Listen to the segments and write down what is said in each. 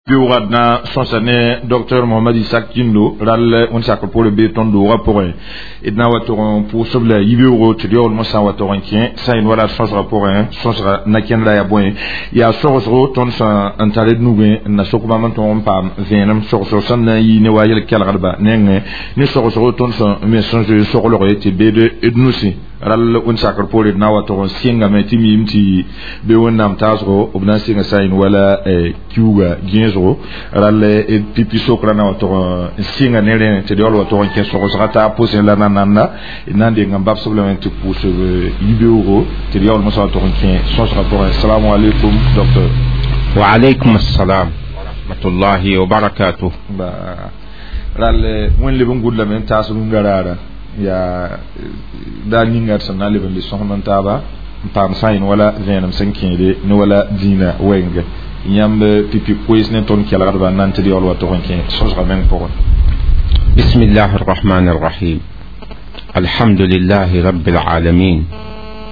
Beoogã d na sõsa ne docteur Mohamad Isak Kindo rall wẽnd sakr poorẽ bee tõnd doogã pʋgẽ d na wa tog n pʋʋsb la yibeoogo tɩ d yaoolmã sã n wa tog n kẽ sã n wala sõsgã pʋgẽ sõsga na-kẽndrã yaa bõe yaa sogsgo tõnd sã n tar d nugẽ n na sok bãmb n tõog n paam vẽenem sogsg sẽn na n yɩ ne wa yel-kelgdba nengẽ ne sogsgo tõnd sẽn me sẽn zoe soglge tɩ beed d nusi rall wẽnd sakr poorẽ d na wa tog n sɩngame tɩ miime tɩ be wẽnnaam taasgo b na n sɩnga sã n wala kiuga gẽesgo rall pipi sokra na wa tog n sɩnga ne rẽ tɩ d yaool wa tog n kẽ sogsga taa pʋsẽ la na nanda d na n deng n babsb lame tɩ pʋʋsb yibeoogo tɩ d yaoolmã sã wa tog n kẽ sõsga pʋgẽ. Assalamu alaikum, docteur. Wa alaykum assalam wa rahmatullahi wa barakatuh. Ba rall wẽnd leb n gʋd lame n taas rũndã raara yaa daa ninga d sẽn na n leb n le sõsem n taaba n paam sã n wala vẽenem sẽn kẽede ne wala dĩinã wɛɛngẽ yãmb pipi koees ne tõnd kelgdba n na n tɩ d yaool wa tog n kẽ sõsga meng pʋgẽ. بسم الله الرحمن الرحيم. الحمد لله رب العالمين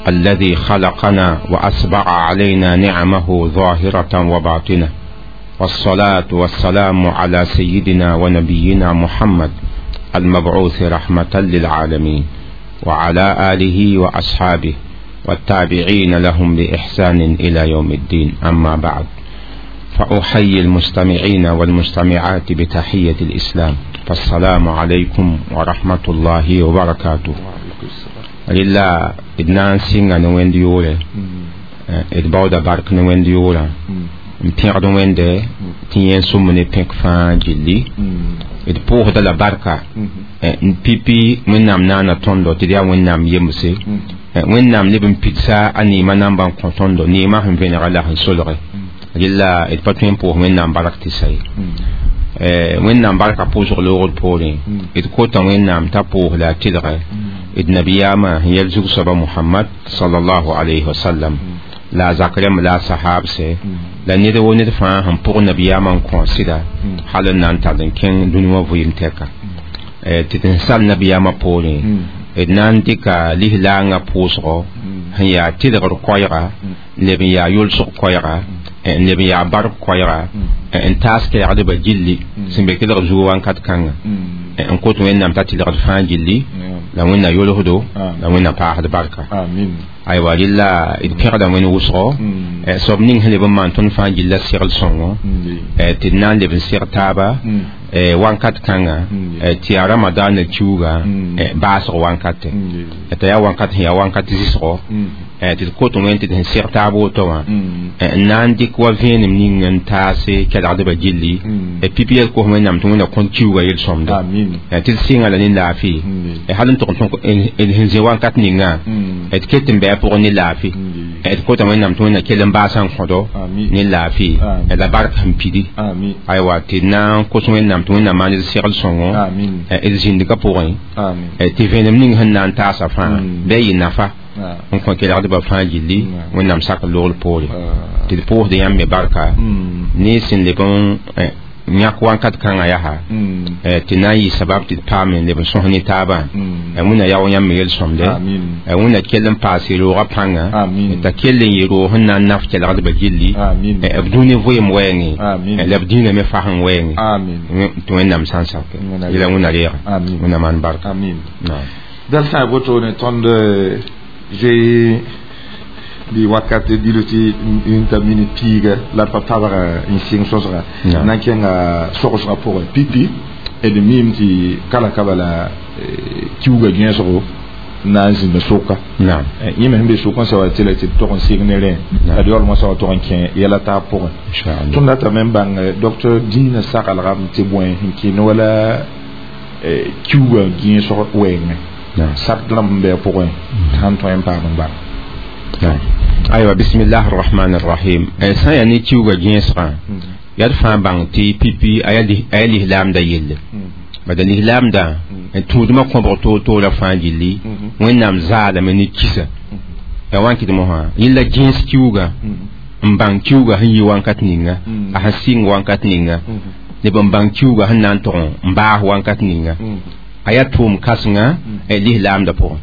الذي خلقنا وأسبغ علينا نعمه ظاهرة وباطنة، والصلاة والسلام على سيدنا ونبينا محمد المبعوث رحمة للعالمين، وعلى آله وأصحابه والتابعين لهم بإحسان إلى يوم الدين. أما بعد، فأحيي المستمعين والمستمعات بتحية الإسلام، فالسلام عليكم ورحمة الله وبركاته. لله إدنان سينغا نوين ديولة إدباودا بارك نوين ديولة n pẽgd wẽnde tɩ yẽ sũm ne pẽk fãa gilli d pʋʋsda la barka n pipi wẽnnaam naana tõndo tɩ d yaa wẽnnaam yemse wẽnnaam leb n pidsa a neemã namba n kõ tõndo neemã sẽn vẽnega la sẽn solge rela d pa tõe n pʋʋs wẽnnaam bark tɩ sa ye wẽnnaam barka pʋʋsg loogd poorẽ d kota wẽnnaam t'a pʋʋs la a tɩlge d nabiyaamã sẽn yɛl zug-soaba Mohamad salallahu alayhi wa sallam la a zak rẽmb la a sahaabse la ned wo ned fãa sẽn pʋg nabiyaamã n kõ sɩda hal n na n tall n kẽng dũni wã vɩɩm tɛka tɩ d sẽn sal nabiyaamã poorẽ d na n dɩka lislaangã pʋʋsgo sẽn yaa tɩlgr koɛɛga n leb n yaa yʋlsg koɛɛga n leb n yaa bark koɛɛga n taas kɛɛgdbã gilli sẽn be kelg zuo wãnkat kãnga n kot wẽnnaam t'a tɩlgd fãa gilli la wẽnna yolsdo la wẽnna paasd barka. Aywa rɩla d pẽgda wẽnd wʋsgo soab ning sẽn leb n maan tõnd fãa gilla segl sõngo tɩ d na n leb n seg taaba wãnkat kãnga tɩ yaa ramadaana kiuga baasg wãnkate t'a yaa wãnkat sẽn yaa wãnkat zɩsgo tɩ d kot wẽnd tɩ d sẽn seg taab woto wã n na n dɩk wa vẽenem ning n taase kelgdbã gilli pipi yel kos wẽnnaam tɩ wẽnna kõn kiuga yel-sõmde tɩ d sɩnga la ne laafɩ hal n tʋg n sẽn zĩ wãnkat ningã d ket n bɩ a pʋgẽ ne laafɩ d kota wẽnnaam tɩ wẽnna kell n baasã n kõdo ne laafɩ la bark sẽn pidi aywa tɩ d na n kos wẽnnaam tɩ wẽnnaam maan d segl sõngo d zĩndgã pʋgẽ tɩ vẽenem ning sẽn na n taasa fãa bɩ a yɩ nafa n kõ kelgdbã fãa gilli wẽnnaam sak loogl poore tɩ d pʋʋsd yãmb me barka ne sẽn leb n yãk wãnkat kãngã yaa tɩ na n yɩ sabab tɩ d paam n leb n sõs ne taabã wẽnna yao yãmb me yel-sõmde wẽnna kell n paase roogã pãnga t'a kell n yɩ roog sẽn na n naf kelgdbã gilli b dũni vɩɩm wɛɛngẽ la b dĩinã me fas n wɛɛngẽ tɩ wẽnnaam sã n sake yela wẽnna reega wẽnna maan barka. Dal sã woto ne tõnd zoe bɩ wakat dilo tɩ n ta minit piiga la d pa tabga n sɩng sõsga na n kẽnga sogsgã pʋgẽ pipi d miime tɩ kala ka bala kiuga gẽesgo na n zĩnda soka yẽ me sẽn be sʋk n sa wa tɩ la tɩ d tog n sɩng ne rẽ la d yaoolmã sã wa tog n kẽ yɛla taab pʋgẽ tõnd datame n bãng docteur dĩinã saglgame tɩ bõe sẽn kɩ ne wala kiuga gẽesg wɛɛngẽ sak rãmb n bɩ a pʋgẽ sãn tõe n paam n bãng. Aywa, bismillah arrahman arrahim. Sã n yaa ne kiuga gẽesgã yaa d fãa bãng tɩ pipi a yaa lislaamda yelle bada lislaamda n tũudmã kõbg toor-toorã fãa gilli wẽnnaam zaalame ne kisa yaa wãn kɩd mosã yẽla gẽes kiuga n bãng kiuga sẽn yi wãnkat ninga a sẽn sɩng wãnkat ninga neb n bãng kiuga sẽn na n tog n baas wãnkat ninga a yaa tʋʋm kãsenga lislaamda pʋgẽ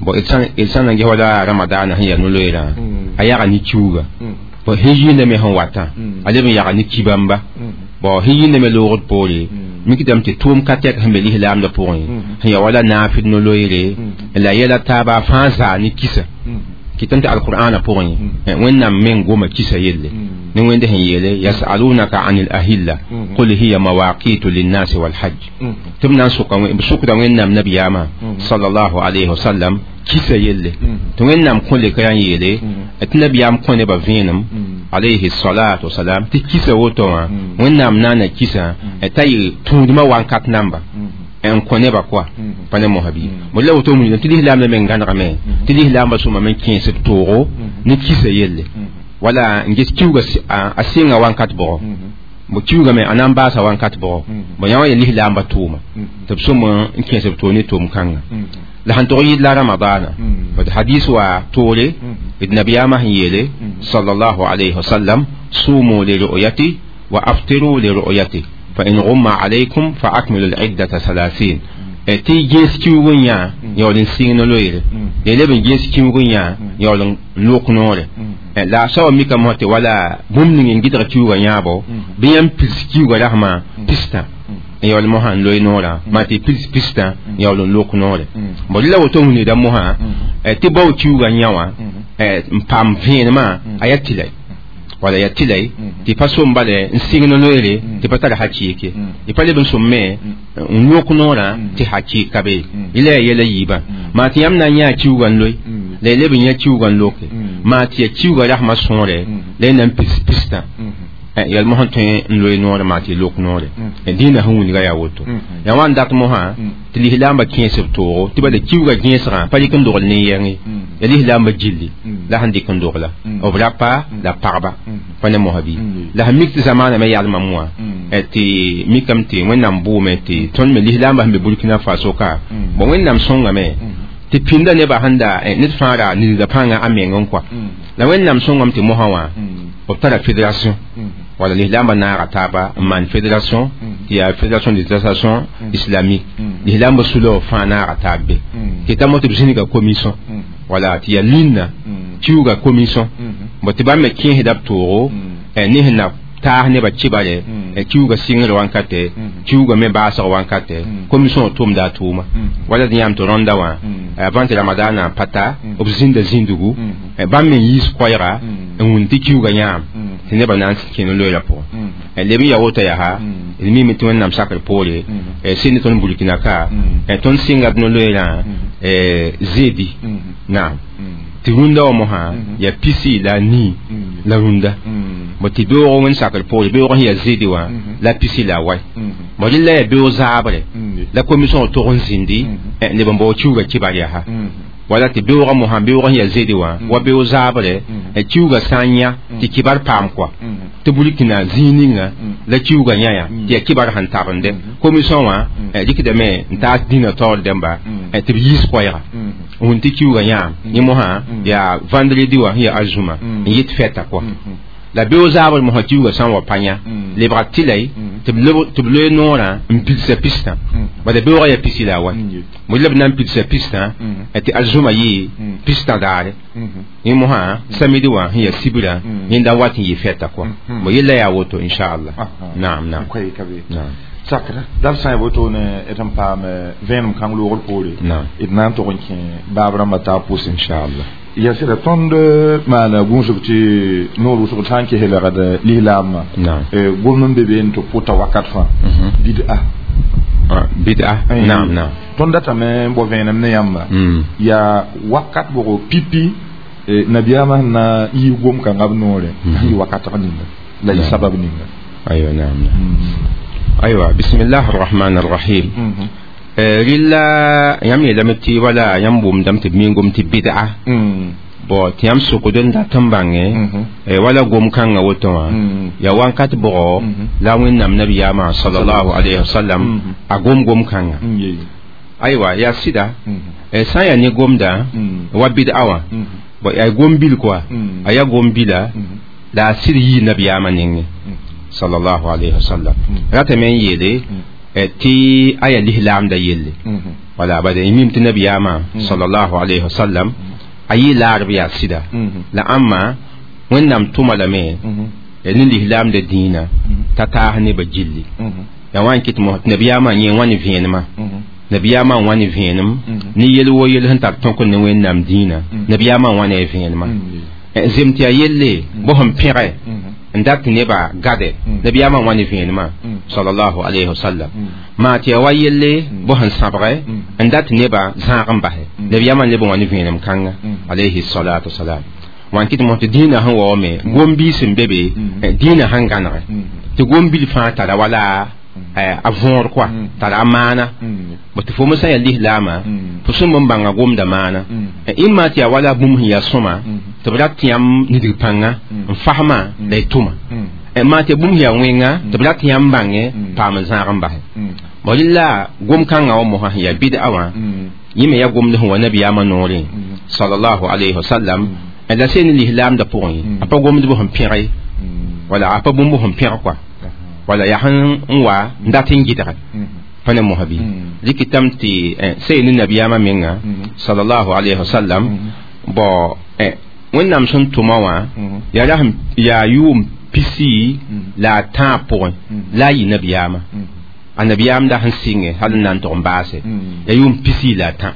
bon d sã n na n ges wala ramadaana sẽn yaa no-loeerã a yaga ne kiuga bon sẽn yɩɩnda me sẽn watã a leb n yaga ne ki-bãmba. Bon hi ne me loogd poore mikdame tɩ tʋʋm ka tɛk sẽn be lislaamdã pʋgẽ sẽn ya wala naafd no-loeere la yɛla taaba fãa zaa ne kisa kɩtame tɩ alqur'ana pʋgẽ wẽnnaam meng goma kisa yelle ne wẽnde sẽn yeele yasalunaka an al-ahilla qul hiya mawaqitu linnasi walhajj tɩ b na n sʋkda wẽnnaam nabiyaamã sallallahu alayhi wa sallam kisa yelle tɩ wẽnnaam kõ leka yaa n yeele tɩ nabiyaam kõ nebã vẽenem alayhi salatu wasalam tɩ kisa woto wã wẽnnaam naana kisa t'a yɩ tũudmã wankat namba n kõ nebã koa pa ne mosã bɩ bõ la woto wilgame tɩ lislaam la meng gãnegame tɩ lislaambã sõma me kẽes b toogo ne kisa yelle wala n ges kiuga a sɩnga wankat bʋgɔ bõ kiugame a na n baasa wankat bʋgɔ bõ yã wã ya lislaambã tʋʋma tɩ b sõm n kẽes b toog ne tʋʋm-kãnga la sẽn tog yɩd la ramadana bd hadis wa toore d nabiyaamã sẽn yeele sallallahu alayhi wa sallam sumu li ru'yati wa aftiru li ru'yati fa in ghumma alaykum fa akmilu al-iddata 30 tɩ gẽes kiuug n yã yaool n sɩng no-loeere la leb n gẽes kiuug n yã yaool n lok noore la a soaba mikame mosã tɩ wala bũmb ning n gɩdg kiuugã yãabo bɩ yãmb pils kiuugã rasmã pistã n yaool mosã n loe noorã maa tɩ pils pistã n yaool n lok noore bõ la woto wilgda mosã tɩ bao kiuugã yã wã n paam vẽenemã a yaa tɩlɛ wala ya tɩlɛ tɩ pa sõm bale n sɩng no-loeere tɩ pa tar hakɩɩke y pa leb n sõm me n yõk noorã tɩ hakɩɩk ka be yẽla yaa yɛla yiibã maa tɩ yãmb na n yãa kiuugã n loe la y leb n yã kiuugã n loke maa tɩ ya kiuugã rasmã sõore la y na n pis pistã yɛl mosã tõe n loe noore maa tɩ y lok noore dĩinã sẽn wilga yaa woto yaa wã n dat mosã tɩ lislaambã kẽes b toogo tɩ bala kiuugã gẽesgã pa rɩk n dogl ne yɛngẽ ya lislaambã gilli la sẽn dɩk n dogla b rapa la pagba pa ne mosã bɩ la sẽn mik tɩ zamaanã me yalmame wã tɩ mikame tɩ wẽnnaam bʋʋme tɩ tõnd me lislaambã sẽn be Burkina Faso ka bõ wẽnnaam sõngame tɩ pĩnda nebã sẽn da ned fãa ra nilda pãnga a meng n kɔa la wẽnnaam sõngame tɩ mosã wã b tara fédération wala lislaambã naaga taaba n maan fédération tɩ yaa fédération des associations islamiques lislaambã sula fãa naaga taab be tɩ ta mo tɩ b zĩniga commission wala tɩ yaa linna kiuga commission bõ tɩ bãmb me kẽesda b toogo ne sẽn na taas nebã kibare kiuga sɩngr wankate kiuga me baasg wankate commission tʋmda a tʋʋma wala d yãam tɩ rõnda wã avant tɩ ramadana pata b zĩnda zĩndugu bãmb me yiis koɛɛga n wũn tɩ kiuga yãam tɩ nebã na n kẽ no-loeerã pʋgẽ leb n ya woto yaa d mime tɩ wẽnnaam sakr poore sɩd ne tõnd Burkina ka tõnd sɩnga d no-loeerã zedi naam tɩ rũndã wã mosã yaa pisi la nii la rũndã bõ tɩ beoog wẽnd sakr poore beoog sẽn yaa zedi wã la pisi la wai bõ rɩ la yaa beoog zaabre la commission tog n zĩndi neb n bao kiuugã kibar yaa wala tɩ beoogã mosã beoog sẽn yaa zedi wã wa beoog zaabre kiuugã sã n yã tɩ kibar paam kɔa tɩ Burkina zĩig ninga la kiuugã yã tɩ yaa kibar sẽn tabende commission wã rɩkdame n taas dĩnã taoor dẽmba tɩ b yiis koɛɛga n wũn tɩ kiuugã yãam yẽ mosã yaa vendredi wã sẽn yaa arzũma n yɩt fɛta kɔa la beoog zaabr mosã kiuugã sã n wa pa yã lebga tɩlɛ tɩ b loe noorã n pilsa pistã bala beoogã yaa pisi la a wa bõ la b na n pilsa pistã tɩ arzũma yɩ pistã daare yẽ mosã samedi wã sẽn yaa sibra yẽnda wat n yɩ fɛta kɔa bõ yella yaa woto inchallah naam naam sakra dal sã n woto ne d n paam vẽenem kãng loogr poore d na n tog n kẽ baab rãmbã taab pʋsẽ inchallah ya sɩda tõnd maana gũusg tɩ noor wʋsg sã n kes lagd lislaambã gom n be be n tɩ pʋta wakat fãa bid'a bid'a naam naam tõnd datame n bao vẽenem ne yãmba yaa wakat bʋgo pipi nabiyaamã sẽn na n yiis gom kãngã b noore sẽn yɩ wakatg ninga la yɩ sabab ninga aywa naam aywa bismillah arrahman arrahim rɩlla yãmb yeelame tɩ wala yãmb wʋmdame tɩ b mingom tɩ bid'a bõ tɩ yãmb sokd n dat n bãnge wala gom-kãngã woto wã yaa wãnkat bʋgɔ la wẽnnaam nabiyaamã sallallahu alayhi wa sallam a gom gom-kãngã aywa yaa sɩda sã n yaa ne gomda wa bid'a wã bõ yaa gom-bil koa a yaa gom-bila la a sɩd yii nabiyaamã nengẽ sallallahu alayhi wa sallam ratame n yeele tɩ a yaa lislaamda yelle wala bala y mim tɩ nabiyaamã sallallahu alayhi wa sallam a yɩ laarb yaa sɩda la ãmba wẽnnaam tʋma lame ni lislaam de dĩinã t'a taas nebã gilli ya wã n kɩt mos tɩ nabiyaamã yẽ wã ne vẽenemã nabiyaamã n wa ne vẽenem ne yel wo yel sẽn tar tõk ne Wẽnnaam dĩinã nabiyaamã n wa ne a vẽenemã zem tɩ yaa yelle bõ sẽn pẽge n dat tɩ nebã gade nabiyaamã n wa ne vẽenemã sallallahu alayhi wa sallam maa tɩ yaa wa yelle bõ sẽn sãbge n dat tɩ nebã zãag n basɛ nabiyaamã n leb n wa ne vẽenem kãnga alayhi salatu wasalam wã n kɩt mos tɩ dĩinã sẽn waoome gom-biis n be be dĩinã sẽn gãnege tɩ gom-bil fãa tara wala a võor kɔa tara a maana bõ tɩ fo me sã n yaa lislaamã fo sẽn n bãnga gomda maana ɩmma tɩ yaa wala bũmb sẽn yaa sõma tɩ b rat tɩ yãmb nidg pãnga n fasmã la y tʋma maa tɩ bũmb sẽn yaa wẽnga tɩ b rat tɩ yãmb bãnge paam n zãag n basɛ bõ rɩla gom-kãngã wã mosã sẽn yaa bɩd'a wã yẽ me yaa gomd sẽn wa nabiyaamã noorẽ sallallahu alayhi wa sallam la sẽn ne lislaamdã pʋgẽ a pa gomd b sẽn pẽge wala a pa bũmb sẽn pẽg kɔa wala yaa sẽn n wa n dat n gɩdge pa ne mosã bɩ rɩkɩtame tɩ sẽn ne nabiyaamã menga sallallahu alayhi wa sallam bõ Wẽnnaam sẽn tʋma wã yaa ra yaa yʋʋm pisi la a tãab pʋgẽ la a yɩ nabiyaamã a nabiyaam da sẽn sɩngẽ hal n na n tog n baase yaa yʋʋm pisi la a tã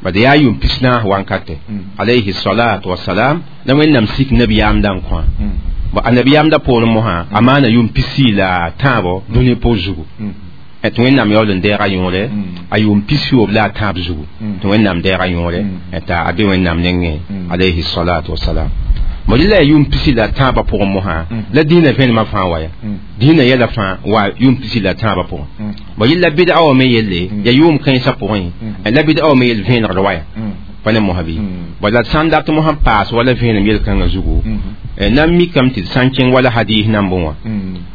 bad yaa yʋʋm pis-naas wankate alayhi salatu wasalam la Wẽnnaam sik nabiyaam da n kõ bõ a nabiyaam da poorẽ mosã a maana yʋʋm pisi la a tãabo dũni poor zugu tɩ Wẽnnaam yaool n deega yõore a yʋʋm pis-yoob la a tãab zugu tɩ Wẽnnaam deega yõore t'a a be Wẽnnaam nengẽ alayhi salatu wasalam bõ rɩla yaa yʋʋm pisi la a tãabã pʋgẽ mosã la dĩinã vẽnemã fãa wa ya dĩinã yɛla fãa wa yʋʋm pisi la a tãabã pʋgẽ bõ yella bɩd'a wã me yelle yaa yʋʋm kãensã pʋgẽ la bɩd'a wã me yell vẽenegd wa ya pa ne mosã bɩ bõ la sã n dat mosã paas wala vẽenem yel-kãngã zugu na n mikame tɩ d sã n kẽng wala hadis nambẽ wã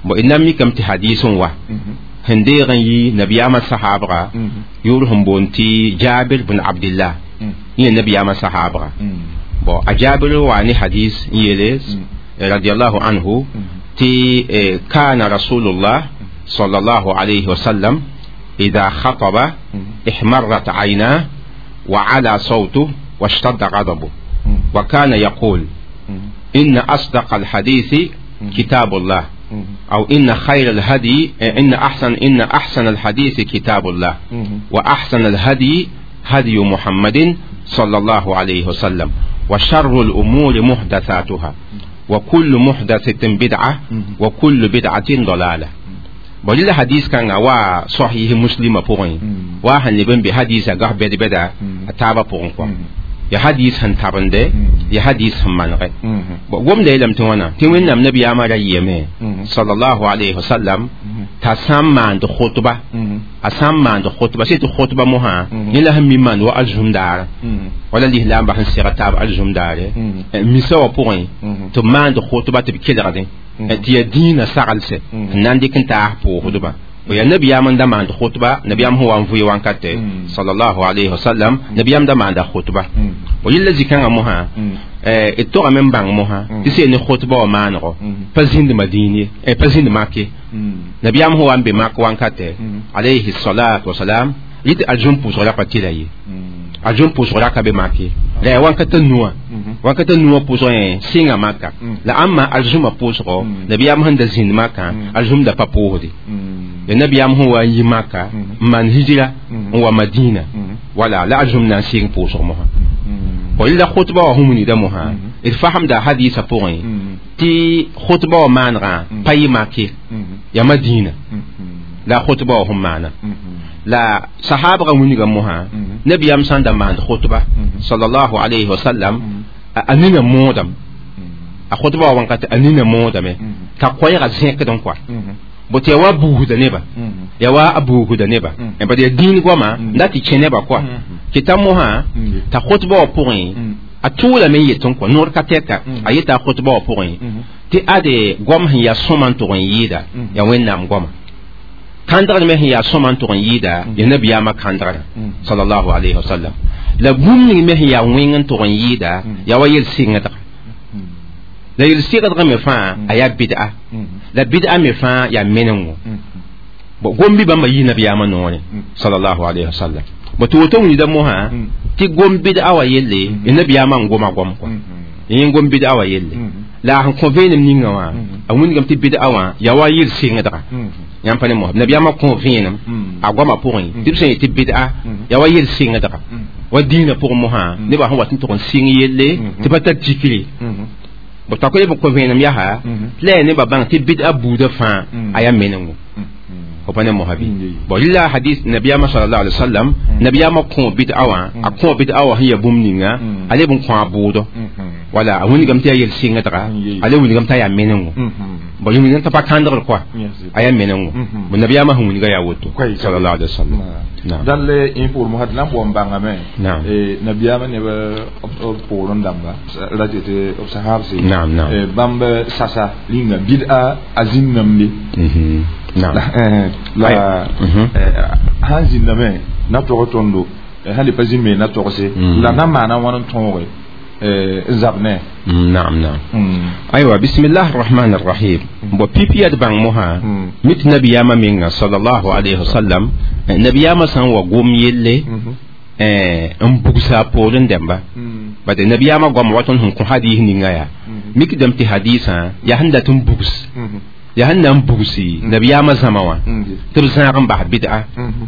bõ d na n mikame tɩ hadis n wa sẽn deeg n yi nabiyaamã sahaabga yʋʋr sẽn boond tɩ Jabir bn Abdillah yẽ nabiyaamã sahaabga bon a Jabir wa ne hadis n yeele radiallahu anhu tɩ kana rasulullah sallallahu alayhi wa sallam إذا خطب احمرت عيناه وعلى صوته واشتد غضبه وكان يقول إن أصدق الحديث كتاب الله أو إن خير الهدي إن أحسن الحديث كتاب الله وأحسن الهدي هدي محمد صلى الله عليه وسلم وشر الأمور محدثاتها وكل محدثة بدعة وكل بدعة ضلالة بل الحديث كان وا صحيح مسلم بوغين وا هنبن بحديث غا بد بدا تابا بوغين كوا ya hadis sẽn tabende ya hadis sẽn manege gomda yeelame tɩ wãna tɩ Wẽnnaam nabiyaamã ra yɩame sallallahu alayhi wa sallam t'a sã n maand khutba a sã n maand khutba sẽ tɩ khutba mosã yẽ la sẽn mi maand wa alzum daara wala lislaambã sẽn seg taab alzum daare misa wã pʋgẽ tɩ b maand khutba tɩ b kelgdẽ tɩ yaa dĩinã saglse n na n dɩk n taas pʋʋsdbã ya nabiyaam n da maand khutba nabiyaam sẽn wa n vʋɩ wankate sallallahu alayhi wa sallam nabiyaam da maanda khutba bo yella zĩ-kãngã mosã d togame n bãng mosã tɩ sẽn ne khutba wã maanego pa zĩnd Madin ye pa zĩnd Mak ye nabiyaam sẽn wa n be Mak wankate alayhi salatu wasalam yɩ tɩ aljũm pʋʋsg ra pa tɩla ye aljũm pʋʋsg ra ka be Mak ye la yaa wankata nuwã wankata nuwã pʋʋsgẽ sɩnga Maka la ãmba aljũmã pʋʋsgo nabiyaam sẽn da zĩnd Makã aljũm da pa pʋʋsde ya nabiyaam sẽn wa n yi Maka n maan hijra n wa Madina wala la aljũm na n sɩng pʋʋsg mosã la khutba wã sẽn wilgda mosã d fasemda hadisã pʋgẽ tɩ khutba wã maanegã pa yɩ Mak ye yaa Madina la khutba wã sẽn maana la sahabga wilga mosã nabiyaam sã n da maand khutba sallallahu alayhi wa sallam a nina moodame a khutba wã wãnkate a nina moodame t'a koɛɛgã zẽkd n kɔa bõ tɩ yaa wa buusda neba yaa wa a buusda neba bad yaa dĩin goama la tɩ kẽ nebã kɔa kɩ t'a mosã t'a khutba wã pʋgẽ a tʋʋlame n yet n kɔ noor ka tɛka a yeta a khutba wã pʋgẽ tɩ ade goam sẽn yaa sõma n tʋg n yɩɩda yaa Wẽnnaam goama kãndgr me sẽn yaa sõma n tʋg n yɩɩda yaa nabiyaamã kãndgrã sallallahu alayhi wa sallam la bũmb ning me sẽn yaa wẽng n tʋg n yɩɩda yaa wa yel-sɩngdga la yel-sɩgdg me fãa a yaa bɩd'a la bɩd'a me fãa yaa menengo bõ gom-bi bãmba yɩ nabiyaamã noorẽ sallallahu alayhi wa sallam bõ tɩ woto wilgda mosã tɩ gom bɩd'a wã yelle ya nabiyaamã n goma goam kɔa yẽ gom bɩd'a wã yelle La sẽn kõ vẽenem ninga wã a wĩndgame tɩ bɩd'a wã yaa wa yel sɩngdga yãmb pa ne mosã nabiyaamã kõ vẽenem a goamã pʋgẽ tɩ b sẽn yet tɩ bɩd'a yaa wa yel sɩngdga wa dĩinã pʋgẽ mosã nebã sẽn wat n tʋg n sɩng yelle tɩ pa tar tikre b ta ko b kõ vẽenem yaa tɩ la yaa nebã bãng tɩ bɩd'a buudã fãa a yaa menengo fo pa ne mosã bɩ bon rɩla hadis nabiyaamã sallallahu alaihi wasallam nabiyaamã kõ bɩd'a wã a kõ bɩd'a wã sẽn yaa bũmb ninga a leb n kõ a bʋʋdɔ wala a wĩndgame tɩ yaa yel sɩngdga a le wĩndgame t'a yaa menengo bon wĩndgame t'a pa kãndgr koa a yaa menengo bon nabiyaamã sẽn wĩndga yaa woto sallallahu alaihi wasallam. Dal in pour mo hadna bo mbanga me nabiyaamã neb b poorẽ dãmba ra tɩ b sahabse bãmb sasa rĩnga bɩd'a a zĩnnamde la sãn zĩndame na tog tõndo sãn le pa zĩnme na togse la na maana wãn n tõoge n zab ne. نعم نعم أيوة بسم الله الرحمن الرحيم بو بيبي بان موها مت نبي ياما مينغا صلى الله عليه وسلم نبي ياما سان وغوم يلي n bugsa poorẽ dẽmba bad nabiyaamã goam wa tõnd sẽn kõ hadis ninga yaa mikdame tɩ hadisã yaa sẽn dat n bugs yaa sẽn na n bugsi nabiyaamã zãma wã tɩ b zãag n bas bɩd'a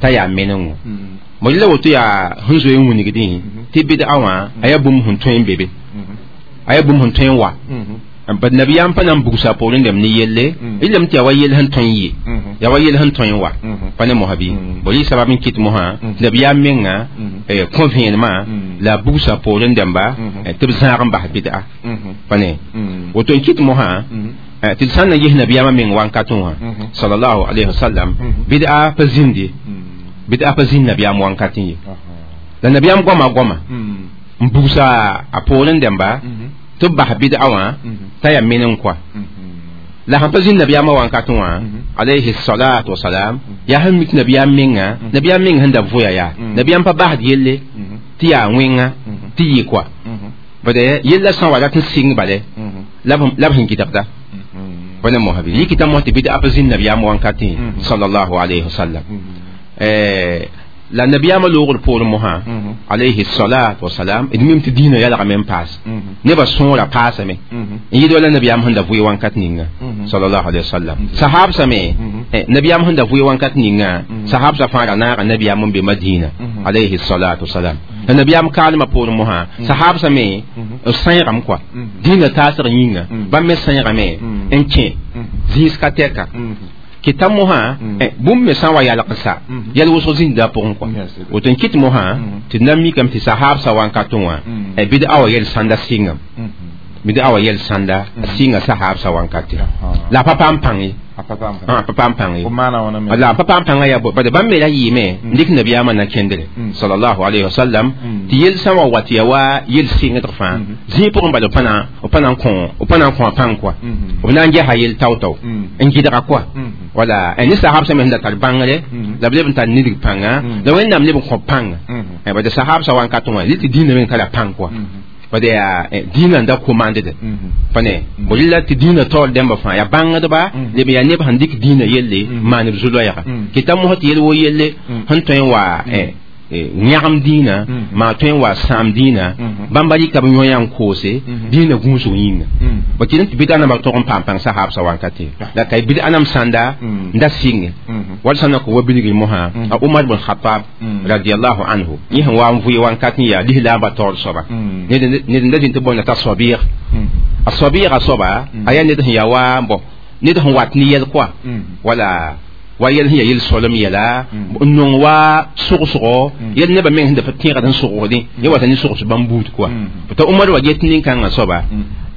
t'a yaa menengo bõ la woto yaa sẽn zoe n wingdẽ tɩ bɩd'a wã a yaa bũmb sẽn tõe n be be a yaa bũmb sẽn tõe n wa bad nabiyaam pa na n bugsa poorẽ dẽmb ne yelle rɩlame tɩ yaa wa yell sẽn tõe n yɩ yaa wa yell sẽn tõe n wa pa ne mosã bɩ bõ rɩ sabab n kɩt mosã nabiyaam menga kõ vẽenemã la a bugsa poorẽ dẽmba tɩ b zãag n bas bɩd'a pa ne woto n kɩt mosã tɩ d sã n na ges nabiyaamã meng wankatẽ wã sallallahu alayhi wasallam bɩd'a pa zĩnde bɩd'a pa zĩnd nabiyaam wankatẽ ye la nabiyaam goama goama n bugsa a poorẽ dẽmba tɩ b bas bɩd'a wã t'a yaa men n koa la sãn pa zĩnd nabiyaamã wankatẽ wã alayhi salatu wasalam yaa sẽn mik nabiyaam menga nabiyaam meng sẽn da vʋya yaa nabiyaam pa basd yelle tɩ yaa wẽnga tɩ yɩ koa bad yella sã n wa rat n sɩng bale la b sẽn gɩdgda pa ne mosã bɩ yikita mos tɩ bɩd'a pa zĩnd nabiyaam wankatẽ sallallahu alayhi wasallam la nabiyaamã loogr poorẽ mosã alayhi salatu wasalam d mim tɩ dĩinã yalgame n paas nebã sõora paasame n yɩɩd wala nabiyaam sẽn da vʋɩ wankat ninga sallallahu alayhi wasallam sahabsã me nabiyaam sẽn da vʋɩ wankat ninga sahabsã fãa ra naaga nabiyaam n be madina alayhi salatu wasalam la nabiyaam kaalmã poorẽ mosã sahabsã me b sãeegame koa dĩinã taasg yĩnga bãmb me sãeegame n kẽ zĩis ka tɛka kɩta mosã bũmb me sã n wa yalg n sa yɛl wʋsg zĩnda pʋgẽ kɔa woto n kɩt mosã tɩ d na mikame tɩ sahabsã wankatẽ wã bɩd'a wa yɛl sãnda sɩngame bɩd'a wa yɛl sãnda a sɩnga sahabsã wankate la a pa paam pãng ye a pa paam pãng ye la a pa paam pãngã yaa bad bãmb me ra yɩɩme n dɩk nabiyaamã na kẽndre sallallahu alayhi wa sallam tɩ yel sã n wa wat yaa wa yel sɩngdg fãa zĩig pʋgẽ bala b pa na n kõ a pãng koa b na n gesa yel tao-tao n gɩdga koa wala ne sahabsã me sẽn da tar bãngre la b leb n tar nidg pãnga la Wẽnnaam leb n kõ pãnga bad sahabsã wankatẽ wã tɩ dĩinã meng tara pãng koa bad yaa dĩinã n da komandde pa ne bõ rɩla tɩ dĩinã taoor dẽmbã fãa yaa bãngdba leb yaa neb sẽn dɩk dĩinã yelle n maan b zu-loɛɛga kɩta mosã tɩ yel wo yelle sẽn tõe n wa yãgem dĩinã maa tõe n wa sãam dĩinã bãmba rɩka b yõ-yã n koose dĩinã gũusg yĩnga ba kɩd n tɩ bɩd'a nambã tog n paam pãng sahaabsã wankate la ka bɩd'a nam sãnda n da sɩnge wall sã n na kõ wa bilgr mosã a Umar bn Khatab radiallahu anhu yẽ sẽn wa n vʋɩ wankat n yaa lislaambã taoor soaba ned n da zĩnd tɩ bõnda t'a soabɩɩg a soabɩɩgã soaba a yaa ned sẽn yaa wa bõ ned sẽn wat ne yɛl koa wala wa yɛl sẽn yaa yel solem yɛla n nong wa sogsgo yɛl nebã meng sẽn da pa tẽegd n sogsdẽ yẽ wata ne sogs bãmb buud koa t'a Umar wa get nin-kãngã soaba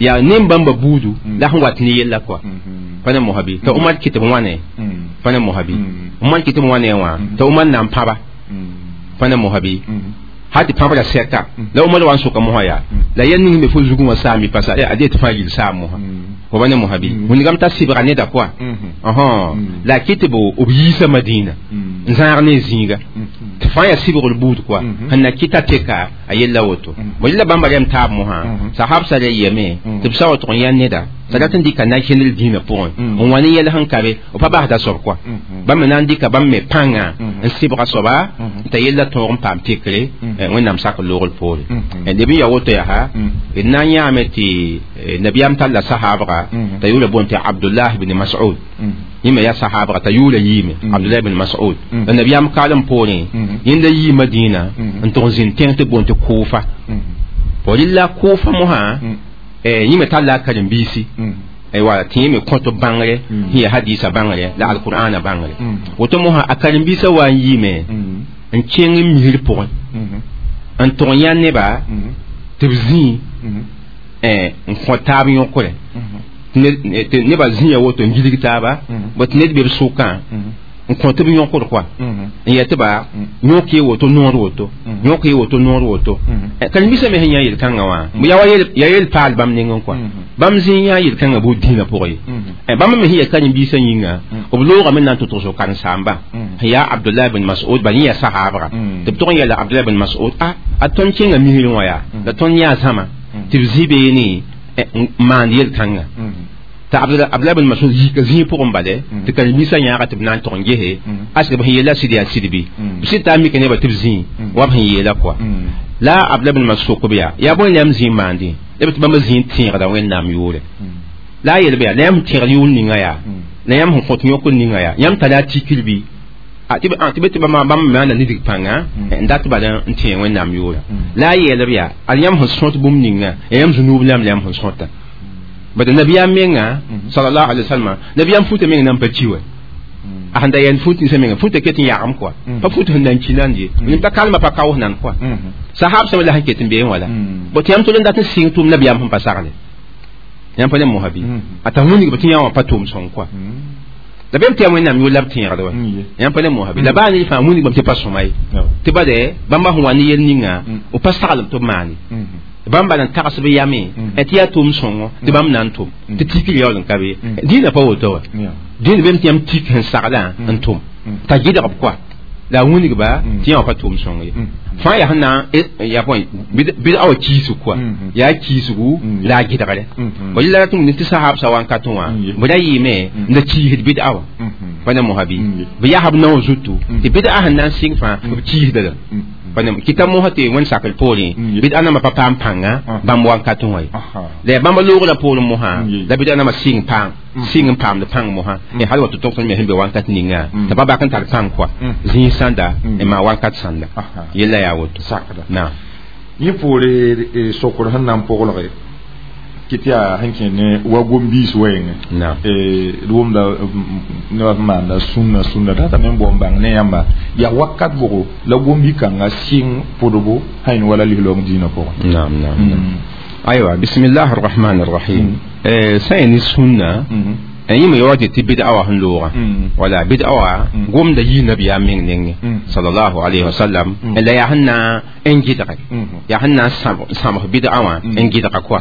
yaa nen bãmba buudu la sẽn wat ne yella koa pa ne mosã bɩ t'a Umar kɩt b wãne pa ne mosã bɩ Umar kɩt b wãne wã t'a Umar na n pãba pa ne mosã bɩ hal tɩ pãbrã sɛka la Umar wa n soka mosã yaa la yɛl ning me fo zugẽ wã saam pasa a dee tɩ fãa yil saam mosã fo ba ne mosã bɩ wĩndgame t'a sɩbga neda koa la a kɩt tɩ b yiisa Madina. N zãag ne zĩiga tɩ fãa yaa sɩbgr buud kɔa sẽn na kɩta teka a yella woto bõ yella bãmba rem taab mosã sahabsã ra yeme tɩ b sa wa tʋg n yã neda t'a rat n dɩka na-kẽndr dĩinã pʋgẽ n wa ne yɛl sẽn ka be b pa basda soab kɔa bãmb me na n dɩka bãmb me pãnga n sɩbga soaba t'a yella tõog n paam tekre wẽnnaam sak loogr poore leb n ya woto yaa d na n yãame tɩ nabiyaam talla sahabga t'a yʋʋra boond tɩ Abdullah ibn Mas'ud yẽ me yaa sahabga t'a yʋʋra yiime Abdullah ibn Mas'ud la nabiyaam kaalem poorẽ yẽnda yii Madina n tʋg n zĩnd tẽng tɩ boond tɩ Kufa bõ rɩla Kufa mosã yẽ me talla a karen-biisi wala tɩ yẽ me kõt b bãngre sẽn yaa hadiisã bãngre la alqur'ana bãngre woto mosã a karen-biisã wa n yiime n kẽng n misr pʋgẽ n tʋg n yã neba tɩ b zĩ n kõ taab yõkre tɩ nebã zĩya woto n gilg taaba bõ tɩ ned be b sʋkã n kõ tɩ b yõkr kɔa n yɛ tɩ ba yõk ye woto noor woto yõk ye woto noor woto karen-biisã me sẽn yã yel-kãngã wã yaa yel paal bãmb nengẽ kɔa bãmb zĩ yã yel-kãngã bʋ dĩinã pʋgẽ ye bãmb me sẽn ya karen-biisã yĩnga b loogame na n tʋ tʋgso karen-saamba sẽn yaa Abdullah ibn Mas'ud bal yẽ yaa sahaabga tɩ b tʋg n yɛla Abdullah ibn Mas'ud a tõnd kẽnga misrẽ wã yaa la tõnd yã zãma tɩ b zĩ beene n maand yel-kãnga t'a Abdullah ibn Mas'ud yika zĩig pʋgẽ bale tɩ karen-biisã yãaga tɩ b na n tʋg n gese a sɩd b sẽn yeela sɩd yaa sɩd bɩ b sɩd t'a mika nebã tɩ b zĩig wa b sẽn yeela kɔa la Abdullah ibn Mas'ud sok b yaa bõe la yãmb zĩig maandẽ la b tɩ bãmb zĩig tẽegda Wẽnnaam yʋʋre la a yel-b yaa la yãmb sẽn tẽegd yʋʋr ninga yaa la yãmb sẽn kõt yõkr ninga yaa yãmb tara a tikr bɩ tɩ be tɩ bãmb me maanda nidg pãnga n dat bala n tẽeg Wẽnnaam yʋʋra la a yeelb yaa ad yãmb sẽn sõt bũmb ninga ya yãmb zũnuub lamb la yãmb sẽn sõta bad nabiyaam menga sallallahu alaihi wasallam nabiyaam futa menga nan pa ki wa a sẽn da yɛn fut ninsã menga futa ket n yagem kɔa pa fut sẽn nan ki nan ye nin pa kalma pa kaoos nan kɔa sahab sẽm la sẽn ket n beẽ wala bõ tɩ yãmb tol n dat n sɩng tʋʋm nabiyaam sẽn pa sagle yãmb pa le mosa bɩ a t'a wĩnigb tɩ yã wã pa tʋʋm sõng kɔa la bem tɩ yaa Wẽnnaam yʋʋr la b tẽegd wa yãmb pa le mosa bɩ la baa ned fãa wĩngbame tɩ pa sõma ye tɩ bade bãmba sẽn wa ne yel ninga b pa saglem tɩ b maane bãmb bala n tags b yame tɩ yaa tʋʋm sõngo tɩ bãmb na n tʋm tɩ tikr yaool n ka be dĩinã pa woto wa dĩin bem tɩ yãmb tik sẽn saglã n tʋm t'a gɩdg b kɔa la a wĩnigba tɩ yã wã pa tʋʋm sõng ye fãa yaa sẽn na yaa bõe bɩd a wa kiisg kɔa yaa kiisgu la a gɩdgre bõ yella rat n tɩ sahabsã wãnkatẽ wã b ra yɩɩme n da kiisd bɩd a wã pa ne mosa bɩ b yasb naoor zutu tɩ bɩd a sẽn na n sɩng fãa b kiisda la kita mosa tɩ wẽnd sakr poorẽ bɩd a namba pa paam pãnga bãmb wankatẽ wã ye la yaa bãmba loogrã poorẽ mosã la bɩd a namba sɩng pãng sɩng n paamd pãng mosã hal wa tɩ tog me sẽn be wankat ninga t'a pa bak n tar pãng kɔa zĩig sãnda n maa wankat sãnda yella yaa woto sakda naam yẽ poore sokr sẽn na n pʋglge kɩ tɩ yaa sẽn kẽ ne wa gom-biis wɛɛngẽ d wʋmda nebã sẽn maanda sũnna sũnna ratame n bao n bãng ne yãmba yaa wakat bʋgo la gom-bi-kãngã sɩng pʋdbo sãn wala lislaoong dĩinã pʋgẽ naam naam aywa bismillah arrahman arrahim sã yaa ne sũnna yẽ me yaood tɩ bɩd'a wã sẽn looga wala bɩd'a wã gomda yii nabiyaam meng nengẽ sallallahu alayhi wa sallam la yaa sẽn na n gɩdge yaa sẽn na n sãbs bɩd'a wã n gɩdga kɔa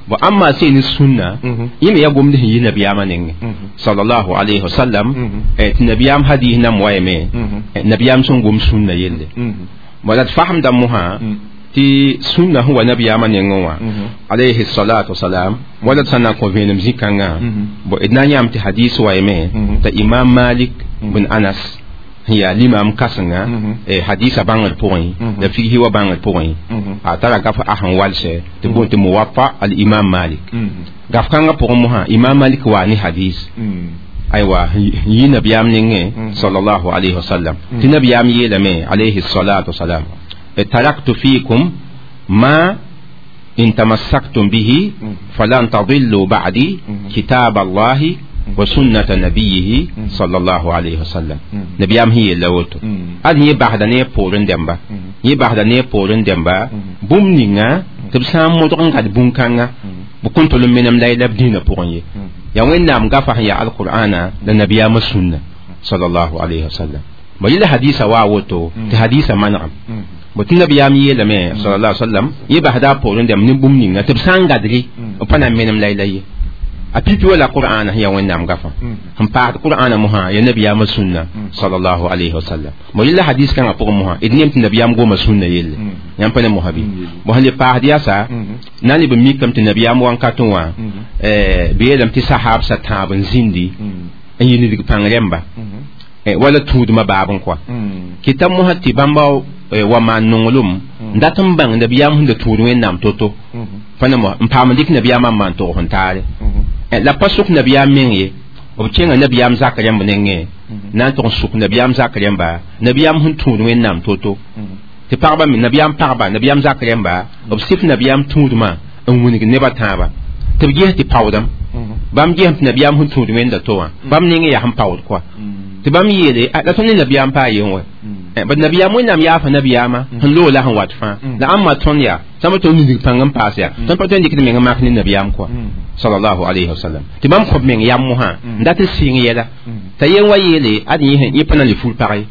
bõ amma sẽn ne sũnna yẽ me yaa gomd sẽn yi nabiyaamã nengẽ sallallahu alayhi wa sallam tɩ nabiyaam hadis nam wayame nabiyaam sẽn gom sũnna yelle wala d fasemda mosã tɩ sũnna sẽn wa nabiyaamã nengẽ wã alayhi salatu wasalam wala d sã na n kõ vẽenem zĩ-kãngã bõ d na n yãam tɩ hadis wayame t'a imam Malik bin Anas sẽn yaa limam kãsenga hadisa bãngr pʋgẽ la figsi wa bãngr pʋgẽ a tara gaf a sẽn walsɛ tɩ boond tɩ Muwatta al imam Malik gaf kãngã pʋgẽ mosã imam Malik waa ne hadis aywa yi nabiyaam nengẽ sallallahu alayhi wasallam tɩ nabiyaam yeelame alayhi salatu wasalam تركت فيكم ما إن تمسكتم به فلن تضلوا بعدي كتاب الله وسنة نبيه صلى الله عليه وسلم نبيام هي لوتو أن هي بعد ني بورن دمبا هي بعد ني بورن دمبا بوم نينا تبسام مدرن قد بوم كانغا بكون تلم منم لا يلب دين بورن يا وين نام غفا يا القرآن لنبيام السنة صلى الله عليه وسلم وإلا حديث واوتو تحديث منعم bõ tɩ nabiyaam yeelame sallallahu alaihi wasallam yẽ basda a poorẽ dãmb ne bũmb ninga tɩ b sã n gadre b pa na n menem la ye A pipi wala qur'ana ya wẽnnaam gafã sẽn paasd qur'ana mosã ya nabiyaamã sũnna sallallahu alayhi wa sallam. Bo yella hadis kãngã pʋgẽ mosã d neem tɩ nabiyaam goma sũnna yelle. Yãmb pa ne mosã bɩ bo sẽn le paasd yasa na n leb n mikame tɩ nabiyaam wãnkatẽ wã bɩ yeelame tɩ sahaabsã tãab n zĩndi n yɩ nidg pãng rẽmba wala tũudmã baab n kɔa kɩta mosã tɩ bãmba wa maan nonglem n dat n bãng nabiyaam sẽn da tũud wẽnnaam to-to pa ne n paam n dɩk nabiyaamã n maan tog sẽn taare la pa sʋk nabiyaam meng ye b kẽnga nabiyaam zak rẽmb nengẽ na n tʋg n sʋk nabiyaam zak rẽmba nabiyaam sẽn tũud wẽnnaam to-to tɩ pagba me nabiyaam pagba nabiyaam zak rẽmba b sɩf nabiyaam tũudmã n wilg nebã tãabã tɩ b ges tɩ paoodame bãmb gesem tɩ nabiyaam sẽn tũud wẽnda to wã bãmb nengẽ yaa sẽn paood kɔa tɩ bãmb yeele la tõnd ne nabiyaam paa yen wɛ bad nabiyaam wẽnnaam yaafa nabiyaamã sẽn loog la sẽn wat fãa la ãmba tõnd yaa sãmba tõnd nidg pãng n paas yaa tõnd pa tõe n dɩk d meng n mak ne nabiyaam kɔa sallallahu alayhi wa sallam. Tɩ bãmb kõb meng yam mosã n dat n sɩng yɛla t'a yen wa yeele ad yẽ pa na n le ful pag ye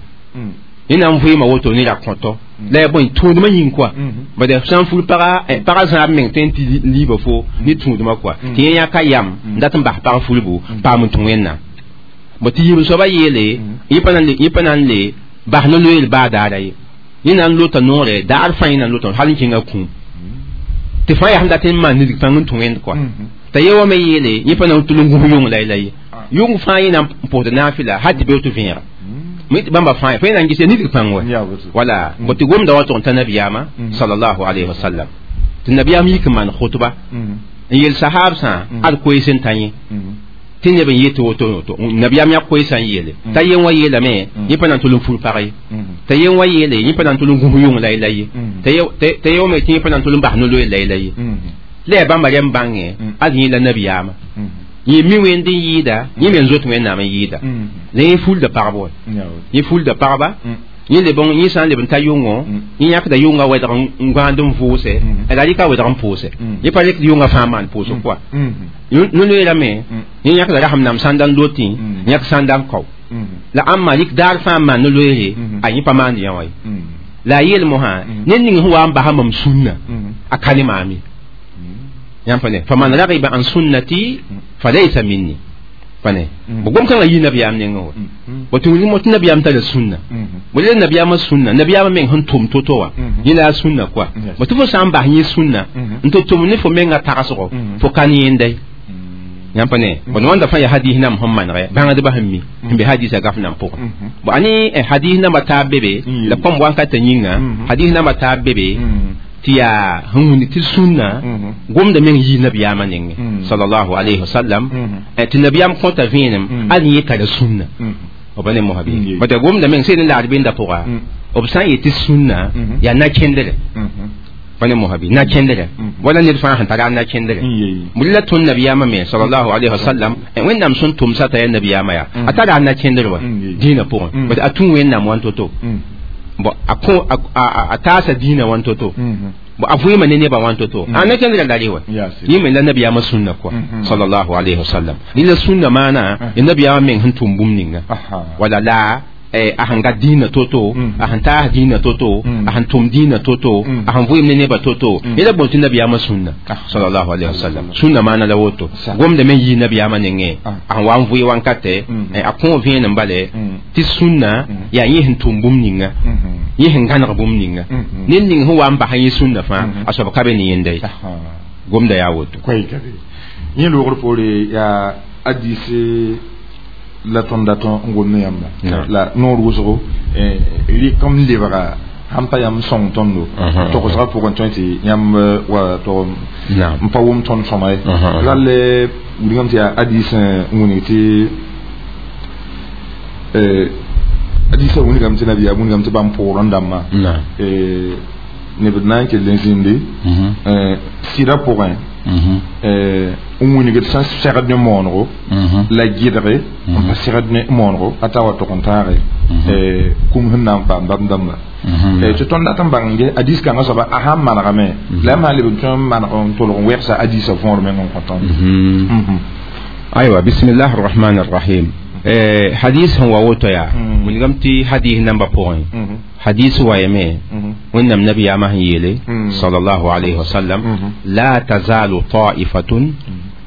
yẽ na n vɩɩma woto ne ra kõtɔ la ya bõe tũudmã yĩng kɔa bad sã n ful paga pagã zãab meng tõe n tɩ liiba fo ne tũudmã kɔa tɩ yẽ yãka yam n dat n bas pag fulbu paam n tũ wẽnnaam bo tɩ yib soaba yeele yẽ pa na n le bas no-loeel baa daara ye yẽ na n lota noore daar fãa yẽ na n lota hal n kẽnga kũum tɩ fãa yaa sẽn dat n maan nidg pãng n tũ wẽnd kɔa t'a ye wa me yeele yẽ pa na n tʋl n gũs yʋng la ye yʋng fãa yẽ na n pʋsd naafɩla hal tɩ beoog tɩ vẽega bãmba fãa fo yẽ na n ges nidg pãng wa wala bo tɩ gomda wa tʋg n ta nabiyaamã sallallahu alayhi wa sallam tɩ nabiyaam yik n maan khutba n yel sahaabsã ad koees n ta yẽ tɩ neb n yet woto woto nabiyaam yã koeesã n yeele t'a yen wa yeelame yẽ pa na n tʋl n ful pag ye t'a yen wa yeele yẽ pa na n tʋl n gũs yʋng la la ye t'a ye wame tɩ yẽ pa na n tʋl n bas no-loeel la la ye la yaa bãmba rẽmb bãngẽ ad yẽ la nabiyaamã yẽ mi wẽnd n yɩɩda yẽ me n zoet wẽnnaam n yɩɩda la yẽ fulda pagb wa yẽ fulda pagba yẽ leb yẽ sã n leb n ta yʋngõ yẽ yãkda yʋngã wɛdg n gãand n vʋʋse la rɩka wɛdg n pʋʋse yẽ pa rɩkd yʋngã fãa maan pʋʋsg kɔa no-loeelame yẽ yãkda rasem nam sãnda n lotẽ yãk sãnda n kao la ãmba rɩk daar fãa n maan no-loeere a yẽ pa maand yã wa ye la a yeel mosã ned ning sẽn wa n basa mam sũnna a ka ne maam ye yãmb pa ne faman ragiba an sunnati falaysa minni pa ne bo gom kãngã yɩ nabiyaam nengẽ wa bo tɩ wilg tɩ nabiyaam tara sũnna bo le nabiyaamã sũnna nabiyaamã meng sẽn tʋm to-to wã yẽ la a sũnna kɔa bo tɩ fo sã n bas yẽ sũnna n tɩ tʋm ne fo mengã tagsgo fo ka ne yẽnda ye yãmb pa ne bo wãnda fãa yaa hadis nam sẽn manegɛ bãngdbã sẽn mi sẽn be hadisã gaf nam pʋgẽ bo ane hadis nambã taab be be la kõm wankatã yĩnga hadis nambã taab be be tɩ yaa sẽn wĩnd tɩ sũnna gomda meng yii nabiyaamã nengẽ sallallahu alayhi wa sallam tɩ nabiyaam kõta vẽenem ad yẽ tara sũnna b pa ne mosã bɩ bata gomda meng sẽn laad benda pʋga b sã n yet tɩ sũnna yaa na-kẽndrɛ pa ne mosã bɩ na-kẽndrɛ wala ned fãa sẽn tara a na-kẽndrɛ bʋ la tõnd nabiyaamã me sallallahu alayhi wa sallam wẽnnaam sẽn tʋmsa t'a yaa nabiyaamã yaa a tara a na-kẽndr wa dĩinã pʋgẽ bat a tũ wẽnnaam wan to-to bo a kõ a taasa dĩinã wan to-to bo a vɩɩmã ne nebã wan to-to a na-kẽndrã la rɩ wa yẽ me la nabiyaamã sũnna kɔa sallallahu alayhi wa sallam rɩ la sũnna maana ya nabiyaamã meng sẽn tʋm bũmb ninga wala la a sẽn gat dĩinã to-to a sẽn taas dĩinã to-to a sẽn tʋm dĩinã to-to a sẽn vɩɩm ne nebã to-to yẽ la boond tɩ nabiyaamã sũnna sallallahu alayhi wa sallam sũnna maana la woto gomda me yii nabiyaamã nengẽ a sẽn wa n vɩɩ wankatɛ a kõ vẽenem bale tɩ sũnna yaa yẽ sẽn tʋm bũmb ninga yẽ sẽn gãneg bũmb ninga ned ning sẽn wa n bas yẽ sũnna fãa a soab ka be ne yẽnda ye gomda yaa woto yẽ loogr poore yaa hadise la tõnd dat n gom ne yãmba la noor wʋsgo rɩk n lebga sãn pa yãmb sõng tõndo togsgã pʋgẽ tõe tɩ yãmb wa tog n pa wʋm tõnd sõma ye rall wilgame tɩ yaa hadis n wilg tɩ hadisã wilgame tɩ nabiyaam wilgame tɩ bãmb pʋʋrẽ dãmbã neb na n kell n zĩndi sɩdã pʋgẽ n wilgd sẽn segd ne moonego la gɩdge n pa segd ne moonego a ta wa tog n tãage kũm sẽn na n paam bãmb dãmba tɩ tõnd dat n bãng hadis kãngã soaba a sãn manegame la yãmb sã n leb n tõe n maneg n tʋlg n wɛgsa hadisã võor meng n kõ tõnd aywa bismillah arrahman arrahim hadis sẽn wa woto yaa wilgame tɩ hadis nambã pʋgẽ hadis wa yame wẽnnaam nabiyaamã sẽn yeele sallallahu alayhi wa sallam la tazalu ta'ifatun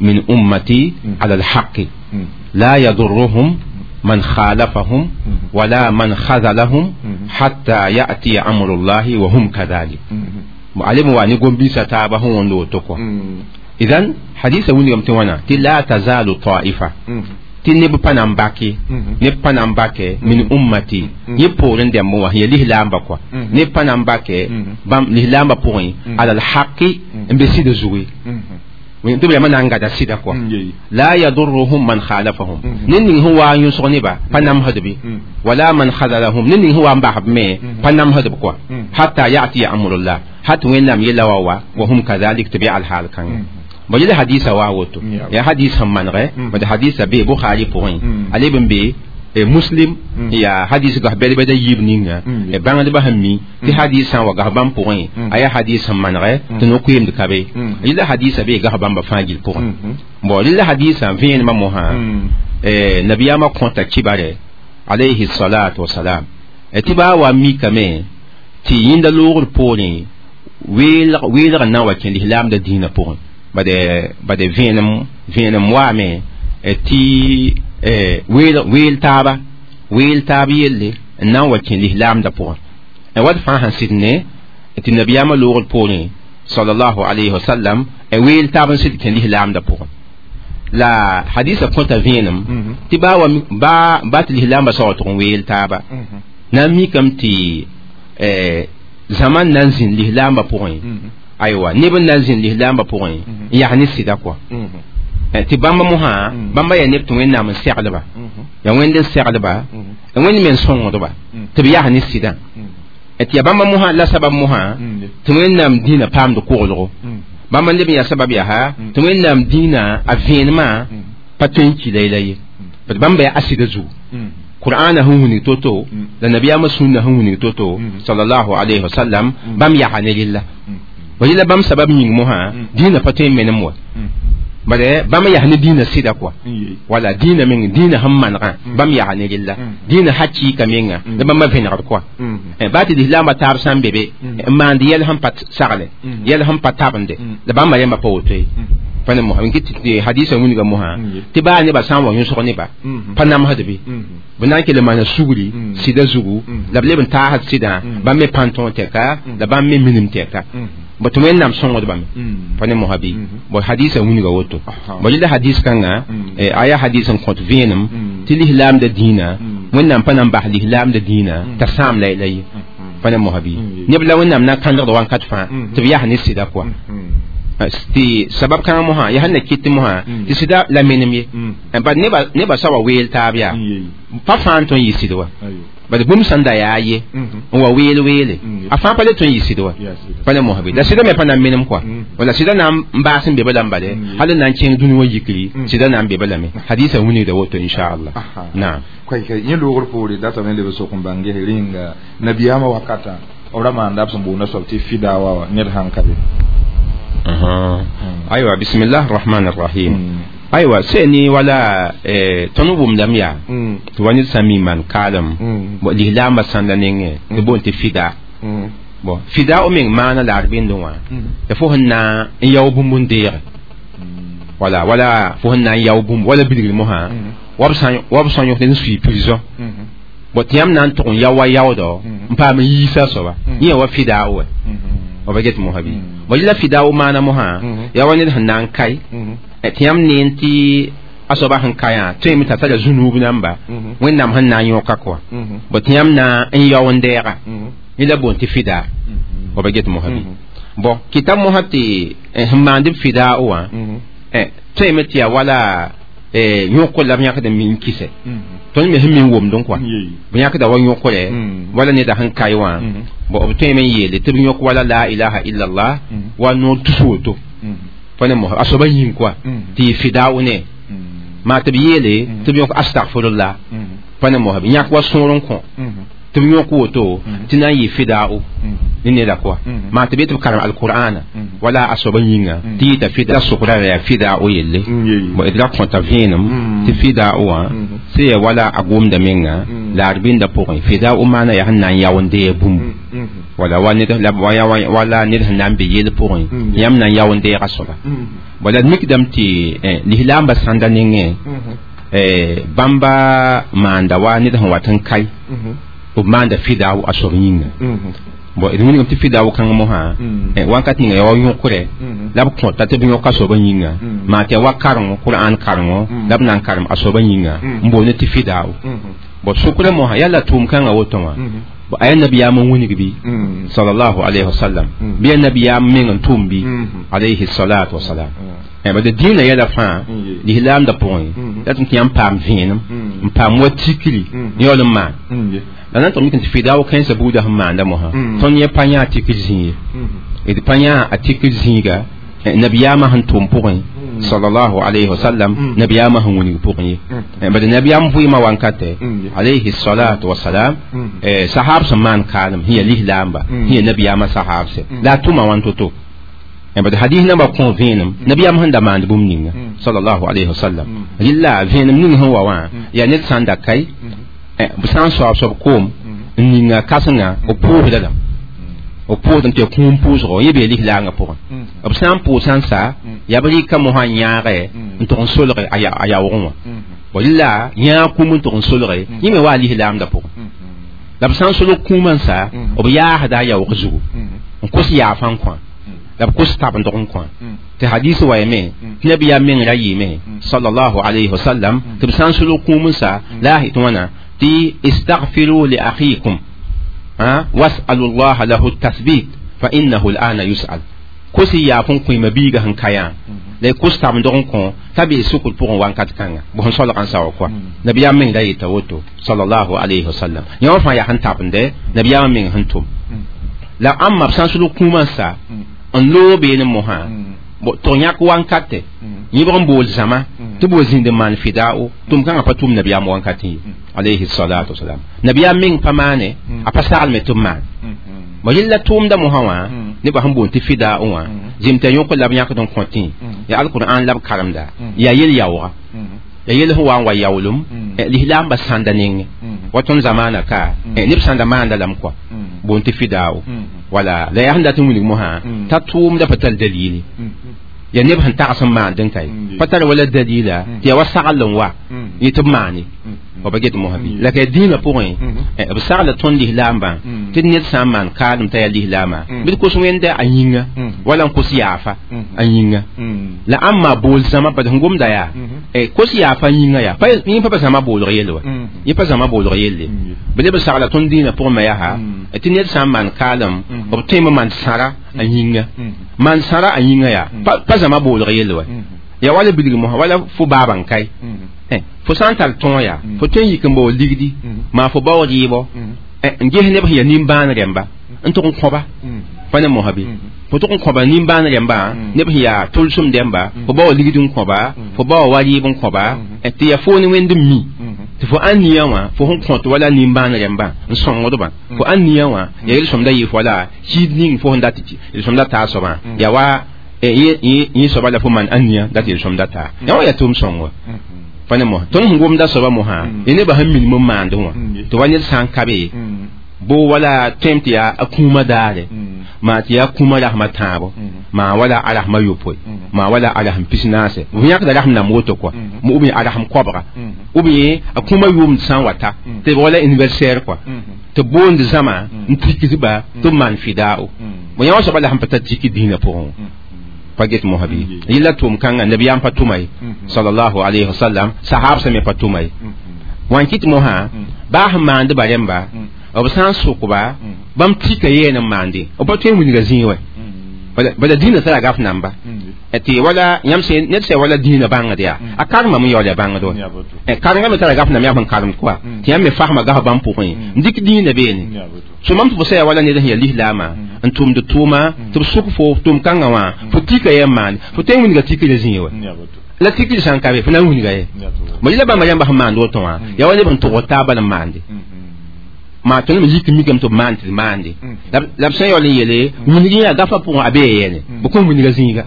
من أمتي على الحق لا يضرهم من خالفهم ولا من خذلهم حتى يأتي أمر الله وهم كذلك. معلم واني قم بيسا تابهم وندو تقوى. إذن حديث وني يمتوانا لا تزال طائفة tɩ neb pa na n bake neb pa na n bake min ummati yẽ poorẽ dɛmb wã ya lislaambã kɔa neb pa na n bake bãmb lislaambã pʋgẽ ala lhaqi n be sɩda zugu tɩ b yama na n gada sɩda kɔa la yadurruhum man khalafahum ned ning sẽn waa n yõsg neba pa namsdbe wala man khadalahum ned ning sẽn waa n basb me pa namsdb kɔa hatta yatiya amrullah hat wẽnnaam yella wa wa hum kadhalik tɩ b yaa alhaal kãngã bon yẽla hadisa wa woto ya hadis sẽn manegɛ bad hadisa be Bukhari pʋgẽ a leb n be Muslim ya hadis gas bɛd-bɛd a yiib ninga bãngdbã sẽn mi tɩ hadis sã n wa gas bãmb pʋgẽ a yaa hadis sẽn manegɛ tɩ no-koeemd ka be yẽla hadisa be gas bãmba fãa gill pʋgẽ bon rẽla hadisã vẽenemã mosã nabiyaamã kõta kibare alayhi salatu wasalam tɩ baa wa mikame tɩ yẽnda loogr poorẽ weelg n na n wa kẽ lislaamda dĩinã pʋgẽ bade vẽenem waame tɩ weel taab yelle n na n wa kẽ lislaamda pʋgẽ wat fãa sẽn sɩd ne tɩ nabiyaamã loogr poorẽ sallallahu alayhi wa sallam weel taab n sɩd kẽ lislaamda pʋgẽ la hadisa kõta vẽenem tɩ baa tɩ lislaambã sa wa tʋg n weel taaba na n mikame tɩ zãma n na n zĩnd lislaambã pʋgẽ aywa neb n na n zĩnd lislaambã pʋgẽ n yaa ne sɩda kɔa tɩ bãmba mosã bãmba yaa neb tɩ wẽnnaam n seglba yaa wẽnd n seglba wẽnd me n sõngdba tɩ b yaa ne sɩdã tɩ yaa bãmba mosã la sabab mosã tɩ wẽnnaam dĩinã paamd koglgo bãmba leb n yaa sabab yaa tɩ wẽnnaam dĩinã a vẽenemã pa tõe n ki la ye bad bãmba yaa a sɩda zugu Qur'an sẽn wilg to-to la nabiyaamã sũnna sẽn wilg to-to sallallahu alayhi wa sallam bãmb yaa ne rella ba yẽla bãmb sabab yĩng mosã dĩinã pa tõe n menem wa bare bãmb yaa ne dĩinã sɩda kɔa wala dĩinã meng dĩinã sẽn manegã bãmb yaa ne rella dĩinã hakɩɩka menga la bãmba vẽnegd kɔa baa tɩ lislaambã taab sã n be be n maand yɛl sẽn pa sagle yɛl sẽn pa tabende la bãmba rẽmba pa woto ye pa ne mosã tɩ hadisa wilga mosã tɩ baa nebã sã n wa yõsg neba pa namsd be b na n kell n maana sugri sɩda zugu la b leb n taasd sɩdã bãmb me pãn tõog tɛka la bãmb me minim tɛka bo tɩ wẽnnaam sõngdbame pa ne mosã bɩ bo hadisa wilga woto bo rẽla hadis kãnga a yaa hadis n kõt vẽenem tɩ lislaamda dĩinã wẽnnaam pa na n bas lislaamda dĩinã t'a sãam la ye pa ne mosã bɩ neb la wẽnnaam na n kãndgd wãnkat fãa tɩ b yaa ne sɩda kɔa tɩ sabab kãngã mosã yaa sẽn na kɩt mosã tɩ sɩda la menem ye bad nebã sa wa weel taab yaa pa fãa n tõe n yɩ sɩd wa bad bũmb sẽn da yaa ye n wa weel weele a fãa pa le tõe n yɩ sɩd wa pa ne mosã bɩ la sɩda me pa na n menem kɔa wala sɩda na n baas n be ba lame bale hal n na n kẽng dũni wã yikri sɩda na n be ba lame hadisa wilgda woto inchallah naam yẽ loogr poore datame leb sok n bãng ges rẽnga nabiyaamã wakatã b ra maanda b sẽn boonda soab tɩ fida wa ned sãn ka be aywa bismillah arrahman arrahim aywa seni wala tõnd wʋmdame yaa tɩ wa ned sã n mi maan kaalem lislaambã sãnda nengẽ tɩ boond tɩ fida bon fida o meng maana la d bẽndẽ wã tɩ fo sẽn na n yao bũmb n deege wala wala fo sẽn na n yao bũmb wala bilgr mosã wa b sã n yõk ned n sui prison bon tɩ yãmb na n tʋg n yao wa yaoodɔ n paam n yiisa soaba yẽ wa fida wa b get mosã bɩ bon yẽla fida o maana mosã yaa wa ned sẽn na n kae tɩ yãmb neen tɩ a soaba sẽn kayã tõeme t'a tara zũnuub namba wẽnnaam sẽn na n yõka kɔa bon tɩ yãmb na n yao n dɛɛga yẽla boond tɩ fida b get mosã bɩ bon kɩta mosã tɩ sẽn maand b fida wã tõeme tɩ yaa wala yõkr la b yãkd n min kɩsɛ tõnd me sẽn min womdẽ kɔa b yãkda wa yõkre wala neda sẽn kae wã bon b tõeme n yeele tɩ b yõk wala la ilaha illallah wa noor tus woto pa ne mosã a soaba yĩng kɔa tɩ yɩ fidao ne maa tɩ b yeele tɩ b yõk astagfirullah pa ne mosã b yãk wa sõor n kõ tɩ b yõk woto tɩ na n yɩ fidao ne neda kɔa maa tɩ b yet b karem alqur'ana wala a soaba yĩnga tɩ yɩta fida sʋkra yaa fidao yelle bon d ra kõta vẽenem tɩ fidao wã sẽn yaa wala a gomda menga la d bĩnda pʋgẽ fidao maana yaa sẽn na n yao n deeg bũmb Wala wa ned la wala ned sẽn na n be yell pʋgẽ yãmb na n yao n deega soaba wala d mikdame tɩ lislaambã sãnda nengẽ bãmba maanda wa ned sẽn wat n kae b maanda fidao a soab yĩnga bon d wilgame tɩ fidao kãng mosã wãnkat ninga yaa wa yõkrɛ la b kõta tɩ b yõk a soabã yĩnga maa tɩ yaa wa karengo qur'an karengo la b na n karem a soabã yĩnga n boond tɩ fidao bon sʋkrã mosã yaa la tʋʋm kãngã woto wã a yaa nabiyaam n wilg bɩ sallallahu alayhi wa sallam bɩ yaa nabiyaam meng n tʋʋm bɩ alayhi salatu wasalam bad dĩinã yɛla fãa lislaamdã pʋgẽ la tɩ yãmb paam vẽenem n paam wa tikri yaool n maan la na n tʋg mik tɩ fidao kãensã buudã sẽn maanda mosã tõnd yẽ pa yã a tikr zĩig ye d pa yã a tikr zĩiga nabiyaamã sẽn tʋʋm pʋgẽ sallallahu alayhi wa sallam nabiyaamã sẽn wilg pʋgẽ ye bad nabiyaam vɩɩmã wankatɛ alayhi salatu wasalam sahab sẽn maan kaalem sẽn yaa lislaamba sẽn yaa nabiyaamã sahabse la a tʋma wãn to-to bad hadith namba kõ vẽenem nabiyaam sẽn da maand bũmb ninga sallallahu alayhi wa sallam rɩla vẽenem ning sẽn wa wã yaa ned sã n da kae b sã n soab soab koom n ninga kãsenga b pʋʋsda lame b pʋʋsdame tɩ ya kũum pʋʋsgo yẽ bee lislaangã pʋgẽ b sã n pʋʋs n sa yaa b rɩka mosã n yãage n tʋg n solge a yaoogẽ wã bõ rɩla yãag kũum n tʋg n solge yẽ me wa a lislaamdã pʋgẽ la b sã n solg kũumã n sa b yaasda a yaoog zugu n kos yaafã n kõ la b kos tab n dog n kõ tɩ hadis wa yame tɩ nabiyaam meng ra yɩɩme sallallahu alayhi wa sallam tɩ b sã n solg kũum n sa la a tɩ wãna tɩ istaghfiru li akhikum was'alu llaha lahu tathbit fa innahu al'ana yus'al kos y yaaf n kõ ma biiga sẽn ka yã la y kos tab n dog n kõ t'a bee sukr pʋgẽ wãnkat kãnga bõ sẽn solg n sa wa kɔa nabiyaam meng ra yeta woto sallallahu alayhi wa sallam yã wã fãa yaa sẽn tabende nabiyaamã meng sẽn tʋm la ãmba b sã n sulg kũumã n sa n loog beene mosã tɩ yãk wankatɛ yẽbg n bool zãma tɩ b wa zĩnd n maan fidao tʋm kãngã pa tʋm nabiyaam wankatẽ ye alayhi salatu wasalam nabiyaam meng pa maane a pa saglme tɩ b maan bõ yella tʋʋmda mosã wã nebã sẽn boond tɩ fidao wã zĩm tɩ yõk la b yãkd n kõtẽ yaa alqur'an la b karemda yaa yel yaooga ya yel sẽn wa n wa yaoolem lislaambã sãnda nengẽ wa tõnd zamaana ka neb sãnda maanda lame kɔa boond tɩ fidao wala la yaa sẽn dat n wilg mosã t'a tʋʋmda pa tar dalili ya neb sẽn tags n maand n kae pa tar wala dalila tɩ yaa wa sagl n wa yẽ tɩ b maane wa pa get mosã bɩ la ka dĩinã pʋgẽ b sagla tõnd lislaambã tɩ ned sã n maan kaalem t'a yaa lislaama bɩ d kos wẽnda a yĩnga wala n kos yaafa a yĩnga la ãmba bool zãma bad sẽn gomda yaa kos yaafa a yĩnga yaa yẽ pa pa zãma boolg yell wa yẽ pa zãma boolg yelle bɩ leb b sagla tõnd dĩinã pʋgẽ me yaa tɩ ned sã n maan kaalem b tõeme maan sãra a yĩnga maan sãra a yĩnga yaa pa zãma boolg yell wa ya wala bilg mosã wala fo baaba n kae fo sã n tar tõog yaa fo tõe n yik n baoor ligdi maa fo baoog yɩɩbɔ n ges neb sẽn yaa nimbãan rẽmba n tʋg n kõba pa ne mosã bɩ fo tʋg n kõba nimbãan rẽmba neb sẽn yaa tʋlsem dẽmba fo baoor ligd n kõba fo baoor wa rɩɩb n kõba tɩ yaa fo ne wẽnd n mi tɩ fo ãn nia wã fo sẽn kõt wala nimbãan rẽmbã n sõngdbã fo ãn nia wã yaa yel-sõmda yɩ fo wala kiid ning fo sẽn dat yel-sõmda taa soabã yaa wa yẽ soaba la fo maan ãn nia dat yel-sõmda taa yã wã yaa tʋʋm sõng wa pa ne mosã tõnd sẽn gomda soaba mosã ya nebã sẽn minim n maandẽ wã tɩ wa ned sã n ka be bo wala tõem tɩ yaa a kũumã daare maa tɩ yaa kũumã rasmã tãabo maa wala a rasmã yopoe maa wala a rasm pis-naase f yãkda rasm nam woto kɔa ou bien a rasm koabga ou bien a kũumã yʋʋmd sã n wa ta tɩ b wala anniversaire kɔa tɩ boond zãma n tikdba tɩ b maan fidao bõ yã wã soaba la sẽn pa tar tiki dĩinã pʋgẽ pa get mosã bɩ yella tʋʋm kãngã nabiyaam pa tʋma ye sallallahu alayhi wa sallam sahab sã me pa tʋma ye wã n kɩt mosã baa sẽn maandba rẽmba b sã n sʋkba bãmb tika yeen n maande b pa tõe n wilga zĩig wɛ bala dĩinã tara gaf namba tɩ wala yãmb sẽ ned sã wala dĩinã bãngd yaa a karemame n yaool ya bãngd wa karengã me tara gaf nam yaa sẽn karemd kɔa tɩ yãmb me fasma gaf bãmb pʋgẽ n dɩk dĩinã beene so mam tɩ fo sã yaa wala ned sẽn yaa lislaamã n tʋmd tʋʋma tɩ b sʋk fo tʋʋm kãngã wã fo tika yɛm maande fo tõe n wilga tikre zĩig wɛ la tikr sã n ka be fo na n wilga ye mo yela bãmba yãmba sẽn maand woto wã yaa wa neb sẽn tʋgd taaba n maande maa tõnd me yik mikame tɩ b maan tɩ d maande la b sã n yaool n yeele wilg yã gafã pʋgẽ a bee yɛne b kõn wilga zĩiga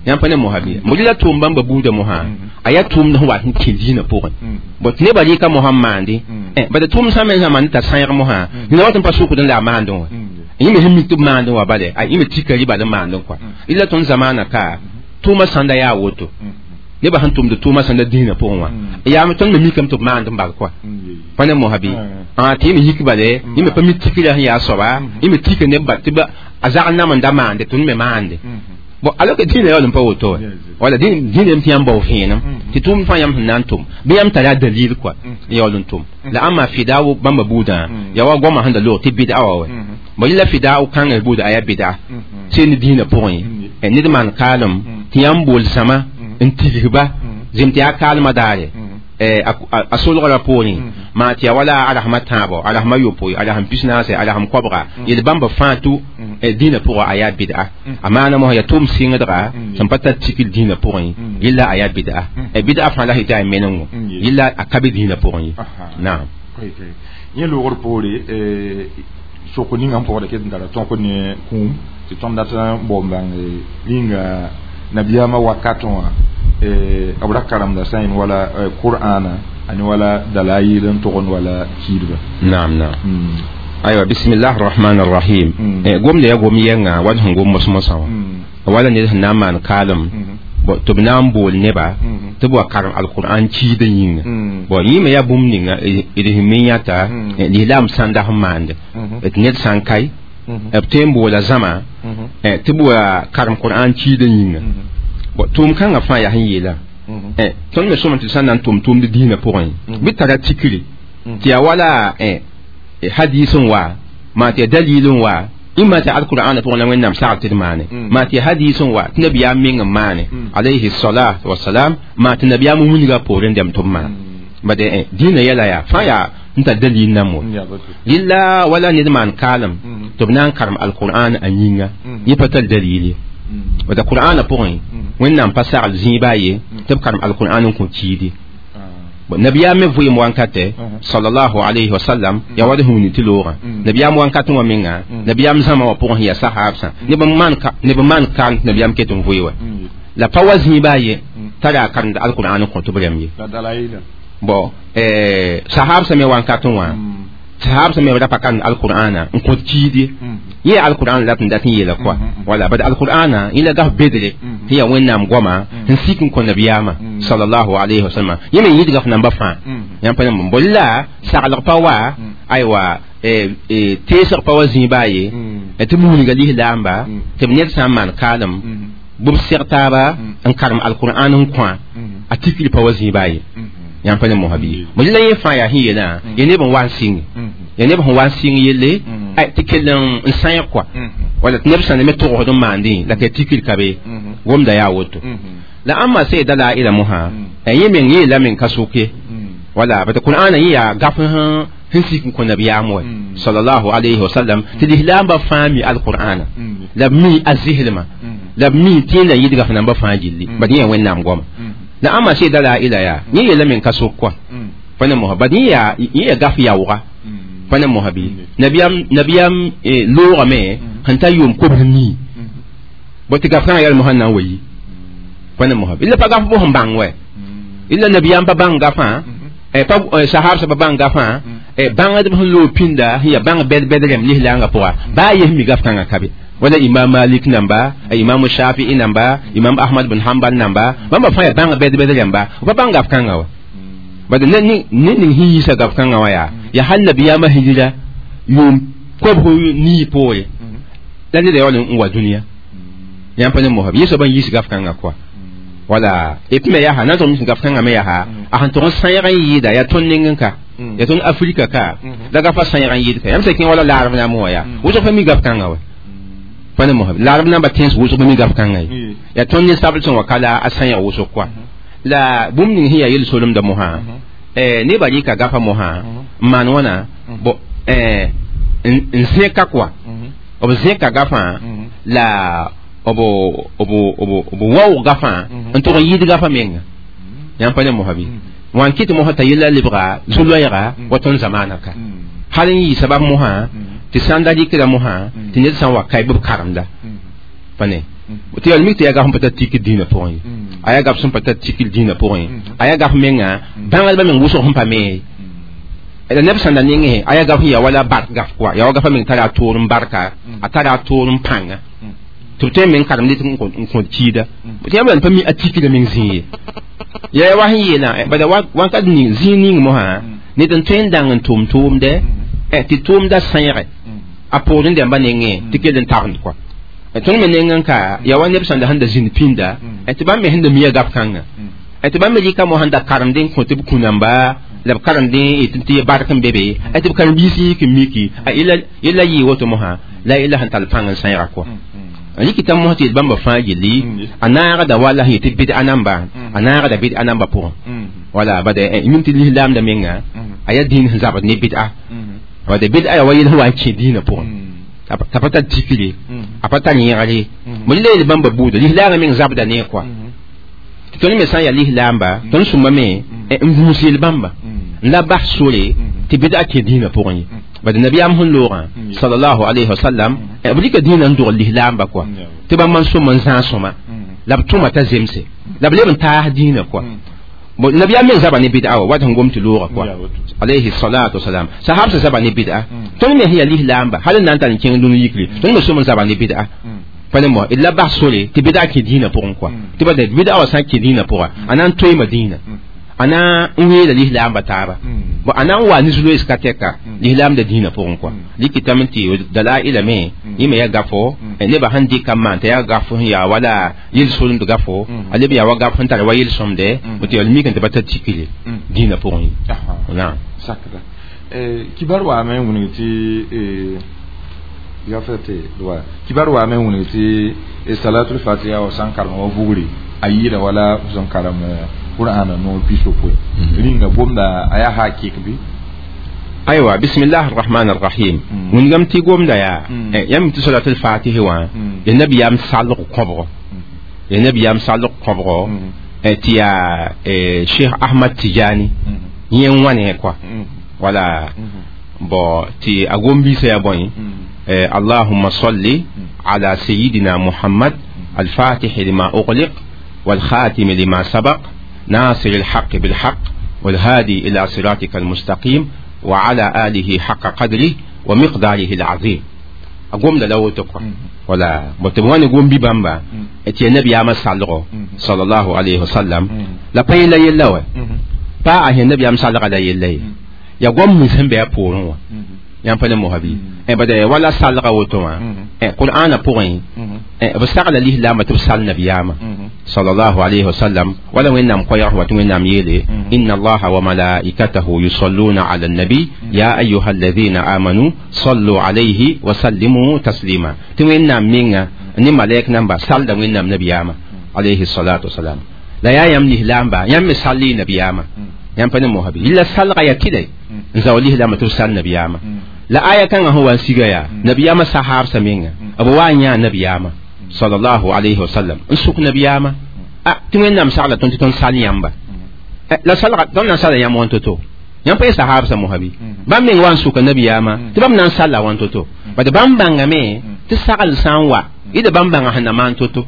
yãmb pa ne mosã bɩ mo la tʋʋm bãmba buudã mosã a yaa tʋʋmd sẽn wa sẽn kẽ dĩinã pʋgẽ bõ tɩ nebã rɩka mosã n maande bad tʋʋm sã me sã maan t'a sãyg mosã nina wat n pa sʋkd n la a maandẽ wã Yẽ me sẽn mik tɩ b maandẽ wã bale a yẽ me tika rɩba d maandẽ kɔa ila tõnd zamaana ka tʋʋmã sãnda yaa woto nebã sẽn tʋmd tʋʋmã sãnda dĩinã pʋgẽ wã yaame tõnd me mikame tɩ b maand n bal kɔa pa ne mosã bɩ tɩ yẽ me yik bale yẽ me pa mi tikra sẽn yaa soaba yẽ me tika neb bal tɩ a zag nam n da maande tõnd me maande bon alors que dĩinã yaool n pa woto wa wala dĩinã yam tɩ yãmb bao vẽenem tɩ tʋʋm fãa yãmb sẽn na n tʋm bɩ yãmb tara dalil kɔa n yaool n tʋm la ãmba fidao bãmba buudã yaa wa goamã sẽn da loog tɩ bɩda wa wa bon yẽla fidao kãngã buuda a yaa bɩda seen dĩinã pʋgẽ ned maan kaalem tɩ yãmb bool zãma n tigsba zem tɩ yaa kaalmã daare a solgrã poorẽ maa tɩ yaa wala a rasmã tãabo a rasmã yopoe a rasm pis-naase a rasm koabga yel bãmba fãa tʋ dĩinã pʋgã a yaa bɩda a maana mosã yaa tʋʋm sɩngdga sẽn pa tar tikl dĩinã pʋgẽ yella a yaa bɩda bɩda fãa la sẽn tɩ a menengo yella a ka be dĩinã pʋgẽ ye naam yẽ loogr poore soko ninga n pʋgda ket n tara tõk ne kũum tɩ tõnd dat n bao n bãng rĩnga nabiyaamã wakatẽ wã b ra karemda sã n wala qur'ana ani wala dalail n tʋgend wala kiidba naam naam aywa bismillah arrahman arrahim gomda yaa gom yɛnga wala sẽn gom mos-mosã wã wala ned sẽn na n maan kaalem tɩ b na n bool neba tɩ b wa karem alqur'an kiidã yĩnga bon yẽ me yaa bũmb ninga d sẽn me yãta lislaam sãnda sẽn maande tɩ ned sã n kae b tõe n boola zãma tɩ b wa karem qur'an kiidã yĩnga bon tʋʋm kãngã fãa yaa sẽn yeela tõnd me sõma tɩ sã n na n tʋm tʋʋmd dĩinã pʋgẽ bɩ tara tikre tɩ yaa wala hadis n wa maa tɩ yaa dalil n wa ĩmma tɩ alqur'ana pʋgẽ la wẽnnaam sagl tɩ d maane maa tɩ hadis n wa tɩ nabiyaam meng n maane alayhi salatu wasalam maa tɩ nabiyaam wilga poorẽ dɛm tɩ b maan bade dĩinã yɛla yaa fãa yaa n tar dalil nam wa lilla wala ned maan kaalem tɩ b na n karem alqur'an a yĩnga yẽ pa tar dalil ye wata qur'ana pʋgẽ wẽnnaam pa sagl zĩiba ye tɩ b karem alqur'an n kõ kiidi nabiyaam me vɩɩm wankatɛ sallallahu alayhi wa sallam yaa wa d sẽn wilg tɩ loogã nabiyaam wankatẽ wã menga nabiyaam zãma wã pʋgẽ sẽn yaa sahaabsã neb n maan kaalem tɩ nabiyaam ket n vɩɩ wa la pa wa zĩiba ye t'a yaa karemd alqur'an n kõ tɩ b rãmb ye bon sahaabsã me wankatẽ wã sahaabsã me ra pa karemd alqur'ana n kõt kiid ye yẽ alqur'an la tɩ dat n yeela kɔa wala bad alqur'ana yẽ la gaf bedre tɩ yaa wẽnnaam goama sẽn sik n kõ nabiyaamã sallallahu alayhi wa sallam yẽ me yɩdga f namba fãa yãmb pa yãmb bol la saglg pa wa aywa teesg pa wa zĩiba ye tɩ b wilga lislaamba tɩ b ned sã n maan kaalem bɩ b seg taaba n karem alqur'an n kõ a tikl pa wa zĩiba ye yãmb pa ne mosã bɩ bõe la yẽ fãa yaa sẽn yeelã ya neb n wa n sɩnge ya neb sẽn wa n sɩng yelle tɩ kell n sãeg kɔa wala tɩ neb sã ne me togsd n maandẽ la tɩ tikr ka be gomda yaa woto la ãmba sẽn dalaila mosã yẽ meng yeela meng ka soke wala bata qur'ana yẽ yaa gaf sẽn sik n kõ nabiyaam wa sallallahu alayhi wa sallam tɩ lislaambã fãa mi alqur'ana la b mi a zislmã la b mi tɩ yẽnda yɩdga f namba fãa gilli bad yẽ yaa wẽnnaam goama la ãmba sẽn dalaila yaa yẽ yeela meng ka sok kɔa pa ne mosã bad yẽ yaa gaf yaooga pa ne mosã bɩ nabiyaam loogame sẽn ta yʋʋm kobs nii bõ tɩ gaf kãngã yaa mosã na n wa yi pa ne mosã illa pa gaf bõs n bãng wɛ illa nabiyaam pa bãng gafã pa sahaabsã pa bãng gafã bãngdb sẽn loog pĩnda sẽn yaa bãng bɛd-bɛd rẽmb lislaangã pʋga baa yes mi gaf kãngã ka be wala imam malik namba imam shafi'i namba imam ahmad bin hanbal namba bãmba fãa yaa bãng bɛd-bɛd rẽmba pa bãng gaf kãngã wa bad ne ning sẽn yiisa gaf kãngã wã yaa yaa hal nabiyaamã hijira yʋʋm kobs nii poore la neda yaool n wa dũniyã yãmb pa ne mosã yẽ soab n yiis gaf kãngã kɔa wala et puis me yaa na tõnd gaf kãngã me yaa a sẽn tʋg n sãeeg n yɩɩda yaa tõnd neng n ka yaa tõnd afrika ka la gafa sãeeg n yɩɩd ka yãmb sã kẽ wala laarb naam wã yaa wʋsg pa mi gaf kãngã wa pa ne mosã laarb namba tẽns wʋsg pa mi gaf kãngã ye yaa tõnd ne sabl sẽn wa ka la a sãeeg wʋsg kɔa la bũmb ning sẽn yaa yel-solemda mosã nebã rɩka gafa mosã n maan wãna bo n zẽka kɔa b zẽka gafã la b waoog gafã n tʋg n yɩɩd gafã menga yãmb pa ne mosã bɩ wã n kɩt mosã t'a yella lebga zu-loɛɛga wa tõnd zamaana ka hal n yɩ sabab mosã tɩ sãn da rɩkda mosã tɩ ned sã n wa kae bɩ b karemda pa ne tɩ yaa mik tɩ yaa gaf n pa tar tikr dĩinã pʋgẽ ye a yaa gaf sẽn pa tar tikr dĩinã pʋgẽ a yaa gaf menga bãngdbã meng wʋsg sẽn pa me ye La neb sẽn da nengẽ a yaa gaf n yaa wala bark gaf kɔa yaa wa gafa meng tara a toor n barka a tara a toor n pãnga tɩ b tõe n meng karemd n kõt kiida tɩ yãmb pa mi a tikra meng zĩig ye yaa wa sẽn yeelã bala wãnkat ning zĩig ning mosã ned n tõe n dãng n tʋʋm tʋʋmdɛ tɩ tʋʋmda sẽege a poorẽ dãmba nengẽ tɩ kell n tagend kɔa tõnd me neng n ka yaa wa neb sẽn da sẽn da zĩnd pĩnda tɩ bãmb me sẽn da mia gaf kãnga tɩ bãmb me rɩka mo sẽn da karemd n kõ tɩ b kũ-namba la b karemd n tɩ bark n be be tɩ b karen-biis yik n miki yella yɩɩ woto mosã la yella sẽn tall pãng n sẽega kɔa rɩkɩta mos tɩ bãmba fãa gilli a naagda wala sẽn yetɩ bɩd-a namba a naagda bɩd-a namba pʋgẽ wala bad yĩm tɩ lislaamda menga a yaa dĩin sẽn zabd ne bɩd-a bad bɩd-a yaa wa yel sẽn wa n kẽ dĩinã pʋgẽ t'a pa tar tikre a pa tar yẽgre mo la yel bãmba buuda lislaamã meng zabda ne kɔa tɩ tõnd me sã n yaa lislaamba tõnd sũma me n gũus yel bãmba n la bas sore tɩ bɩd-a kẽ dĩinã pʋgẽ ye bad nabiyaam sẽn loogã sallallahu alayhi wa sallam b rɩka dĩinã n dogl lislaamba kɔa tɩ bãmb n sõm n zãag sõma la b tʋma t'a zemse la b leb n taas dĩinã kɔa nabiyaam meng zaba ne bɩd'a wa wat sẽn gom tɩ loogã kɔa alayhi salatu wasalam sahab sẽn zaba ne bɩd'a tõnd me sẽn yaa lislaamba hal n na n tar n kẽng dũni yikre tõnd me sõm n zaba ne bɩd'a pa ne mo d la bas sore tɩ bɩd'a kẽ dĩinã pʋgẽ kɔa tɩ bad bɩd'a wa sã n kẽ dĩinã pʋga a na n toeema dĩinã a na n weela lislaamba taaba bon a na n wa ne zu-loees ka tɛka lislaamda dĩinã pʋgẽ kɔa rɩkɩtame tɩ dalaila me yẽ me yaa gafo nebã sẽn dɩka n maan t'a yaa gaf sẽn yaa wala yel-solemd gafo a leb yaa wa gaf sẽn tar wa yel-sõmde tɩ yaa mik n tɩ pa tar tikre dĩinã pʋgẽ ye naam sakda kibar waame n wilg tɩ kibar waame n wilg tɩ salatul fatiha wa sã n karem wa vugre a yɩɩda wala sẽn karem qur'ana noor pisopoe rĩnga gomda a yaa hakik bɩ aywa bismillah arrahman arrahim wĩngame tɩ gomda yaa yãmb tɩ salatul fatihi wã ya nabiyaam salg kõbgo ya nabiyaam salg kõbgo tɩ yaa cheikh ahmad tijani yẽ n wãne kɔa wala bon tɩ a gom-biisã yaa bõe اللهم صل على سيدنا محمد الفاتح لما أغلق والخاتم لما سبق ناصر الحق بالحق والهادي إلى صراطك المستقيم وعلى آله حق قدره ومقداره العظيم أقوم لو تقوى ولا بتبواني قوم ببامبا اتي النبي عام صلى الله عليه وسلم لا بين لا يلوى با النبي عام صلى لا يلي يا قوم مسهم بيا بورون yãmb pa ne mosa bɩ bad wala salga woto wã qur'ana pʋgẽ b sagla lislaambã tɩ b sal nabiyaamã sallallahu alayhi wa sallam wala wẽnnaam koɛɛg wa tɩ wẽnnaam yeele inna allaha wa malaikatahu yusalluna ala annabi ya ayuha alladhina amanu sallu alayhi wa sallimu taslima tɩ wẽnnaam menga ne malɛk namba salda wẽnnaam nabiyaamã alayhi salatu wasalam la yaa yãmb lislaamba yãmb me sall y nabiyaamã yãmb pa ne mosa bɩ la salga yaa tɩla n zao lislaambã tɩ b sal nabiyaamã la aya kãngã sẽn wa n siga yaa nabiyaamã sahaabsã menga b wa n yãa nabiyaamã sallallahu alayhi wa sallam n sʋk nabiyaamã a tɩ wẽnnaam sagla tõnd tɩ tõnd sal yãmba la salga tõnd na n sala yãmb wãn to-to yãmb pa ye sahaabsã mosa bɩ bãmb meng wa n sʋka nabiyaamã tɩ bãmb na n salla wãn to-to bad bãmb bãngame tɩ sagl sã n wa yɩla bãmb bãnga sẽn na maan to-to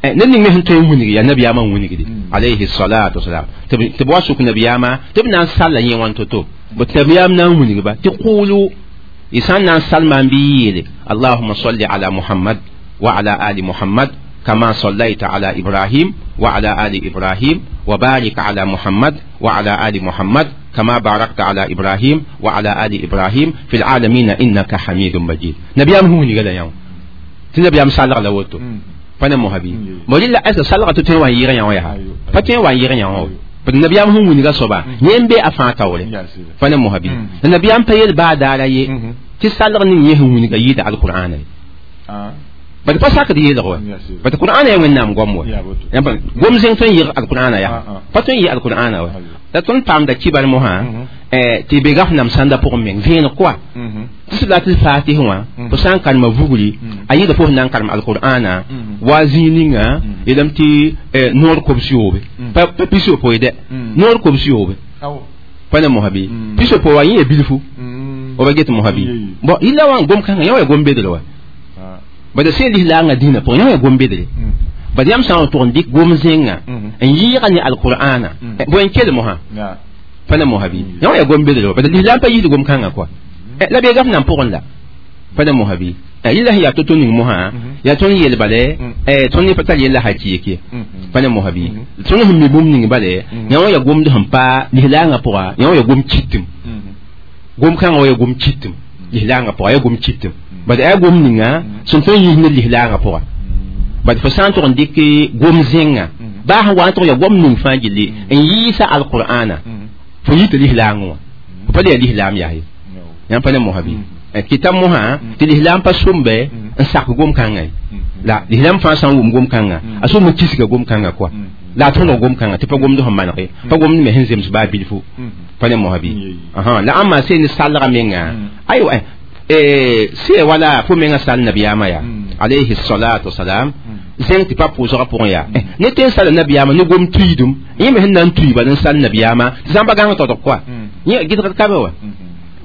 ned ning me sẽn tõe n wilg yaa nabiyaamã n wilgde alayhi salatu wasalam tɩ b wa sʋk nabiyaamã tɩ b na n salla yẽ wãn to-to tɩ nabiyaam na n wilgba tɩ qulu y sã n na n salma n bɩ yeele allahuma salli ala muhammad wa ala ali muhammad kama sallaita ala ibrahim wa ala ali ibrahim wa barik ala muhammad wa ala ali muhammad kama barakta ala ibrahim wa ala ali ibrahim fi العالمين innaka hamidun majid nabiyaam sẽn wilga la yã tɩ nabiyaam salg la woto pa ne mosa bɩ mo rɩla asa salga tɩ tõe wa n yɩg yã wã yaa pa tõe wa n yɩg yã wã nabiyaam sẽn wilga soaba yẽ n be a fãa taoore pa ne mosa bɩ la nabiyaam pa yel baa daara ye tɩ salg ning yẽ sẽn wilga yɩɩda alqur'ana ye bad pa sakd yeelg wa bad qur'ana yaa wẽnnaam goam wa gom zẽng tõe n yɩg alqur'ana yaa pa tõe n yɩ alqur'ana wa la tõnd paamda kibar mosã tɩ be gaf nam sãnda pʋgẽ meng vẽeneg koa tɩ salatul fatih wã fo sã n karema vugri a yɩɩda fo sẽn na n karem alqur'ana wa zĩig ninga yeelame tɩ noor kobs yoobe pa pis-yopoe dɛ noor kobs yoobe pa ne mosa bɩ pis-yopoe wa yẽ ya bilfu f ba get mosa bɩ bon yɩla wã n gom kãngã yã wa ya gom-bedr wa bad sẽn lislaangã dĩinã pʋgẽ yã wa ya gom-bedre bad yãmb sã n tʋg n dɩk gom zẽnga n yɩɩga ne alqur'ana bõe n kell mosã Pa ne mosã bɩ yã wã yaa gom-bedre wa lislaam pa yiid gom-kãngã kɔa la beega f nan pʋgẽ la pa ne mosã bɩ yɩla sẽn yaa to-to ning mosã yaa tõnd yeel bale tõnd ne pa tar yella ha kiek ye pa ne mosã bɩ tõnd sẽn mi bũmb ning bale yã wã yaa gomd sẽn pa lislaangã pʋga yã wã yaa gom kitem gom-kãngã wa yaa gom kitem lislaangã pʋga yaa gom kitem bad yaa gom ninga sẽn tõe n yis ne lislaangã pʋga bad fo sã n tʋg n dɩk gom zẽnga baa sẽn wa n tʋg yaa gom ning fãa gilli n yiisa alqur'ana fo yɩ tɩ lislaangẽ wã fo pa le yaa lislaam yaa ye yãmb pa ne mosã bɩ kɩta mosã tɩ lislaam pa sʋmbe n sak gom-kãngã ye la lislaam fãa sã n wʋm gom-kãngã a sʋm n kisga gom-kãngã kɔa la a tõdg gom-kãngã tɩ pa gomd sẽn maneg ye pa gomd me sẽn zems baa bilfu pa ne mosã bɩ la ãmba seen ne salga menga aywa sɩ wala fo menga sal nabiyaamã yaa alayhi salatu wasalam zẽng tɩ pa pʋʋsgã pʋgẽ yaa ne tɩ n sala nabiyaamã ne gom tuiidum yẽ me sẽn na n tui bala n sal nabiyaamã tɩ zãmba gãng todg kɔa yẽ gɩdgd ka be wa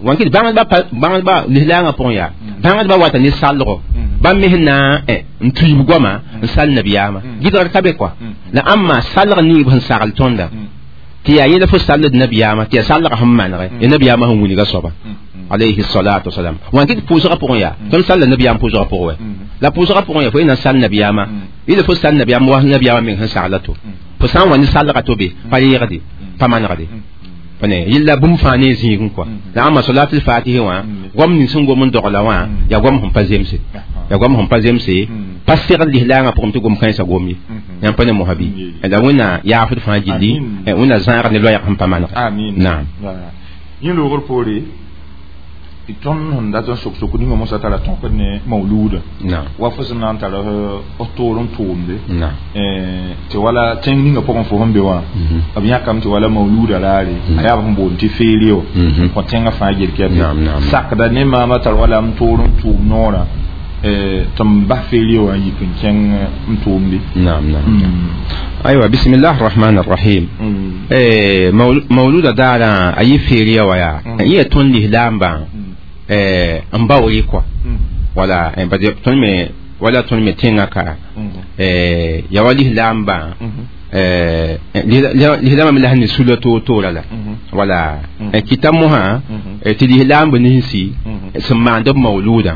wankɩ bãngdba lislaangã pʋgẽ yaa bãngdba wata ne salgo bãmb me sẽn na n tuiib goama n sal nabiyaamã gɩdgd ka be kɔa la ãmba salg niib sẽn sagl tõnda tɩ yaa yẽla fo salld nabiyaamã tɩ yaa salgã sẽn manege ya nabiyaamã sẽn wilga soaba alayhi salatu wasalam wankɩ tɩ pʋʋsgã pʋgẽ yaa tõnd salla nabiyaam pʋʋsgã pʋgẽ wɛ la pʋʋsgã pʋgẽ yaa fo yẽ na n sal nabiyaamã yɩla fo sal nabiyaam wa nabiyaamã meng sẽn sagla to fo sã n wa ne salgã to be pa reegde pa manegde ne yilla bũmb fãa ne zĩigẽ kɔa la ãmba salatul fatihi wã gom ning sẽn gom n dogla wã yaa gom sẽn pa zemse yaa gom sẽn pa zemse pa segl lislaangã pʋgẽ tɩ gom kãensã gom ye yãmb pa ne mosã bɩ la wẽnna yaafd fãa gilli wẽnna zãag ne loɛɛg sẽn pa maneg naam yẽ loogr poore tõnd sẽn dat n sok sokd ninga mosã tara tõkd ne mauluuda wa fo sẽn na n tara f toor n tʋʋmde tɩ wala tẽng ninga pʋgẽ fo sẽn be wã b yãkame tɩ wala mauluuda raare a yaa b sẽn boond tɩ feere wã kõ tẽngã fãa gel sakda ne maama tar wala m toor n tʋʋm noorã tɩ m bas feere wã n yik n kẽng n tʋʋmde. Aywa bismillah arrahman arrahim mauluda daarã a yɩ feere wã yaa yẽ tõnd lislaambã n baoore kɔa wala tõnd me wala tõnd me tẽngã ka yaa wa lislaambã lislaambã me la sẽn ne sula toor-toora la wala kɩta mosã tɩ lislaamb ninsi sẽn maand b mauluudã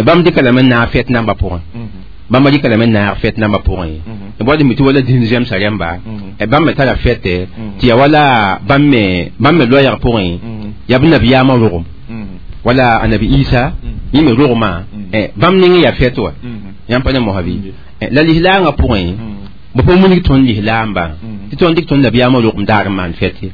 bãmb dɩka lame n naag fɛt nambã pʋgẽ bãmb dɩka lame n naag fɛt nambã pʋgẽ b wa mi tɩ wala dĩn zemsa rẽmba bãmb me tara fɛtɛ tɩ yaa wala bãmb me loɛɛg pʋgẽ yaa b nabiyaamã rogem wala anabi Isa yẽ me rogmã bãmb ning yaa fɛt wa yãmb pa ne mosã bɩ la lislaangã pʋgẽ b pa wilg tõnd lislaambã tɩ tõnd dɩk tõnd nabiyaamã rogem daar n maan fɛt ye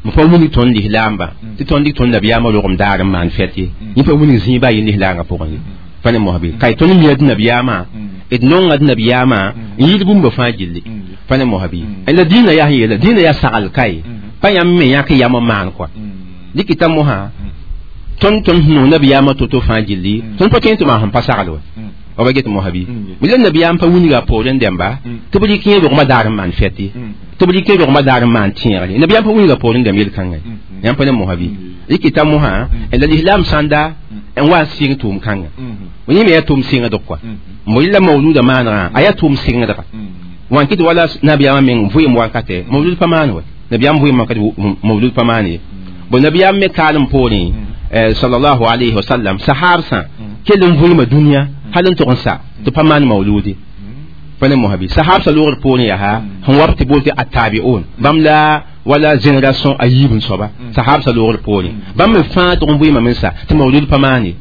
b pa wilg tõnd lislaambã tɩ tõnd dɩk tõnd nabiyaamã rogem daar n maan fɛt ye yẽ pa wilg zĩiba yẽ lislaangã pʋgẽ ye pa ne mosã bɩ ka y tõnd mia d nabiyaamã d nonga d nabiyaamã n yɩɩd bũmba fãa gilli pa ne mosã bɩ la dĩinã yaa sẽn yeela dĩinã yaa sagl ka ye pa yãmb me yãk yam n maan kɔa dɩkɩta mosã tõnd tõnd sẽn nong nabiyaamã to-to fãa gilli tõnd pa tõe tɩ maan sẽn pa sagl wa ba get mosã bɩ la nabiyaam pa wilga a poorẽ dẽmba tɩ b rɩk yẽ rogmã daar n maan fɛt ye tɩ b rɩk yẽ rogmã daar n maan tẽegre nabiyaam pa wilga poorẽ dẽmb yel-kãngã yãmb pa ne mosã bɩ rɩkɩta mosã la lislaam sãnda n wa n sɩng tʋʋm-kãngã yẽ me yaa tʋʋm sɩngdg kɔa mo yella mauluda maanegã a yaa tʋʋm sɩngdga wãn kɩ tɩ wala nabiyaamã meng vɩɩm wakatɛ maulud pa maan wa nabiyaam vɩɩm wakat maulud pa maan ye bon nabiyaam me kaalem poorẽ sallallahu alayhi wa sallam sahabsã kell n vɩɩma dũniyã hal n tʋg n sa tɩ pa maan mauludi pa ne mosã bɩ sahabsã loogr poorẽ yaa sẽn wa b tɩ bool tɩ attabi'un bãmb la wala génération a yiib n soaba sahabsã loogr poorẽ bãmb me fãa tʋg n vɩɩma me n sa tɩ maulud pa maan ye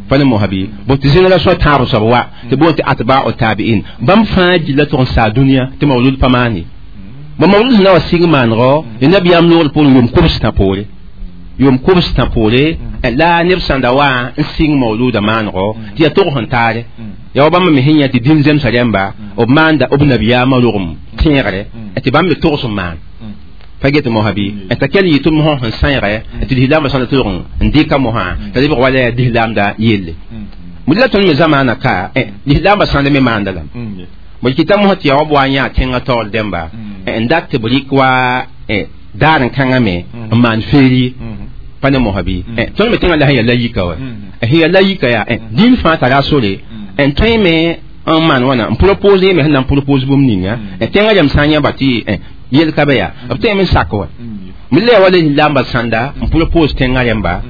pa ne mosã bɩ bõ tɩ génération tãab soab wa tɩ bool tɩ atba'u tabi'in bãmb fãa gilla tʋg n saa dũniyã tɩ maulud pa maan ye bõ maulud sẽn na wa sig maanegɔ ya nabiyaam loogr poorẽ yʋʋm kobs-tã poore yʋʋm kobs-tã poore la neb sãnda wa n sɩng mauluda maanego tɩ yaa tog sẽn taare yaa wa bãmb me sẽn yã tɩ dĩn zemsa rẽmba b maanda b nabiyaamã rogem tẽegre tɩ bãmb me togs n maan pa get mosã bɩ t'a kell yɩ tɩ mosã sẽn sãeege tɩ lislaambã sãnda tɩ n dɩka mosã t'a lebg wala yaa lislaamda yelle la tõnd me zamaana ka lislaambã sãnda me maanda lame b kɩta mosã tɩ yaa wa b wa n yã tẽngã taoor dẽmba n dat tɩ b rɩk wa daar n kãngã me n maan feeri pa ne mosã bɩ tõnd me tẽngã la sẽn yaa la yika wa sẽn yaa la yika yaa dĩn fãa tara sore n tõe me n maan wãna n propose me sẽn na n propose bũmb ninga tẽngã rãmb sã n yãba tɩ yel ka be yaa b tõe me n sak wa mille wala lamba sanda n propose tẽngã rẽmba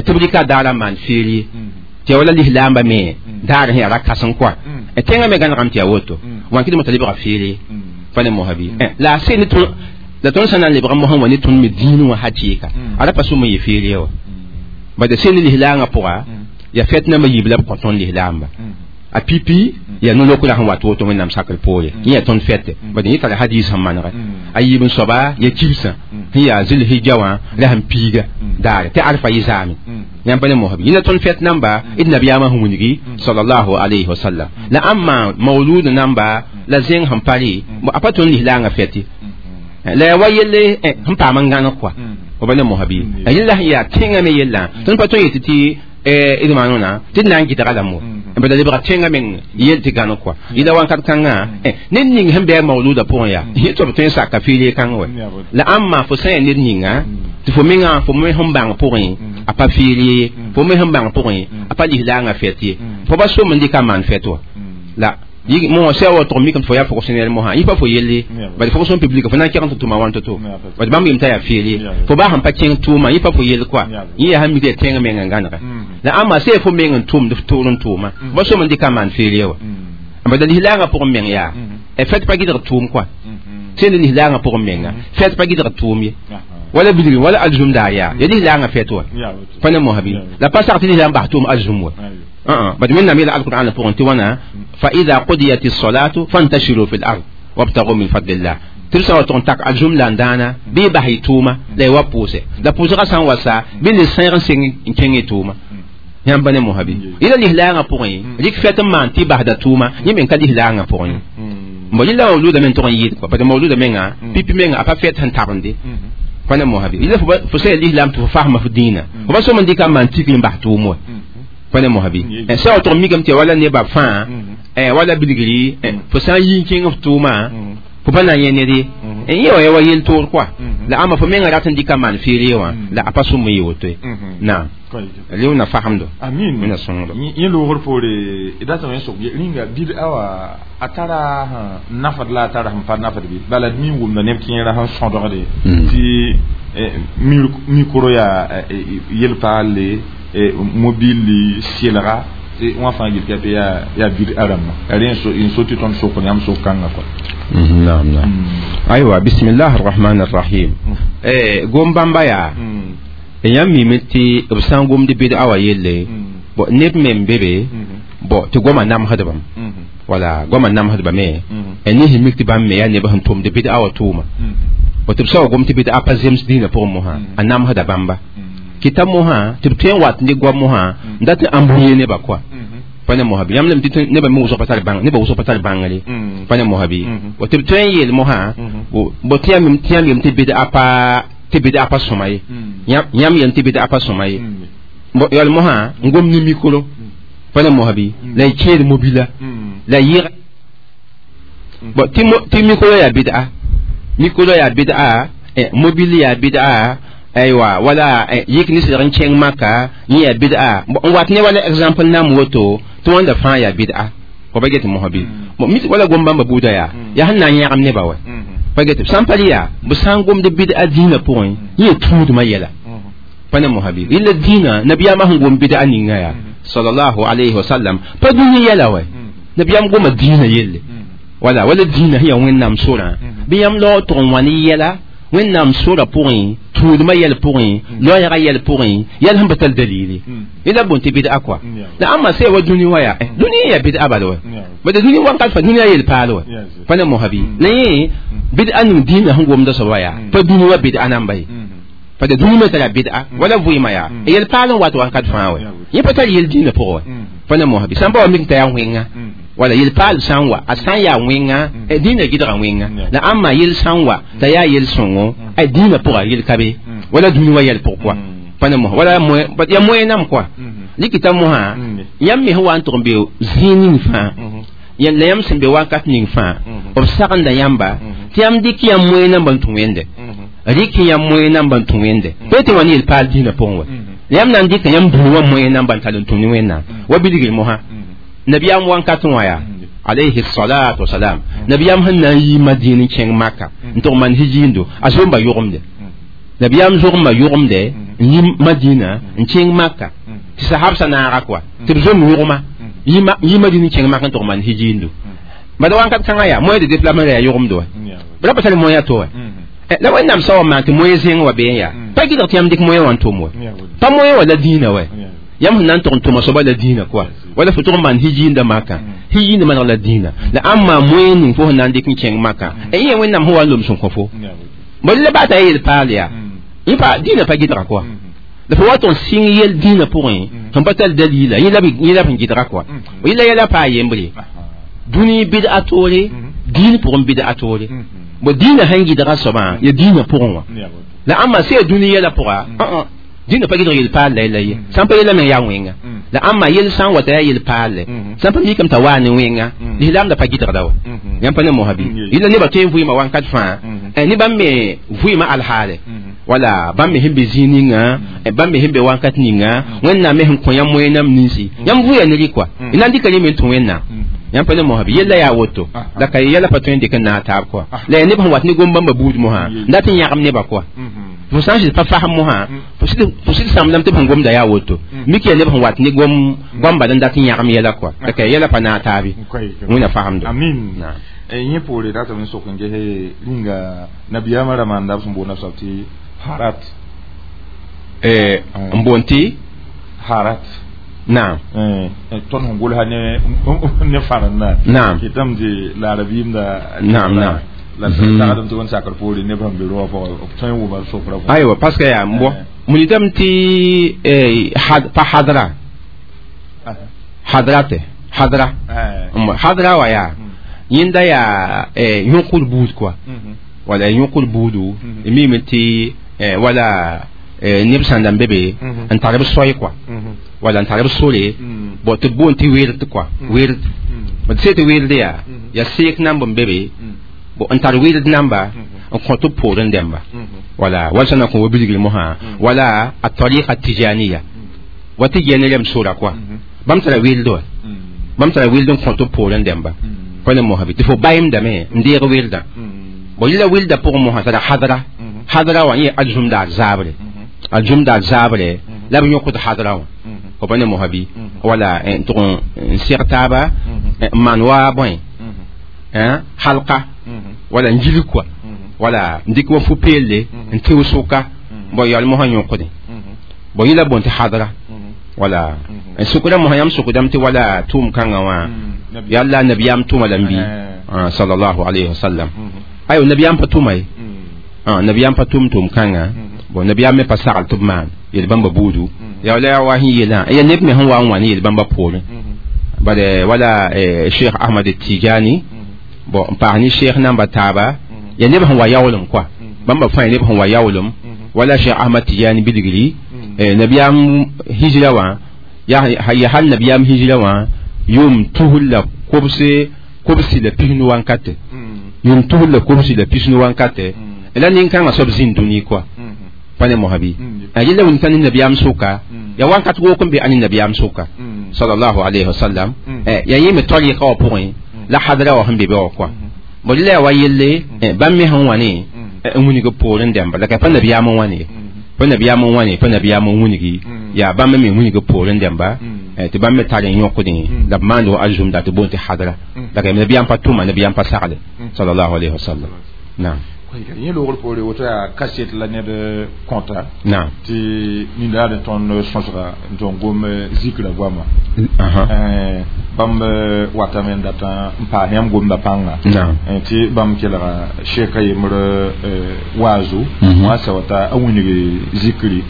tɩ b rɩka daara n maan feere tɩ ya wala lislaamba me daar sẽn yaa ra-kãseng kɔa tẽngã me gãnegame tɩ yaa woto wãn kɩdme t'a lebga feere pa ne mosã bɩ la a seen la tõnd sã na n lebg mosã wã ne tõnd me dĩin wã hakɩɩka a ra pa sʋm n yɩ feere wã bad seen lislaangã pʋga ya fɛt nambã yiib la b kõ tõnd lislaamba a pipi ya no-lokra sẽn wat woto wẽnnaam sakr poore yẽ yaa tõnd fɛte bad yẽ tara hadis sẽn manegɛ a yiib n soaba ya kibsã sẽn yaa zilhija wã la sẽn piiga daare tɩ arfa yɩ zaame yãmb pa ne mosb yẽ la tõnd fɛt namba d nabiyaamã sẽn wilgi sallallahu alayhi wa sallam la ãmba maulud namba la zẽng sẽn pa rɩ a pa tõnd lislaangã fɛte la ya wa yelle sẽn paam n gãneg kɔa fo pa ne mosb ye yella sẽn yaa tẽngã me yellã tõnd pa tõe n yetɩ tɩ d maanona tɩ d na n gɩdga lame bala lebga tẽngã meng yel tɩ gãneg kɔa yɩla wãnkat kãngã ned ning sẽn bɩ a mauluda pʋgẽ yaa yẽ tɩ b tõe n saka feere kãng wɛ la ãmba fo sã n yaa ned ninga tɩ fo mengã fo me sẽn bãng pʋgẽ a pa feere ye fo me sẽn bãng pʋgẽ a pa lislaangã fɛt ye fo ba som n dɩka maan fɛt wa la mo sã wa tʋg mikame tɩ fo yaa fonctionnaire mosã yẽ pa fo yelle bad fonction publique fo na n kẽg tɩ tʋma wãn to-to bad bãmb yem t'a yaa feere fo baa sẽn pa kẽng tʋʋma yẽ pa fo yell kɔa yẽ yaa sẽn mik yaa tẽng meng n gãnega la ãmba sã fo meng n tʋmd f toor n tʋʋma ba som n dɩka maan feere wa bad la lislaangã pʋgẽ meng yaa fɛt pa gɩdg tʋʋm kɔa sẽn ne lislaangã pʋgẽ menga fɛt pa gɩdg tʋʋm ye wala bilgr wala alzum daar yaa ya lislaangã fɛt wa pa ne mosã bɩ la pa sak tɩ lislaam bas tʋʋm alzum wa بعد من نعمل القرآن فونتوانا فإذا قضيت الصلاة فانتشروا في الأرض وابتغوا من فضل الله ترسل تونتاك الجملة دانا بيبهي توما لا يوبوسه لا بوسه سان وسا بين السير سين كيني توما yãmb pa ne mosã bɩ yẽla lislaangã pʋgẽ rɩk fɛt n maan tɩ basda tʋʋma yẽ meng ka lislaangã pʋgẽ ye bon yẽla mauluda meng tʋg n yɩɩd kɔa parce que mauluda menga pipi menga a pa fɛt sẽn tabende pa ne mosã bɩ yẽla fo sã yaa lislaam tɩ fo fasma fo dĩinã fo pa som n dɩka n maan tikr n bas tʋʋm wa pa ne mosã bɩ sã wa tʋg mikame tɩ wala nebã fãa wala bilgri fo sã n yi n kẽng f tʋʋma fo pa na n yẽ ned ye yẽ wa ya wa yel toor kɔa la ãmba fo menga rat n dɩka maan feere wã la a pa sʋm n yɩ woto ye naam leona fahamdo amin mina sõngdo yẽ loogr poore d datame n sok rĩnga bid'a wã a tara nafd la a tara sẽn pa nafd bɩ bala d mi n wʋmda neb kẽera sẽn sõdgde tɩ mikro yaa yel-paalle mobile selga tɩ wã fãa gil tɩ yaa bid'a rãmba yaa rẽ n so tɩ tõnd sok yãmb sok kãngã kɔa naam naam aywa bismillah arrahman arrahim gom bãmba yaa yãmb mime tɩ b sã n gomd bid'a wã yelle bõ neb me n be be bõ tɩ goamã namsdbame wala goamã namsdbame ne sẽn mik tɩ bãmb me yaa neb sẽn tʋmd bid'a wã tʋʋma bõ tɩ b sã wa gom tɩ bid'a pa zems dĩinã pʋgẽ mosã a namsda bãmba kɩta mosã tɩ b tõe n wat ne goam mosã n dat n ãmb nebã kɔa pa ne mosã bɩ yãmb lame tɩ nebã me wʋsg pa tar bãng nebã wʋsg pa tar bãngre pa ne mosã bɩ tɩ b tõe n yeel mosã bõ tɩ yãmb yem tɩ bid'a pa tɩ bid'a pa sõma ye yãmb yem tɩ bid'a pa sõma ye yal mosã n gom ne mikro pa ne mosã bɩ la y kẽed mobila la yɩg bõ tɩ mikro yaa bid'a mikro yaa bid'a mobile yaa bid'a aywa wala yik ne sɩdg n kẽng maka yẽ yaa bid'a n wat ne wala exemple nam woto tɩ wãnda fãa yaa bid'a fo pa get mosã bɩ wala gom bãmba buuda yaa yaa sẽn na n yãgem nebã wa pa get sã n pa yaa b sã n gomd bid'a dĩinã pʋgẽ yẽ tũudmã yɛla pa ne mosã bɩ yẽla dĩinã nabiyaamã sẽn gom bid'a ninga yaa sallallahu alayhi wa sallam pa dũni yɛla wa nabiyaam goma dĩinã yelle wala wala dĩinã sẽn yaa wẽnnaam sorã bɩ yãmb laoog tʋg n wa ne yɛla wẽnnaam sora pʋgẽ tũudmã yɛl pʋgẽ loɛɛgã yɛl pʋgẽ yɛl sẽn pa tar dalili yẽla bõn tɩ bid'a kɔa la ãmba sã wa dũni wa yaa dũni yaa bid'a bala wa bad dũni wãnkat fa dũniyã yel-paal wa pa ne mosã bɩ la yẽ bid'a ning dĩinã sẽn gomda soaba yaa pa dũni wa bid'a namba ye pa da dũni me tara bid'a wala vɩɩmã yaa yel-paal n wat wãnkat fãa wa yẽ pa tar yel dĩinã pʋgẽ wa pa ne mosã bɩ sã n pa wa mik t'a yaa wẽnga wala yel-paal sã n wa a sã n yaa wẽnga dĩinã gɩdga wẽnga la ãmba yel sã n wa t'a yaa yel-sõngo dĩinã pʋga yel ka be wala dũni wa yɛl pʋg kɔa pa ne mosã wala yaa moe nam kɔa rɩkɩta mosã yãmb me sẽn wa n tʋg n be zĩig ning fãa la yãmb sẽn be wakat ning fãa b sagenda yãmba tɩ yãmb dɩk yãmb moe namba n tũ wẽnde rɩk yãmb moe namba n tũ wẽnde pa tɩ wa ne yel-paal dĩinã pʋgẽ wa la yãmb na n dɩka yãmb dũni wã moe namba n tall n tũ ne wẽnnaam wa bilgr mosã nabiyaam wãnkat wã yaa alayhi salatu wasalam nabiyaam sẽn na n yi madin n kẽng maka n tʋg maan hijiindo a zomba yʋgemde Nabiyam zogma yʋgemde n yi Madina n kẽng Maka tɩ sahabsã naaga kɔa tɩ b zom yʋgma yi Madina n kẽng Maka n tʋg maan hijiindu bala wãnkat kãngã yaa moyen de déplacement yaa yʋgemd wa b ra pa tar moyen to wa la Wẽnnaam soab n maan tɩ moyen zẽng wa bee n yaa pa gɩdg tɩ yãmb dɩk moyen wã n tʋm wa pa moyen wa la dĩinã wa yãmb sẽn na n tʋg n tʋma soaba la dĩinã kɔa wala fo tʋg n maan hijiinda Maka hijiinda maneg la dĩinã la ãmb maan moyen ning fo sẽn na n dɩk n kẽng Maka yẽ Wẽnnaam sẽn wa n lom sẽn kõ fo bõe la baa t'a yel paal yaa yẽ pa dĩinã pa gɩdga kɔa la fo wa tɩ n sɩng yel dĩinã pʋgẽ sẽn pa tar dalila yẽ la b sẽn gɩdga kɔa yẽ la yɛla paa yembre dũni bɩd-a toore dĩin pʋgẽ bɩd-a toore bo dĩinã sẽn gɩdga soabã ya dĩinã pʋgẽ wã la ãmba sẽn ya dũni yɛla pʋga dĩinã pa gɩdg yel paal la la ye sãn pa yɛla meng yaa wẽnga la ãmba yel sã n wata yaa yel paal sãn pa mikame t'a waa ne wẽnga lislaam da pa gɩdgda wa yãmb pa ne mosa bɩ yẽla nebã tõe n vɩɩmã wãnkat fãa ne bãmb me vɩɩmã alhaale wala bãmb me sẽn be zĩig ninga bãmb me sẽn be wãnkat ninga Wẽnnaam me sẽn kõ yãmb moyenam ninsi yãmb vʋya ne rɩ kɔa y na n dɩka rẽ me n tũ Wẽnnaam yãmb pa ne mosa bɩ yella yaa woto la ka yɛla pa tõe n dɩk n naag taab kɔa la yaa neb sẽn wat ne gom-bãmba buud mosã n dat n yãgem nebã kɔa fo sã n sɩd pa fasem mosã fo sɩd sãmdame tɩ b sẽn gomda yaa woto mik yaa neb sẽn wat ne gom goam-bal n dat n yãgem yɛla kɔa la ka yɛla pa naag taabe Wẽnna fasemdo amin yẽ poore ratame n sok n gese rĩnga nabiyaamã rãmba n da b sẽn boond soab tɩ harat n boond tɩ harat naam tõnd sẽn gʋlsa ne fãrenda naam kɩtame tɩ laara-biimda naam naam la sagdem tɩ wẽn sakr poore neb sẽn be rõwã pʋgã b tõe n wʋma sokra pʋgẽ aywa parce que yaa n bɔ wilgame tɩ pa hadra hadrate hadra hadra wa yaa yẽnda yaa yõkd buud kɔa wala yõkd buudu mime tɩ wala neb sãn da n be be n tar b soay kɔa wala n tar b sore bõ tɩ b boond tɩ werd kɔa werd d se tɩ werd yaa yaa seek namb n be be bõ n tar werd namba n kõ tɩ b poorẽ dẽmba wala wala sã na kõ wa bilgr mosã wala a tariqa tijaniya wa tɩ gɛne rem sora kɔa bãmb tara weld wa bãmb tara weld n kõ tɩ b poorẽ dẽmba pa ne mosã bɩ tɩ fo bayemdame n deeg weldã bõ yẽla welda pʋgẽ mosã tara hadra hadra wã yẽ al-zũmdaar zaabre al-zũmdaar zaabre la b yõkd hadra wã fo pa ne mosã bɩ wala n tʋg n seg taaba n maan wa bõe halka wala n gilg kɔa wala n dɩk wa fu-peelle n tɩ sʋka bõ yaool mosã yõkdẽ bõ yẽla boond tɩ hadra wala n sʋkda mosã yãmb sʋkdame tɩ wala tʋʋm kãngã wã yalla nabiyaam tʋma la n bɩ sallallahu alayhi wa sallam ayo nabiyaam pa tʋma ye nabiyaam pa tʋm tʋʋm kãngã bon nabiyaam me pa sagl tɩ b maan yel-bãmba buudu yaa la yaa wa sẽn yeelã ya neb me sẽn wa n wã ne yel-bãmba poorẽ bala wala Cheikh Ahmad Tijani bon n paas ne Cheikh namba taaba ya neb sẽn wa yaoolem kɔa bãmba fãa ya neb sẽn wa yaoolem wala Cheikh Ahmad Tijani bilgri nabiyaam hijra wã ya hal nabiyaam hijra wã yʋʋm tusr la kobsi la pisnu wankate yʋʋm tusr la kobsi la pisnu wankate la nin-kãngã soab zĩnd dũni kɔa pa ne mosã bɩ a yella wĩnta ne nabiyaam sʋka ya wãnkat wook n be a ne nabiyaam sʋka sallallahu alayhi wa sallam ya yẽ me tariqa wã pʋgẽ la hadra wã sẽn be be wã kɔa bõ la yaa wa yelle bãmb me sẽn wã ne n wilg poorẽ dẽmba la ka pa nabiyaam n wã ne pa nabiyaam n wã ne pa nabiyaam n wilgi yaa bãmb me wilg poorẽ dẽmba tɩ bãmb me tar n yõkdẽ la b maand wa al-zũmda tɩ boond tɩ hadra la ka nabiyaam pa tʋma nabiyaam pa sagle sallallahu alayhi wa sallam naam yẽ loogr poore woto yaa kaset la ned kõta naam tɩ nindaad n tõnd sõsga n tõn gom zikra goama bãmb watame n datã n paas yãmb gomda pãnga tɩ bãmb kelga sheeka yembr waazu wã sa wata a wilg zikri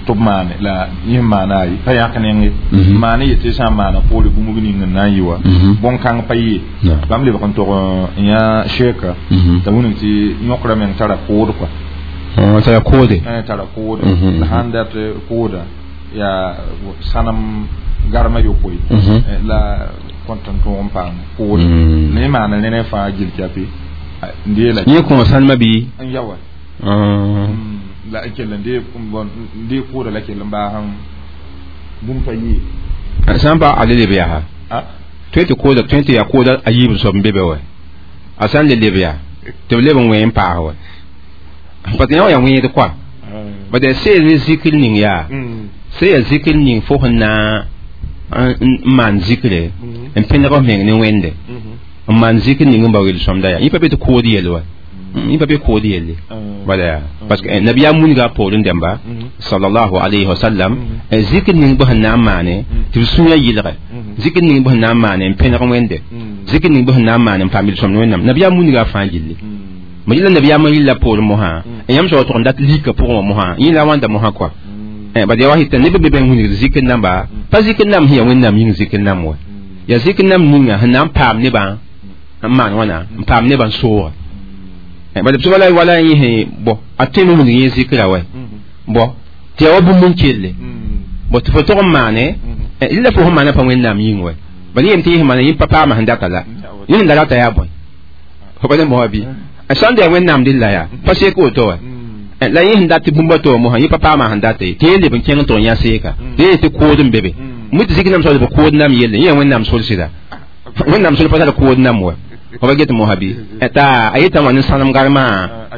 tɩ b maane la yẽ maana a ye pa yãk nenge maane yetɩ sã n maana poore bũmb ning n na n yɩ wa bõn-kãng pa yee bãmb lebg n tog n yã sheeka t'a wilg tɩ yõkra meng tara kood kɔa tara koode tara kood la sãn dat kooda yaa sãnem garma yopoe la kõt n tõog n paam kood la yẽ maana rẽne fãa gil kɛpɩ n deela yẽ kõ sãnemã bɩ n ya wa la n kell n dee kooda la kell n baas bũmb pa yee sã n pa a le leb yaa tõe tɩ kooda tõe tɩ yaa kooda a yiib soab n be be wa a sã n le leb yaa tɩ b leb n wẽ n paas wa parce que yã wã yaa wẽed kɔa Bada sẽn ne zikr ning yaa sẽn yaa zikr ning fo sẽn na n maan zikre n pẽneg f meng ne wẽnde n maan zikr ning n bao yel-sõmda yaa yẽ pa be tɩ kood yel wa yẽ pa be kood yelle bala yaa parce que nabiyaam munga poorẽ dẽmba sallallahu alayhi wa sallam zikr ning bɩ sẽn na n maane tɩ b sũyã yɩlge zikr ning bɩ sẽn na n maane n pẽneg wẽnde zikr ning bɩ sẽn na n maane n paam yel-sõmd wẽnnaam nabiyaam munga fãa gilli ma yɩla nabiyaam n yɩlla poorẽ mosã n yãmb soab tʋg n dat lika pʋgẽ wã mosã yẽ la wãnda mosã kɔa bad yaa wa tɩ neb be bãmb wilgd zikr namba pa zikr nam sẽn yaa wẽnnaam yĩng zikr nam wa yaa zikr nam ninga sẽn na n paam nebã n maan wãna n paam nebã n sooga bad b wala wala yẽ bõ a tõeme wilg yẽ zikra wa bõ tɩ yaa wa bũmb n kelle bõ tɩ fo tog n maane rɩla fo sẽn maana pa wẽnnaam yĩng wa bad yẽ tɩ yẽ sẽn maana yẽ pa paama sẽn data la yẽ sẽn da rata yaa bõe fo pa ne moa bɩ sãn da yaa wẽnnaam dɩlla yaa pa sek woto wa la yẽ sẽn dat tɩ bũmba to mosã yẽ pa paama sẽn date tɩ yẽ leb n kẽng tɩ n yã seeka tɩ yẽ tɩ kood n be be mi tɩ zik nam soab b kood nam yelle yẽ wẽnnaam sol sɩda wẽnnaam sol pa tar kood nam wa fo pa get mosã bɩ t'a a yetã wã ne sãnem garmã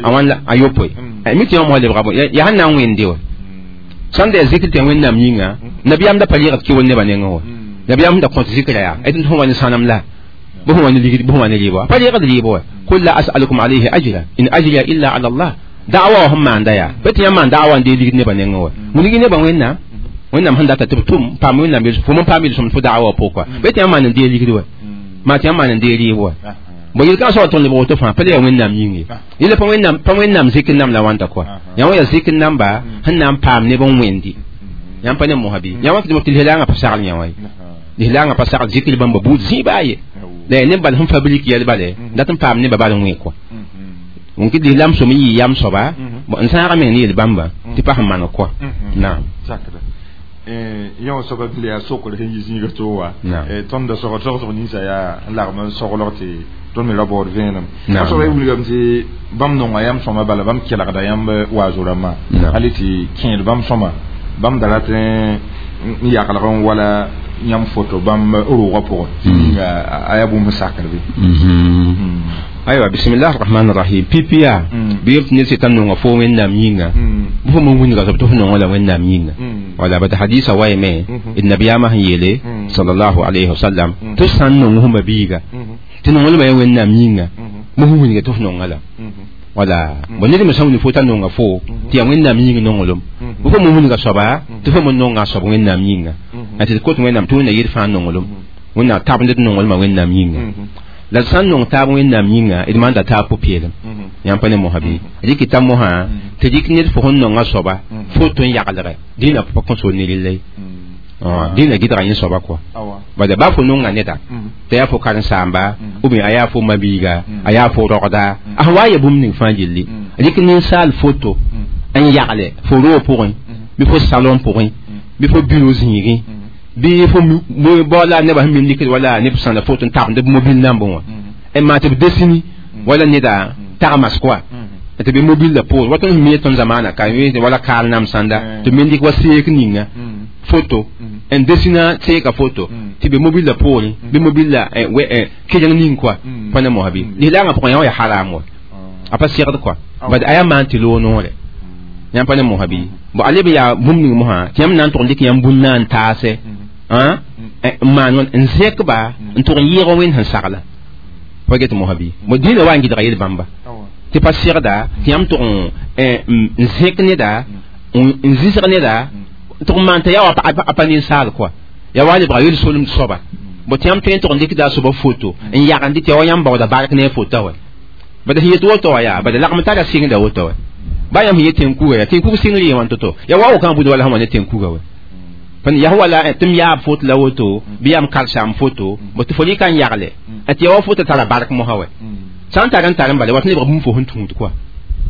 a wãn a yopoe mi tɩ yã mosã lebga bõe yaa sẽn na n wẽnde wa sãn da yaa zikr tɩ yaa wẽnnaam yĩnga nabiyaam da pa yɩgd kɩ wol nebã nengẽ wa nabiyaam sẽn da kõt zikra yaa tɩ fõ wa ne sãnem la bɩ fõ wa ne ligd bɩ fõ wa ne rɩɩbã pa yɩgd rɩɩbã wa qul la as'alukum alayhi ajra in ajriya illa ala allah da'awa sẽn maanda yaa pa tɩ yãmb maan da'awa n dee ligd nebã nengẽ wa wilgi nebã wẽnnaam wẽnnaam sẽn data tɩ b tʋm paam wẽnnaam fo n paam yel-sõmd fo da'awa pʋgẽ kɔa pa tɩ yãmb maan n dee ligd wa maa tɩ yãmb maan n dee rɩɩb wa bõ yel-kãng soab tõnd lebg woto fãa pa le yaa wẽnnaam yĩng ye yella pa wẽnnaam zikr nam la wãnta kɔa yã wã yaa zikr namba sẽn na n paam neb n wẽndi yãmb pa ne mosã bɩ yã wã tɩ lislaangã pa sagl yã wã ye lislaangã pa sagl zikr bãmba buud zĩ baa ye la yaa neb bal sẽn fabrik yɛl bale dat n paam nebã bal n wẽ kɔa n kɩt lislaam sõm n yɩ yam soaba n sãaga meng ne yel-bãmba tɩ pa sẽn maneg kɔa naam yã wã soaba la yaa sokr sẽn yi zĩiga to wa tõnd da sogd sogsg ninsã yaa n lagm n soglg tɩ tõnd me ra baood vẽenem a soaba y wilgame tɩ bãmb nonga yãmb sõma bala bãmb kelgda yãmb waazo rãmbã hal tɩ kẽed bãmb sõma bãmb da rat n yaglg n wala yãmb foto bãmb roogã pʋgẽ tɩ ninga a yaa bũmb sakr bɩ aywa bismillah rahman rahim pipiya bɩ yem tɩ ned sɩta nonga fo wẽnnaam yĩnga bɩ fo mon wilga soab tɩ fo nonga la wẽnnaam yĩnga wala bad hadisa wayame d nabiyaamã sẽn yeele sallallahu alayhi wasallam tɩ sã n nong fo biiga tɩ nonglmã yaa wẽnnaam yĩnga bɩ fo wilga tɩ fo nonga la wala bõ ned me sã n wilg fo t'a nonga fo tɩ yaa wẽnnaam yĩng nonglem bɩ fo mon wilga soaba tɩ fo mon nonga a soab wẽnnaam yĩnga tɩ d kot wẽnnaam tɩ wẽnna yel fãa nonglem wẽnnaam tabend d nonglmã wẽnnaam yĩnga la sã n nong taab wẽnnaam yĩnga d maanda taab pʋ-peelem yãmb pa ne mosã bɩ rɩkɩta mosã tɩ rɩk ned fo sẽn nonga soaba foto n yaglge dĩnã pa kõn sool ne rella ye dĩnã gɩdga yẽ soaba kɔa bala baa fo nonga neda t'a yaa fo karen-saamba ou bien a yaa fo mabiiga a yaa fo rogda a sẽn wa ya bũmb ning fãa gilli rɩk ninsaal foto n yagle fo roog pʋgẽ bɩ fo salon pʋgẽ bɩ fo bureau zĩigẽ bɩ fo baoola nebã sẽn min likd wala neb sãnda foto n tagmd b mobil nambẽ wã n maan tɩ b desini wala neda tagmas kɔa tɩ bɩ mobil la poor wa tõnd sẽn mi tõnd zamaana ka wala kaal nam sãnda tɩ min dɩk wa seek ninga foto n desina seeka foto tɩ bɩ mobil la poorẽ bɩ mobil la keleng ning kɔa pa ne mosã bɩ lislaangã pʋgẽ yã wa yaa haram wa a pa segd kɔa bad a yaa maan tɩ loog noore yãmb pa ne mosã bɩ bon a leb yaa bũmb ning mosã tɩ yãmb na n tʋg n dɩk yãmb bũn na n taase n maan n zẽkba n tʋg n yɩɩg wẽnd sẽn sagla pa get mosã bɩ bon dĩinã wa n gɩdga yel-bãmba tɩ pa segda tɩ yãmb tʋg n zẽk neda n zĩsg neda tʋg n maan t'a yaa wa a pa ninsaal kɔa yaa wa lebga yel-solemd soaba bon tɩ yãmb tõe n tʋg n dɩkda a soaba foto n yagende tɩ ya wa yãmb baooda bark ne a fota wa bad sẽn yet woto wa yaa bad lagm tara sɩngda woto wa ba yãmb sẽn yet tẽn-kuga yaa tẽn-kug sɩngr yẽ wãn to-to yaa wa wokã bud wala sẽn wa ne tẽn-kuga wa pa yaa wala tɩ m yaab foto la woto bɩ yaa m karsaam foto bõ tɩ fo rɩka n yagle tɩ yaa wa foto tara bark mosã wa sã n tar n tar n bala wat nebg bũmb fo sẽn tũud kɔa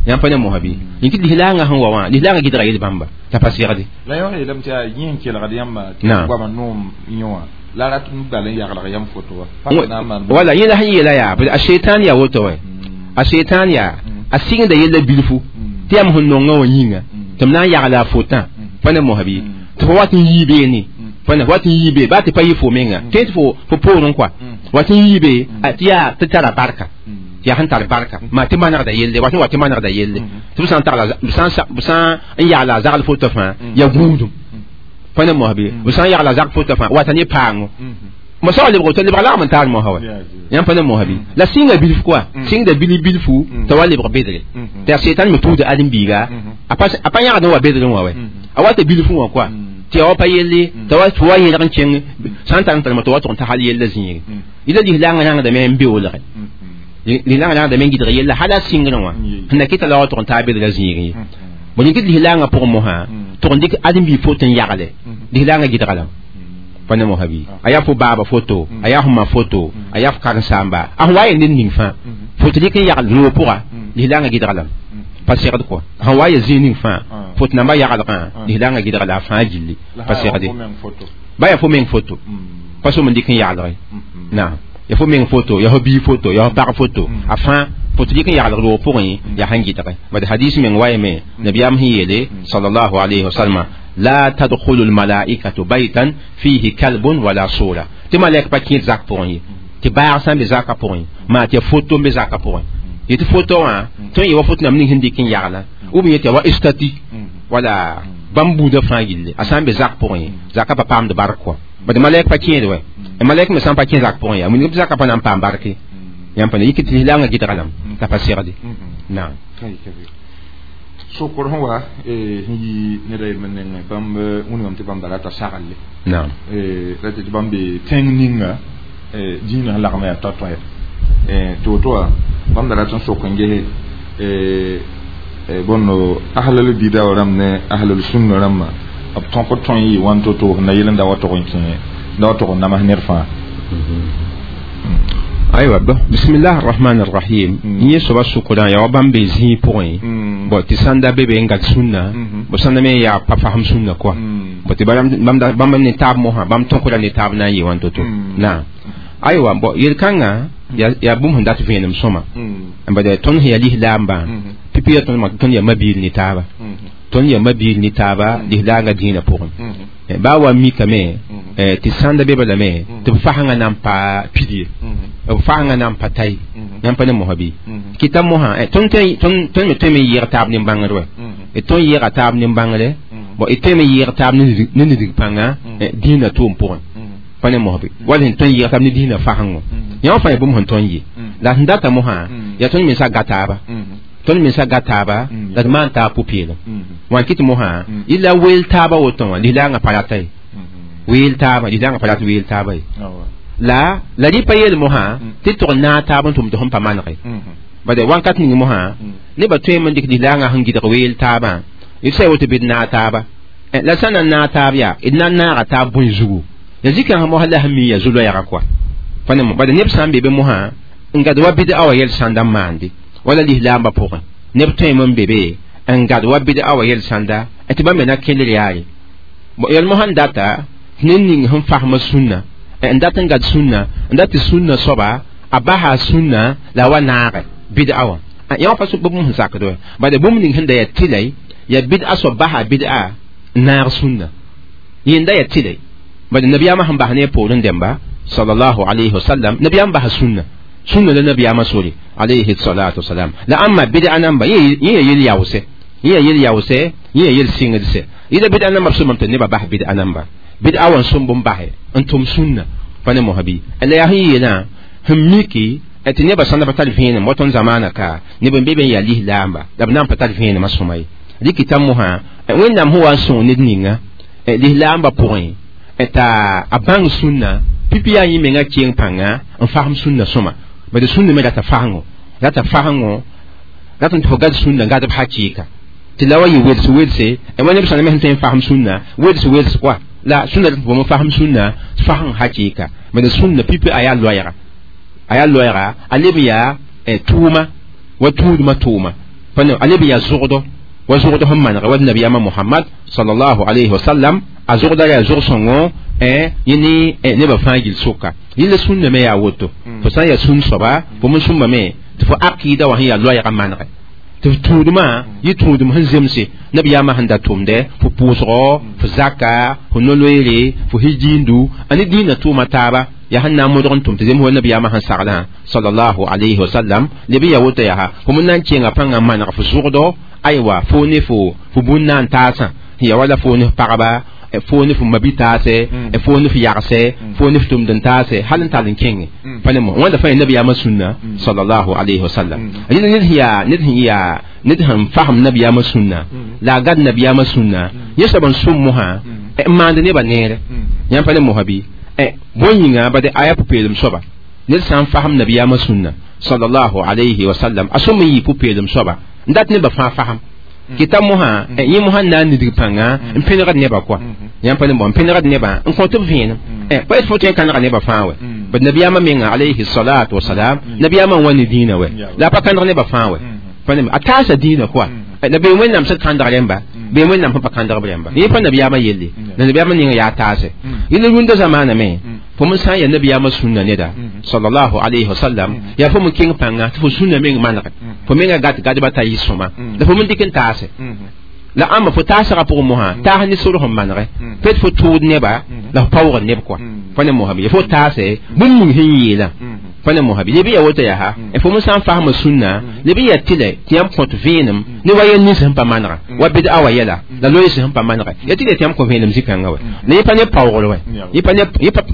yãmb pa ne mosã bɩ yĩk lislaangã sẽn wa wã lislaangã gɩdga yel-bãmba t'a pa segde la yã yeelame tɩ yaa yẽ n kelgd yãmba tɩ goama noom yẽ wã la rat n bal n yaglg yãmb foto wa wala yẽ la sẽn yeela yaa a sheitan yaa woto wa a sheitan yaa a sɩngda yella bilfu tɩ yãmb sẽn nongã wã yĩnga tɩ m na n yagla a fotã pa ne mosã bɩ tɩ fo wat n yii beene pa ne wat n yii be baa tɩ pa yɩ fo menga tõe tɩ fo poorẽ kɔa wat n yii be tɩ yaa tɩ tara barka Tɩ yaa sẽn tar barka maa tɩ manegda yelle wa tɩ wa tɩ manegda yelle tɩ b sã n tagla b sã n yagla a zagl foto fãa ya gũudum pa ne mosã bɩ b sã n yagla a zagl foto fãa wata ne paango mo sa lebg to lebg lagm n taar mosã wa yãmb pa ne mosã bɩ la sɩnga bilf koa sɩngda bili bilfu t'a wa lebg bedre tɩ a setan me tuuda ãdem-biiga a pa yãgd n wa bedrẽ wã wɛ a wata bilfu wã koa tɩ ya wa pa yelle t'a wa tɩ wa yẽlg n kẽng sã n tar n tarma tɩ wa tʋg n ta hal yella zĩige yela lislaangã rãngdame n beoolge lislaangã rãngdame n gɩdg yella hal a sɩngrẽ wã sẽn na kɩta la wa tʋg n taa bedrã zĩig ye bõ yĩng tɩ lislaangã pʋgẽ mosã tʋg n dɩk ãdem-biig foto n yagle lislaangã gɩdga lame pa ne mosã bɩ a yaa fo baaba foto a yaa fo ma foto a yaa fo karen-saamba a sẽn wa yen ned ning fãa foto dɩk n yagl noog pʋga lislaangã gɩdga lame pa segd kɔa sẽn wa ya zĩig ning fãa foto nambã yaglgã lislaangã gɩdga la a fãa gilli pa segde ba yaa fo meng foto pa som n dɩk n yaglge naam ya fo meng foto ya fo bii foto ya fo pag foto a fãa foto dɩk n yaglg roog pʋgẽ yaa sẽn gɩdge bad hadis meng wayame nabiyaam sẽn yeele sallallahu alayhi wa sallam la tadkhulu almalaikatu baytan fihi kalbun wala sura tɩ malɛk pa kẽed zak pʋgẽ ye tɩ baag sã n be zakã pʋgẽ maa tɩ ya foto n be zakã pʋgẽ yetɩ foto wã tõe n yɩ wa foto nam ning sẽn dɩk n yagla ou bien yetɩ wa estati wala bãmb buudã fãa gilli a sã n be zak pʋgẽ zakã pa paamd bark kɔa bad malɛk pa kẽed wɛ malɛk me sã n pa kẽ zak pʋgẽ yaa wilg tɩ zakã pa na n paam barke yãmb pa ne yik tɩ lislaangã gɩdga lame t'a pa segde naam sokor sẽn wa sẽn yi ned a yelme nengẽ bãmb wĩnigame tɩ bãmb da rata saglle naam ra tɩ bãmb be tẽng ninga dĩinã sẽn lagm yaa tao-tõe tɩ woto wã bãmb da rat n sok n gese bõndo ahlal bida rãmb ne ahlal sunna rãmbã b tõk tõe n yɩ wãn to-to sẽn na yel n da wa tog n kẽ da wa tog n nams ned fãa. Aywa bismillah arrahman arrahim yẽ soaba sʋkrã yaa wa bãmb be zĩig pʋgẽ bõ tɩ sãn da be be n gat sũnna bõ sãnda me yaa pa fasem sũnna koa bõ tɩ bãmb ne taab mosã bãmb tõkra ne taab na n yɩ wãn to-to naam aywa bõ yel-kãngã yaa bũmb sẽn dat vẽenem sõma bad tõnd sẽn yaa lislaambã pipi yaa tõnd yaa mabiil ne taaba tõnd yaa mabiil ne taaba lislaangã dĩinã pʋgẽ baa wa mikame tɩ sãnda be balame tɩ b fasẽngã na n pa pid ye b fasẽngã na n pa ta ye yãmb pa ne mosã bɩ kɩta mosã tõnd me tõe me n yɩɩg taab nin-bãngr wɛ tõnd yɩɩga taab nin-bãngre bõ d tõe me yɩɩg taab ne nidg pãnga dĩinã tʋʋm pʋgẽ pa ne mosã bɩ wala sẽn tõe n yɩɩg taab ne dĩinã fasẽngo yã wã fãa yaa bũmb sẽn tõnd ye la sẽn data mosã yaa tõnd mensa ga taaba tõnd mensa ga taaba la d maan taab pʋ-peelem wã kɩ tɩ mosã yɩla weel taaba woto wã lislaangã pa rata ye weel taaba lislaangã pa rat weel taaba ye la la rɩ pa yeel mosã tɩ tʋg n naag taab n tʋm tɩ sẽn pa manege bad wãnkat ning mosã nebã tõeme n dɩk lislaangã sẽn gɩdg weel taabã d sã woto bɩ d naag taaba la sã na n naag taab yaa d na n naaga taab bõe zugu ya zikãng mosã la sẽn mi yaa zu-loɛɛga koa pa ne bad neb sã n be be mosã n gad wa bɩd a wa yɛl sãnda n maande wala lislaambã pʋgẽ neb tõeme n be be n gad wa bɩd a wa yɛl sãnda tɩ bãmb me na kelg yaare yɛl mosã n data tɩ ned ning sẽn fasma sũnna n dat n gad sũnna n dat tɩ sũnna soaba a basa sũnna la a wa naage bɩd a wã yã wã pa bũmb sẽn sakd wɛ bad bũmb ning sẽn da yaa tɩlɛ yaa bɩd a soab basa bɩd a n naag sũnna yẽnda yaa tɩlɛ bad nabiyaamã sẽn bas ne a poorẽ dẽmba sallallahu alayhi wa sallam nabiyaam basa sũnna sũnna la nabiyaamã sore alayhi salatu wasalam la ãmba bɩd a namba yẽ yaa yel yaoose yẽ yaa yel yaoose yẽ yaa yel sɩngdse yẽla bɩd a namba b sõmame tɩ nebã bas bɩd a namba bɩd a wa n sõmb n basɛ n tʋm sũnna pa ne mosã bɩ la yaa sẽn yeelã sẽn miki tɩ nebã sãnda pa tar vẽenem wa tõnd zamaana ka neb n be be n yaa lislaamba la b na n pa tar vẽenemã sõma ye rɩkɩta mosã wẽnnaam sẽn wa n sõng ned ninga lislaambã pʋgẽ t'a a bãng sũnna pipi yaa yẽ mengã keng pãnga n fasem sũnna sõma bad sũnna me rata fasẽngo rata fasẽngo rat n tɩ fo gad sũnna gad b hakɩɩka tɩ la wa yɩ wels welse wa neb sãn me sẽn tõe n fasem sũnna wels wels koa la sũnna rat fo fasem sũnna fasẽng hakɩɩka bad sũnna pipi a yaa loɛɛga a yaa loɛɛga a leb yaa tʋʋma wa tũudmã tʋʋma pa a leb yaa zʋgdɔ wa zʋgdɔ sẽn manega wa nabiyaamã Muhammad sallallahu alayhi wa sallam a zʋgda yaa zʋg-sõngo yẽ ne nebã fãa gill sʋka yẽla sũnna me yaa woto fo sã n yaa sũn soaba fo me sũmbame tɩ fo aqɩɩda wã sẽn yaa loɛɛga manege tɩ f tũudmã yɩ tũudem sẽn zemse nabiyaamã sẽn da tʋmdɛ fo pʋʋsgɔ fo zaka fo no-loeere fo hijiindu a ne dĩinã tʋʋma taaba Ya sẽn na n modg n tʋm tɩ zemb wa nabiyaamã sẽn saglã sallallahu alayhi wa sallam leb n ya woto yaa fo m na n kẽnga pãngã maneg fo zʋgdo aywa fo ne fo bũn na n taasã ya wala fo ne pagba fo ne fo mabitaase fo ne fo yagse fo ne fo tʋmd n taase hal n tall n kẽnge pa ne mo wãnda fãa nabiyaamã sũnna sallallahu alayhi wa sallam ned sẽn yaa ned sẽn fasem nabiyaamã sũnna la a gad nabiyaamã sũnna yẽ soab n sʋm mosã n maand nebã neere yãmb pa ne mosã bɩ bõe yĩnga bade aya pʋ-peelem soaba ned sã n fasem nabiyaamã sũnna sallallahu alayhi wa sallam a sõm n yɩ pʋ-peelem soaba n dat nebã fãa fasem kɩta mosã yẽ mosã n na n nidg pãnga n pẽnegd nebã koa yãmb pa ne mo n pẽnegd nebã n kõt b vẽenem pa yet fo tõe n kãnega nebã fãa wɛ bad nabiyaamã menga alayhi salatu wasalam nabiyaamã n wa ne dĩinã wɛ la a pa kãneg nebã fãa wɛ pa ne a taasa dĩinã koa la bee wẽnnaam sẽn kãndg rẽmba bee wẽnnaam sẽn pa kãndg b rẽmba yẽ pa nabiyaamã yelle la nabiyaamã ninga yaa taase yẽl rũndã zamaana me fo m sã n yaa nabiyaamã sũnna neda sallallahu alayhi wa sallam yaa fo m kẽng pãnga tɩ fo sũnna meng manege fo menga gat gadba t'a yɩ sõma la fo m dɩk n taase la ãmba fo taasgã pʋgẽ mosã taas ne sor sẽn manege pet fo tʋʋd neba la fo paoogd neb koa pa ne mosã bɩ fo taase bũmb ning sẽn yeelã pa ne mosã bɩ leb n yaa woto yaa fo m sã n fasma sũnna leb n yaa tɩlɛ tɩ yãmb kõt vẽenem ne wa yel nins sẽn pa manega wa bɩd-a wa yɛla la loees sẽn pa manega ya tɩlɛ tɩ yãmb kõ vẽenem zĩ-kãngã wɛ la yẽ pa ne paoogr wɛ yẽ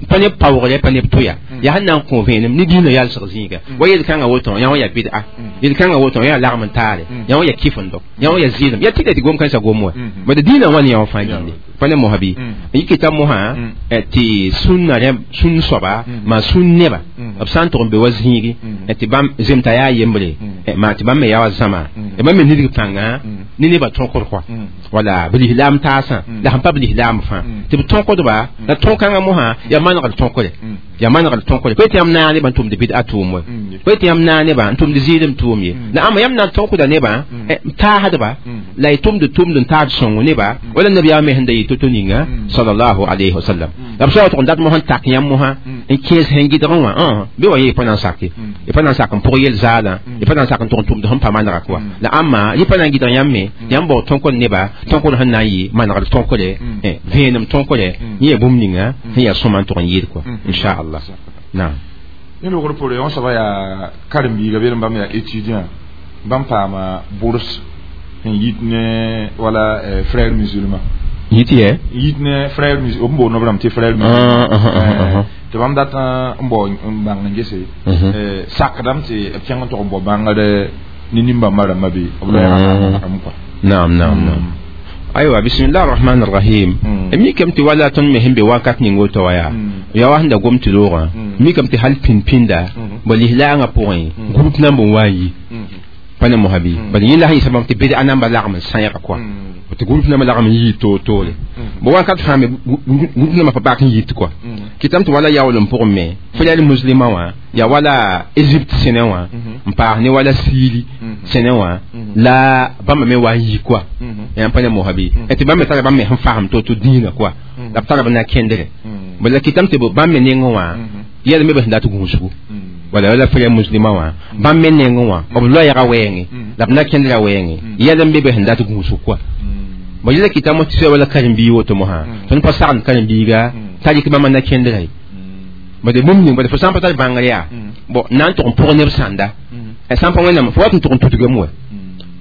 pa ne paoogre pa neb tʋya yaa sẽn na n kõ vẽenem ne dĩinã yalsg zĩiga wa yel-kãngã woto yã wã yaa bɩd-a yel-kãngã woto yã yaa lagm n taare yã wã yaa kɩfendo yã wã yaa zɩɩlem ya tɩlɛ tɩ gom kãensã gom wɛ bad dĩinã wã ne yã wã fãa gilli pa ne mosã bɩ yikɩta mosã tɩ sũnna sũn soaba maa sũn neba b sã n tʋg n be wa zĩigi tɩ bãmb zemta yaa yembre maa tɩ bãmb me yaa wa zãma bãmb me nidg pãnga ne nebã tõkd kɔa wala b lislaam taasã la sẽn pa b lislaam fãa tɩ b tõkdba la tõk-kãngã mosã yaa manegd tõkre yaa manegd tõkre pa tɩ yãmb naag nebã n tʋmd bɩd-a tʋʋm wɛ pa tɩ yãmb naag nebã n tʋmd zɩɩdem tʋʋm ye la ãmba yãmb na n tõkda nebã n taasdba la y tʋmd tʋmd n taad sõngo neba wala nabiyaamã me sẽn da yɩ to-to ninga sallallahu alayhi wa sallam la b soa tʋg n dat mosã n tak yãmb mosã n kẽes sẽn gɩdgẽ wã bɩ wa yẽ pa na n sake y pa na n sak n pʋg yel zaalã y pa na n sak n tʋg n tʋmd sẽn pa manega koa la ãmba yẽ pa na n gɩdg yãmb me yãmb baoog tõkd neba tõkd sẽn na n yɩ manegd tõkre vẽenem tõkre yẽ yaa bũmb ninga sẽn yaa sõma n tʋg n yɩɩd koa inchallah naam yẽ logr poore wã soaba yaa karen-biiga bee bãmb yaa étudiant bãmb paama bourse n yit ne wala frère musulman yit yɛ yit ne frère musulman b boond b rãmb tɩ frère musulman tɩ bãmb dat n bao n bãng n gese sakdame tɩ b kẽng n tʋg n bao bãngd ne nin-bãmbã rãmbã be b loɛɛgã kɔa naam naam naam aywa bismillah arrahman arrahim mikame tɩ wala tõnd me sẽn be wakat ning woto wa yaa yaa wa sẽn da gom tɩ loogã mikame tɩ hal pĩnd-pĩnda bõ lislaangã pʋgẽ group namb n wa n yi pa ne mosã bɩ bad yẽ la sẽn yɩsa bãmb tɩ bɩd-a namba lagm n sãyga kɔa tɩ group namba lagm n yii toor-toore bõ wakat fãa me group namba pa bak n yit kɔa kɩtame tɩ wala yaool n pʋgẽ me frère musulmã wã yaa wala Égypte sẽnẽ wã n paas ne wala Syrie sẽnẽ wã la bãmba me wa n yi kɔa yãmb pa ne mosã bɩ tɩ bãmb me tara bãmb me sẽn fasem to-to dĩinã kɔa la b tara b na kẽndre bala la kɩtame tɩ bãmb me nengẽ wã yɛl me b sẽn dat gũusgu wala wala frère musulmã wã bãmb me nengẽ wã b loɛɛga wɛɛngẽ la b na kẽndra wɛɛngẽ yɛl n be b sẽn dat gũusg kɔa bõ yɛla kɩtame tɩ soa wala karen-biig woto mosã tõnd pa sagend karen-biiga t'a rɩk bãmba na kẽndra ye bade bũmb ning bade fo sã n pa tar bãngr yaa bõ na n tʋg n pʋg neb sãnda sã n pa wẽnnaam fo wat n tʋg n tudgame wɛ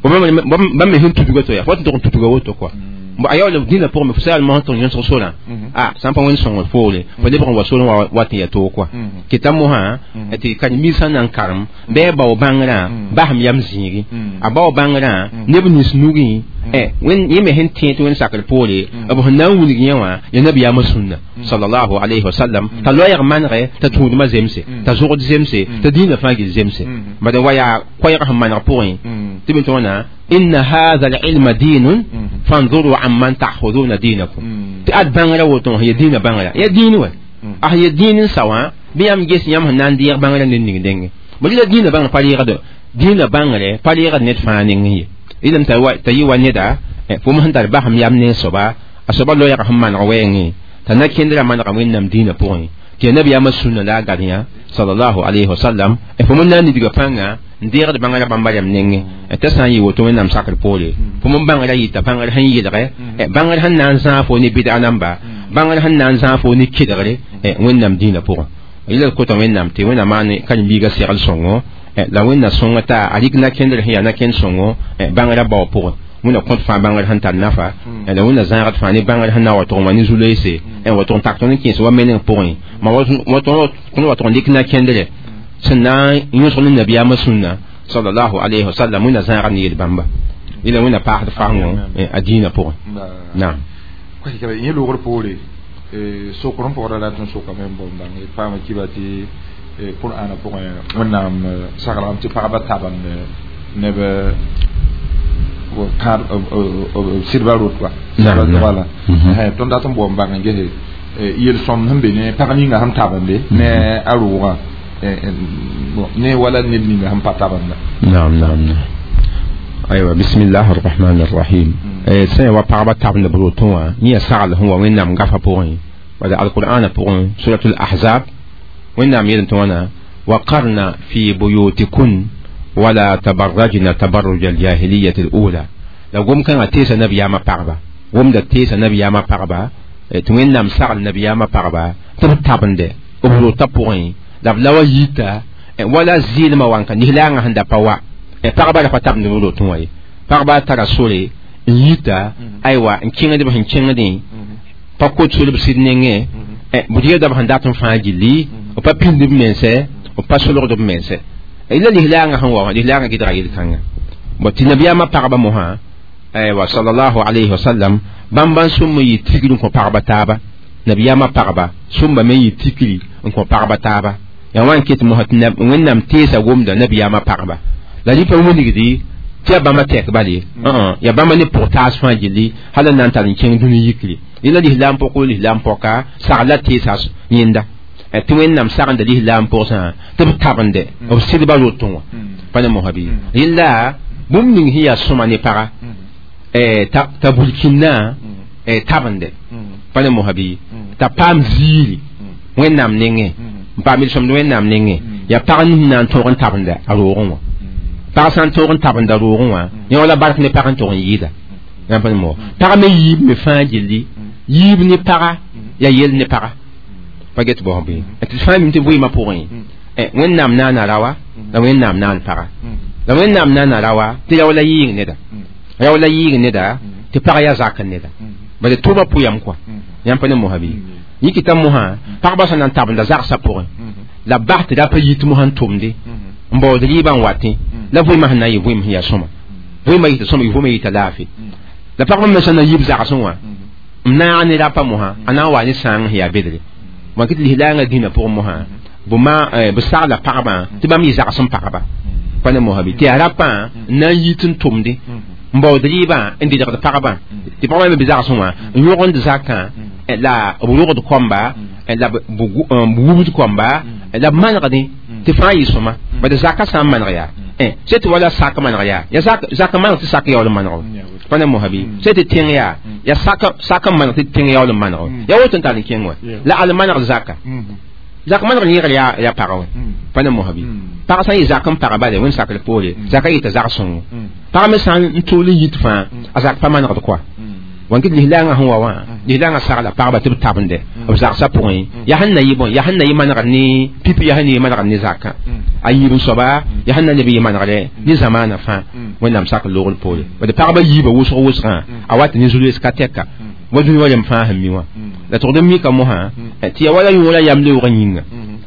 bãmb me sẽn tudga to yaa fo wat n tʋg n tudga woto kɔa bõ a yaool dĩnã pʋgẽ me fo saal mosã tʋg yõsg sorã a sã n pa wẽnd sõngr foore fo lebg n wa sorẽ wa wat n yaa toog kɔa kɩta mosã tɩ karen-biig sã n na n karem bɩ a bao bãngrã basem yam zĩigi a bao bãngrã neb nins nugẽ yẽ me sẽn tẽ tɩ wẽnd sakr poore b sẽn na n wilg yẽ wã ya nabiyaamã sũnna sallallahu alayhi wa sallam t'a loɛɛg manegɛ t'a tũudmã zemse t'a zʋgd zemse t'a dĩinã fãa gil zemse bad wa yaa koɛɛg sẽn maneg pʋgẽ tɩ b tõona inna hadha al-ilma dinun fanzuru amman ta'khuduna dinakum tɩ ad bãngrã woto ya dĩinã bãngrã ya dĩin wɛ a ya dĩin n sa wã bɩ yãmb ges yãmb sẽn na n deeg bãngrã ned ning denge bõ la dĩinã bãngr pa reegd dĩinã bãngre pa reegd ned fãa nengẽ ye ilem t'a yɩ wa neda fo sẽn tar basem yam ne soaba a soaba loɛɛg sẽn maneg wɛɛngẽ t'a na kẽndrã manega wẽnnaam dĩinã pʋgẽ tɩ ya nabiyaamã sũnna la a gad yã sallallahu alayhi wa sallam fo m na n nidga pãnga n deegd bãngrã bãmba rɛm nengẽ t'a sã n yɩ woto wẽnnaam sakr poore fo m bãngrã yɩta bãngr sẽn yɩlgɛ bãngr sẽn na n zãag fo ne bɩd-a namba bãngr sẽn na n zãag fo ne kelgre wẽnnaam dĩinã pʋgẽ Ila kota wẽnnaam tɩ wẽnnaam maan karen-biigã segl sõngo la wẽnna sõnga t'a a rɩk na-kẽndr sẽn yaa na-kẽnd sõngo bãngrã bao pʋgẽ wẽnna kõt fãa bãngr sẽn tar nafa la wẽnna zãagd fãa ne bãngr sẽn na wa tʋg n wa ne zu-loeese wa tʋg n tak tõnd n kẽes wa meneng pʋgẽ ma tõnd wa tʋg n dɩk na-kẽndre sẽn na n yõsg ne nabiyaamã sũnna sallallahu alayhi wa sallam wẽnna zãagd ne yel-bãmba ila wẽnna paasd fasẽngo a dĩinã pʋgẽ naam yẽ loogr poore sokr n pʋgda la tɩ n sokame n bõn bãng paama kiba tɩ qur'ana pʋgẽ wẽnnaam saglgame tɩ pagba tabend neb sɩdba rot wa wala tõnd dat n boom bãng n gese yel-sõmd sẽn be ne pag ninga sẽn tabende ne a roogã ne wala ned ninga sẽn pa tabenda. Naam naam naam aywa bismillah arrahman arrahim sẽn wa pagba tabend b rotẽ wã yẽ sagl sẽn wa wẽnnaam gafa pʋgẽ wala alqur'ana pʋgẽ suratul ahzab wẽnnaam yel tɩ wãna waqarna fi buyutikun wala tabarrajna tabarruj aljahiliyati alula la gom kãngã teesa nabiyaamã pagba gomda teesa nabiyaamã pagba tɩ wẽnnaam sagl nabiyaamã pagba tɩ b tabende b rotã pʋgẽ la b la wa yita wala zɩɩlmã wanka lislaangã sẽn da pa wa pagba ra pa tabend b rotẽ wã ye pagba tara sore n yita aywa n kẽngd b sẽn kẽngdẽ pa kot sol b sɩd nengẽ b rɩgda b sẽn dat n fãa gilli b pa pĩnd b mense b pa solgd b mense la lislaangã sẽn wa wã lislaangã gɩdga yel-kãnga bõ tɩ nabiyaamã pagba mosã aywa sallallahu alayhi wa sallam bãmb n sõm n yɩ tikri n kõ pagba taaba nabiyaamã pagba sõmba me n yɩ tikri n kõ pagba taaba yaa wã n ket mosã tɩ wẽnnaam teesa gomda nabiyaamã pagba la rɩ pa wilgdi tɩ yaa bãmba tɛk bale yaa bãmba ne pʋg taas fãa gilli hal n na n tar n kẽng dũni yikre yẽla lislaam pʋk lislaam pɔka sagla teesa yẽnda tɩ wẽnnaam sagenda lislaam pʋgsã tɩ b tabende b sɩdba rotẽ wã pa ne mosã bɩ yẽlla bũmb ning sẽn yaa sõma ne paga t'a bulkĩnnã tabende pa ne mosã bɩ t'a paam ziiri wẽnnaam nengẽ n paam yel-sõmd wẽnnaam nengẽ yaa pag nins na n tõog n tabenda a roogẽ wã pag sã n tõog n tabenda roogẽ wã yẽ wala bark ne pag n tog n yɩɩda yãmb pa ne mo pag me yiib me fãa gilli yiib ne paga yaa yel ne paga pa get bõo bɩ tɩ fãa mim tɩ vɩɩmã pʋgẽ wẽnnaam naana rawa la wẽnnaam naan paga la wẽnnaam naana rawa tɩ ra wala yɩɩg neda ra wala yɩɩg neda tɩ pag yaa zak neda bala tʋʋmã pʋyam kɔa yãmb pa ne mosã bɩ yikita mosã pagba sẽn na n tabenda zagsã pʋgẽ la b bas tɩ ra pa yit mosã n tʋmde n baood rɩɩbã n watẽ la vɩɩmã sẽn na n yɩ vɩɩm sẽn yaa sõma vɩɩmã yɩta sõma vɩɩmã yɩta laafɩ la pagba me sẽn na n yib zagsẽ wã m naag ne rapa mosã a na n wa ne sãang sẽn yaa bedre wã tɩ lislaangã dĩnã pʋgẽ mosã b sagla pagbã tɩ bãmb yɩ zags n pagba pa ne mosã bɩ tɩ yaa rapã n na n yit n tʋmde n baood rɩɩbã n dɩdgd pagbã tɩ pagba me bɩ zagsẽ wã n yõgend zakã la b rogd kõmba la b wubd kõmba la b manegdẽ tɩ fãa yɩ sõma bad zaka sã n maneg yaa sẽn tɩ wala sak maneg yaa ya zak maneg tɩ sak yaool n maneg pa ne mosã bɩ sẽn tɩ tẽng yaa ya sak n maneg tɩ tẽng yaool n maneg yaa woto n tar n kẽng wã la al manegd zaka zak manegd yẽgr yaa pagã wã pa ne mosã bɩ pag sã n yɩ zak n paga bale wẽnd sakr poore zaka yɩta zag sõngo pag me sã n tool n yit fãa a zak pa manegd koa wan kɩ lislaangã sẽn wa wã lislaangã sagla pagba tɩ b tabende b zagsã pʋgẽ yaa sẽn na yɩ bõe yaa sẽn na yɩ manegd ne pipi yaa sẽn na yɩ manegd ne zakã a yiib n soaba yaa sẽn na leb yɩ manegdɛ ne zamaanã fãa wẽnnaam sak loogr poore bad pagba yiibã wʋsg wʋsgã a wat ne zu-loees ka tɛka wa dũni wa rem fãa sẽn mi wã la tʋgd n mika mosã tɩ yaa wala yõora yam leoogã yĩnga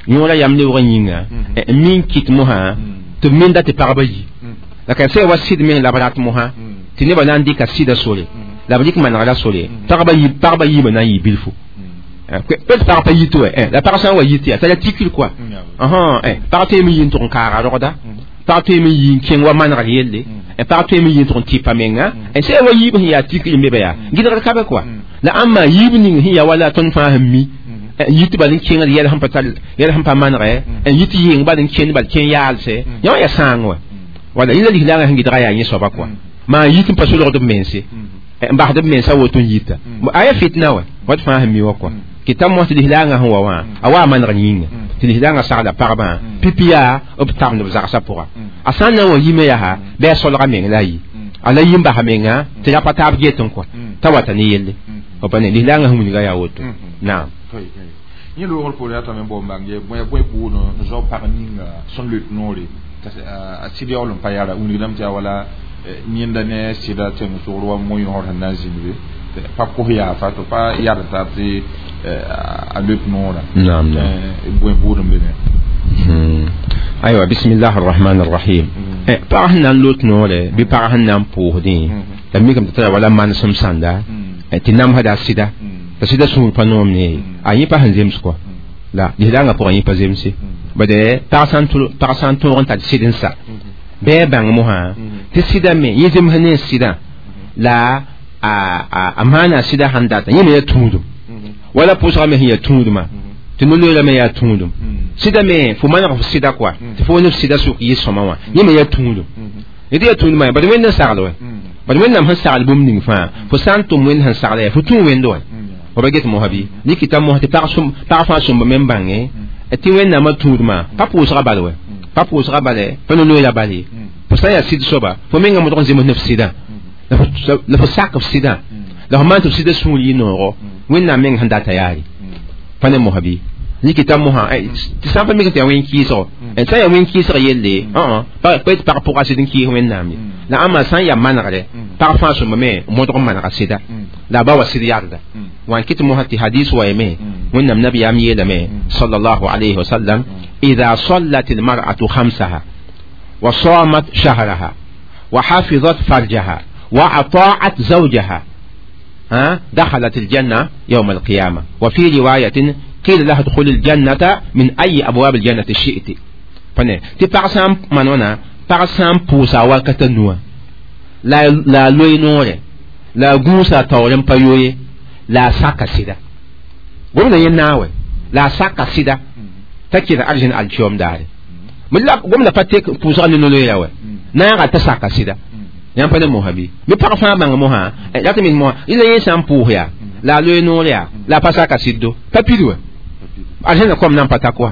yõora yam leoogã yĩnga n min kɩt mosã tɩ b menda tɩ pagba yi la ka sã wa sɩd meng la b rat mosã tɩ nebã na n dɩka sɩda sore la b dɩk manegda sore pagba yiibã na n yɩ bilfu pet pag pa yit wɛ la pag sã n wa yit yaa t'a la tikr kɔa pag tõeme yɩ n tʋg n kaaga rogda pag tõeme yɩ n kẽng wa manegr yelle pag tõeme yɩ n tʋg n tɩpa menga sã wa yiib sẽn yaa tikr n be ba yaa gɩdgr ka be kɔa la ãmba yiib ning sẽn yaa wala tõnd fãa sẽn mi yit bal n kẽngd yɛl sẽn pa tar yɛl sẽn pa manegɛ n yit yɩng bal n kẽnd bal kẽ yaalse yã wã yaa sãang wɛ wala yẽla lislaangã sẽn gɩdga yaa yẽ soaba kɔa maa yit n pa solgd b mense n basd b mensa woto n yita a yaa fitna wɛ wat fãa sẽn mi wã kɔa tɩ ta mos lislaangã sẽn wa wã a wa a manegr yĩnga tɩ lislaangã sagla pagbã pipi yaa b tabend b zagsã pʋga a sã n na n wa yime yaa bɩ a solga meng la a yi a la yi n basa menga tɩ ra pa taab get n kɔa t'a wata ne yelle pa ne lislaangã sẽn wilga yaa woto naam. Yẽ loogr poore yaa tame n bao n bãng ye bõe bõe buud n zao pag ninga sẽn loet noore a sɩd yaool n pa yara wilgdame tɩ yaa wala yẽnda ne sɩda tẽng sogr wa mo-yõsd sẽn na n zĩnd be pa kos yaafa tɩ pa yard taab tɩ a loet noorã bõe buud n be me. Aywa, bismillah arrahman arrahim. Pag sẽn na n lot noore bɩ pag sẽn na n pʋʋsdẽ la mikame tɩ tara wala manesem sãnda tɩ namsda a sɩda t'a sɩda sũur pa noom ne a yẽ pa sẽn zems kɔa la lislaangã pʋgã yẽ pa zemse bade pag sã n tõog n tar sɩd n sa bɩ a bãng mosã tɩ sɩda me yẽ zems ne sɩdã la a maana sɩda sãn data yẽ me yaa tũudum wala pʋʋsgã me sẽn yaa tũudmã tɩ no-loeera me yaa tũudum sɩda me fo maneg f sɩda kɔa tɩ fo ne f sɩda sʋk yɩ sõma wã yẽ me yaa tũudum yẽ tɩ yaa tũudmã bad wẽnd n sagl wɛ bad wẽnnaam sẽn sagl bũmb ning fãa fo sã n tʋm wẽnd sẽn sagla yaa fo tũu wẽnd wɛ fo ba get mosã bɩ nikita mosã tɩ pag fãa sõmba me n bãnge tɩ wẽnnaamã tũudmã pa pʋʋsga bal wɛ pa pʋʋsga bale pa no-loeera bal ye fo sã n yaa sɩd soaba fo mengã modg n zems ne f sɩdã la fo sak f sɩdã la fo maan tɩ f sɩdã sũur yɩ noogo wẽnnaam meng sẽn data yaare pa ne mosã bɩ nikita mosã tɩ sã n pa mik tɩ yaa wẽn-kɩɩsgo sã n yaa wẽn-kɩɩsg yelle pa tɩ pag pʋga sɩd n kɩɩs wẽnnaam ye la ãmba sã n yaa manegre pag fãa sõmba me modg n manega sɩda la a ba wa sɩd yagda wan kɩt mosã tɩ hadis wa yeme wẽnnaam nabiyaam yeelame sallallahu alayhi wa sallam إذا صلت المرأة خمسها وصامت شهرها وحفظت فرجها وأطاعت زوجها دخلت الجنة يوم القيامة. وفي رواية قيل لها ادخل الجنة من أي أبواب الجنة شئت. فنه تبعسام منونا بعسام بوسا وكتنوا لا لا لوينوري لا غوسا تورم بايوي لا ساكسيدا قلنا يناوي لا ساكسيدا تكير أرجن الشيوم داري من لا قمنا فتك بوسا نلوي ياوي ناغا تساكسيدا yãmb pa ne mosã bɩ bɩ pag fãa bãng mosã la tɩ mik mosã ila yẽ sã n pʋʋs yaa la a loe noor yaa la a pa saka sɩddo pa pid wɛ arzẽna kom na n pa tak wa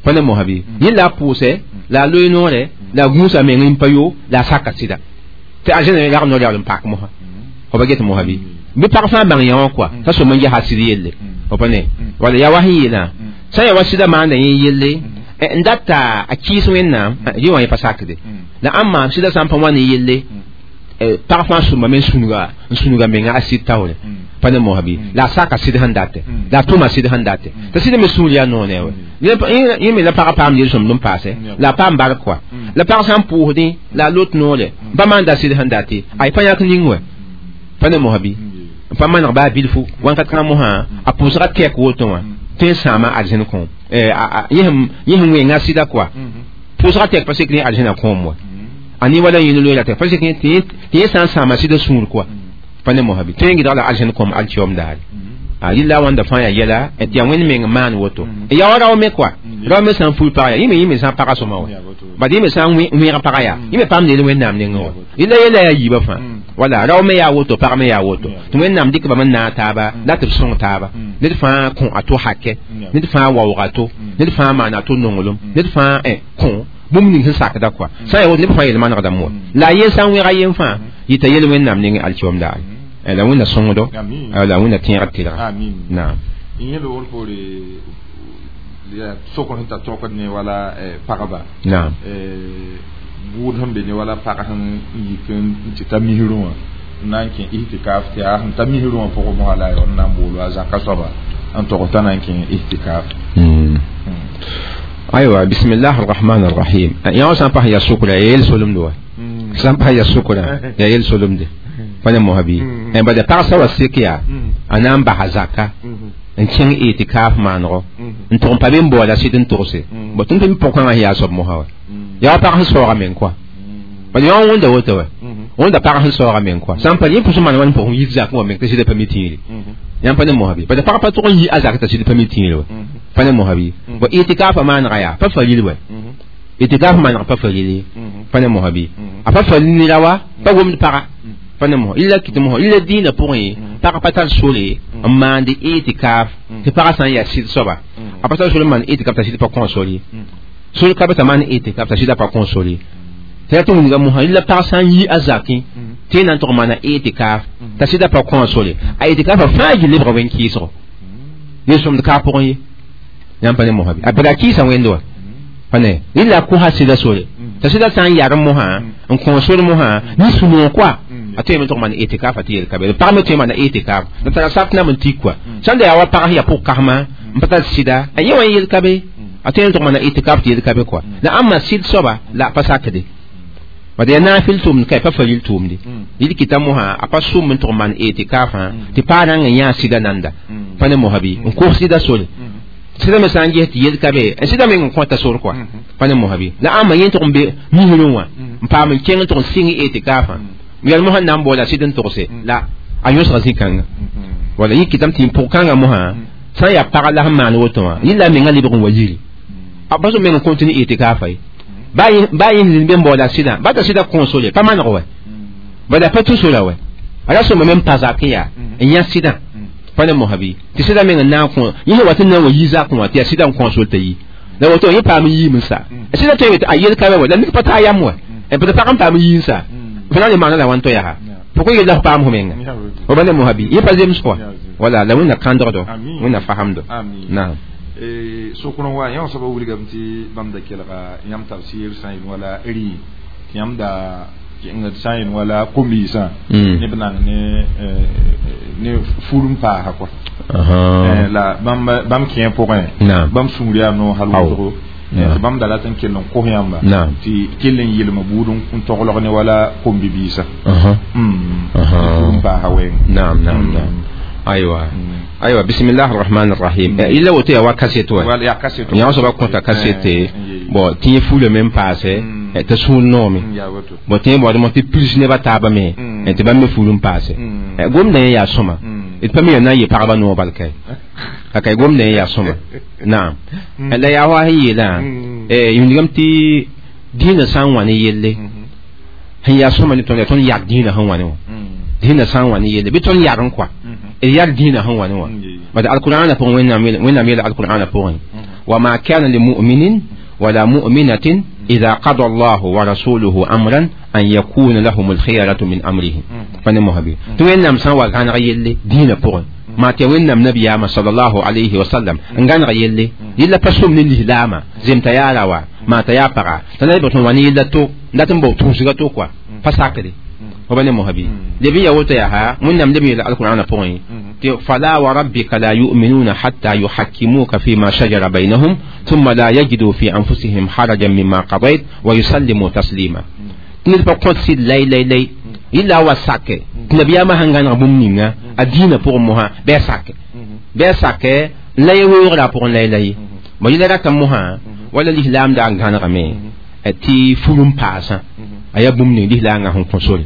pa ne mosã bɩ yẽ la a pʋʋsɛ la a loe noore la a gũusa meng n pa yo la a saka sɩda tɩ arzẽna yag noor yaool n pak mosã fo pa get mosã bɩ bɩ pag fãa bãng yã wã kɔa t'a sõm n ges a sɩd yelle fo pa ne wala yaa wa sẽn yeelã sã n yaa wa sɩda maanda yẽ yelle n data a kɩɩs wẽnnaam yẽ wã yẽ pa sakde la ãmba sɩda sã n pa wa ne yelle pag fãa sõmba me n sũnuga menga a sɩd taoore pa ne mosã bɩ la a saka sɩd sẽn date la a tʋma sɩd sẽn date t'a sɩd me sũur yaa noone wɛ yẽ me la pagã paam yel-sõmd n paase la a paam bark kɔa la pag sã n pʋʋsdẽ la a lot noore pa maanda sɩd sẽn date ay pa yãk ning wɛ pa ne mosã bɩ n pa maneg baa bilfu wãnkat kãngã mosã a pʋʋsga tɛk woto wã tõe n sãama arzẽn kõom yẽ sẽn wẽnga sɩda kɔa pʋʋsga tɛk pa sek ne arzẽna kõom wa ani wala yẽn loeera tɛk pa sek tɩ yẽ sã n sãama sɩda sũur kɔa pa ne mosã bɩ tõe n gɩdg la arzẽn kõom alkiom daare rɩla wãnda fãa yaa yɛla tɩ yaa wẽnd meng maan woto yaa wa rao me kɔa rao me sã n ful pag yaa yẽ me sã n paga sõma wa bad yẽ me sã n wẽeg paga yaa yẽ me paam neel wẽnnaam nengẽ wa rɩla yɛla yaa yiibã fãa wala rao me yaa woto pag me yaa woto tɩ wẽnnaam dɩk bame n naag taaba la tɩ b sõng taaba ned fãa kõ a to hakɛ ned fãa waoog a to ned fãa maana a to nonglem ned fãa kõ bũmb ning sẽn sakda kɔa sã n yaa woto neb fãa yel manegdame wa la a yen sã n wẽga yen fãa yɩta yel wẽnnaam nengẽ alkiom daare la wẽnna sõngdo la wẽnna tẽegr tɩlga naam yẽ loogr poore sokr sẽn tar tɔkd ne wala pagba naam buud sẽn be ne wala pag sẽn yik n tɩ ta misrẽ wã n na n kẽ ihtikaf tɩ yaa sẽn ta misrẽ wã pʋgẽ mosã la n na n boolo a zaka soaba n tog t'a na n kẽ ihtikaf. Aywa, bismillah arrahman arrahim. Yã sã n pas yaa sʋkra ya yel solemde wa sã n pas yaa sʋkra yaa yel solemde pa ne mosã bɩ bada pag sã wa sek yaa a na n basa zaka n kẽng itikaf maanego n tʋg n pa be n boola sɩd n togse bo tɩ n tɩ pʋgkãngã sẽn yaa soab mosã wa yaa wa pag sẽn saooga meng kɔa bad yã wẽnda woto wa wẽnda pag sẽn saooga meng kɔa sã n pa yẽ pʋs n maan wãn pʋgẽ yit zakẽ wa meng tɩ sɩda pa mi tĩiri yãmb pa ne mosã bɩ bad pag pa tʋg n yi a zak t'a sɩd pa mi tĩiri wa pa ne mosã bɩ bo itikaafã maanega yaa pa faril wa itikaaf maaneg pa farili pa ne mosã bɩ a pa faril nera wa pa womd paga pa ne mosã illa kɩt mosã illa dĩinã pʋgẽ pag pa tar sore n maand itikaaf tɩ pagã sã n yaa sɩd soaba a pa tar sore n maan itikaaf t'a sɩd pa kõ sor ye sor ka be t'a maan itikaaf t'a sɩda pa kõ sor ye tɩ yaa tɩ wilga mosã illa pag sã n yi a zakẽ tɩ yẽ na n tʋg maana itikaaf t'a sɩda pa kõ sore a itikaafã fãa yɩ lebga wẽn-kɩɩsgo yel-sõmd ka pʋgẽ ye Yãmb pa ne mosã bɩ a bala kɩɩsa wẽnd wa pa ne yella kosa sɩda sore t'a sɩda sã n yarem mosã n kõ sor mosã ne sũ-noog koa a tõe me tʋg maan etikaafa tɩ yel ka be pag me tõe maana etikaaf la tara sap nam n tik koa sãn da yaa wa pag sẽn yaa pʋg-kasma n pa tar sɩda a yẽ wã n yel ka be a tõe n tʋg maana etikaaf tɩ yel ka be koa la ãmba sɩd soaba la pa sakde bad yaa naafɩl tʋʋmd ka pa faril tʋʋmde yɩl kɩta mosã a pa sʋm n tʋg maan etikaafã tɩ paa rãng n yãa sɩda nanda pa ne mosã bɩ n kos sɩda sore sɩda me sã n ges tɩ yel ka be n sɩda meng n kõta sor koa pa ne mosã bɩ la ãmba yẽ tʋg n be misrẽ wã n paam n kẽng n tʋg n sɩng etikaafã yɛl mosã na n boola sɩd n togse la a yõsga zĩ-kãnga wala yẽ kɩtame tɩ pʋg-kãngã mosã sã n yaa pag la sẽn maan woto wã yẽ la mengã lebg n wa yiri a pa sẽn meng n continue etikaafã ye baa yẽ zĩnd be n baoola sɩdã ba t'a sɩda kõ sore pa maneg wɛ bala pa tũ sora wɛ a ra sõma me n pa zak n yaa n yã sɩdã pa ne mosã bɩ tɩ sɩda meng n na n kõ yẽ sẽn wa tɩ n na n wa yi zakẽ wã tɩ yaa sɩda n kõ sor t'a yi la woto yẽ paam n yiim n sa sɩda tõe tɩ a yel ka wɛ la mik pa taa yam wɛ tɩ pag n paam n yii n sa fo na n le maana la wãn to yaa pourquoi yella f paam fo menga fo ba ne mosã bɩ yẽ pa zems kɔa wala la wẽnna kãndgdo wẽnna fasamdo naam sokr n wa yã soaba wilgame tɩ bãmb da kelga yãmb tafsir sã n yel wala rɩ tɩ yãmb da kẽngd sã n yel wala kom-biisã neb nang ne fur n paasa kɔa la bãmb kẽ pʋgẽ bãmb sũur yaa noog hal wʋsgo tɩ bãmb da rat n kell n kos yãmba tɩ kell n yelma buud n toglg ne wala kom-bibiisã fur n paasa wɛɛng naam naam naam aywa aywa bismillah arrahman arrahim illa woto ya wa kasete wa ya kasete yã soaba kõta kasete bon tɩ yẽ fulame n paase t'a sũur noome bon tɩ yẽ baoodmã tɩ pirs nebã taabã me tɩ bãmb me ful n paase gomdã yẽ yaa sõma d pa me yaa na n yɩ pagba noog bal kae ka kae gomdã yẽ yaa sõma naam la yaa wa sẽn yeelã yũnigame tɩ dĩinã sã n wa ne yelle sẽn yaa sõma ne tõnd yaa tõnd yag dĩinã sẽn wa ne wã dĩinã sã n wa ne yelle bɩ tõnd yag n koa yar dĩinã sẽn wa ne wã bad alqur'ana pʋgẽ wẽnnaam yeela alqur'ana pʋgẽ wama kana limuminin wala muminatin إذا قضى الله ورسوله أمرا أن يكون لهم الخيرة من أمرهم فنمو هبي توين سان وغان غيلي دين بوغ ما تيوين نبي ياما صلى الله عليه وسلم ان غيلي يلا بسوم للإسلام زم تيارا وا ما تيابرا تنبي بطن واني يلا تو ناتن بو تونسغا تو كوا فساكري وبني مهبي لبي يوتا يا من نم لبي القرآن بوين فلا وربك لا يؤمنون حتى يحكموك فيما شجر بينهم ثم لا يجدوا في أنفسهم حرجا مما قضيت ويسلموا تسليما نلبا قدسي لاي لاي لاي إلا وساك نبي ما هنغان ربوم الدين pour moi بساك بساك لا يورا pour لاي لاي ما يلا كموها ولا الإسلام دا غان رمي تي فولم باسا aya bũmb ning lislaangã sẽn kõ sore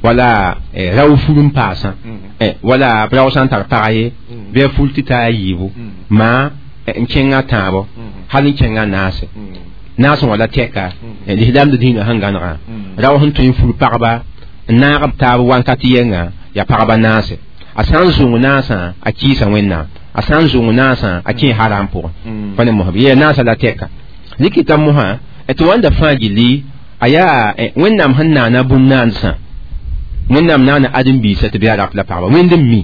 wala rao ful n paasã wala rao sã n tar pag ye bɩ a ful tɩ taa a yiibu maa n kẽngã tãabo hal n kẽngã naase naasẽ wala tɛka lislaamd dĩinã sẽn gãnegã rao sẽn tõe n ful pagba n naag b taab wankat yɛnga yaa pagba naase a sã n zũng naasã a kɩɩsa wẽnnaam a sã n zũng naasã a kẽ haram pʋgẽ pa ne mosã bɩ yaa naasã la tɛka rɩkɩta mosã tɩ wãnda fãa gilli aya wẽnnaam sẽn naana bũmb-naansã wẽnnaam naana ãdem-biisã tɩ bɩ a rap la pagba wẽnd n mi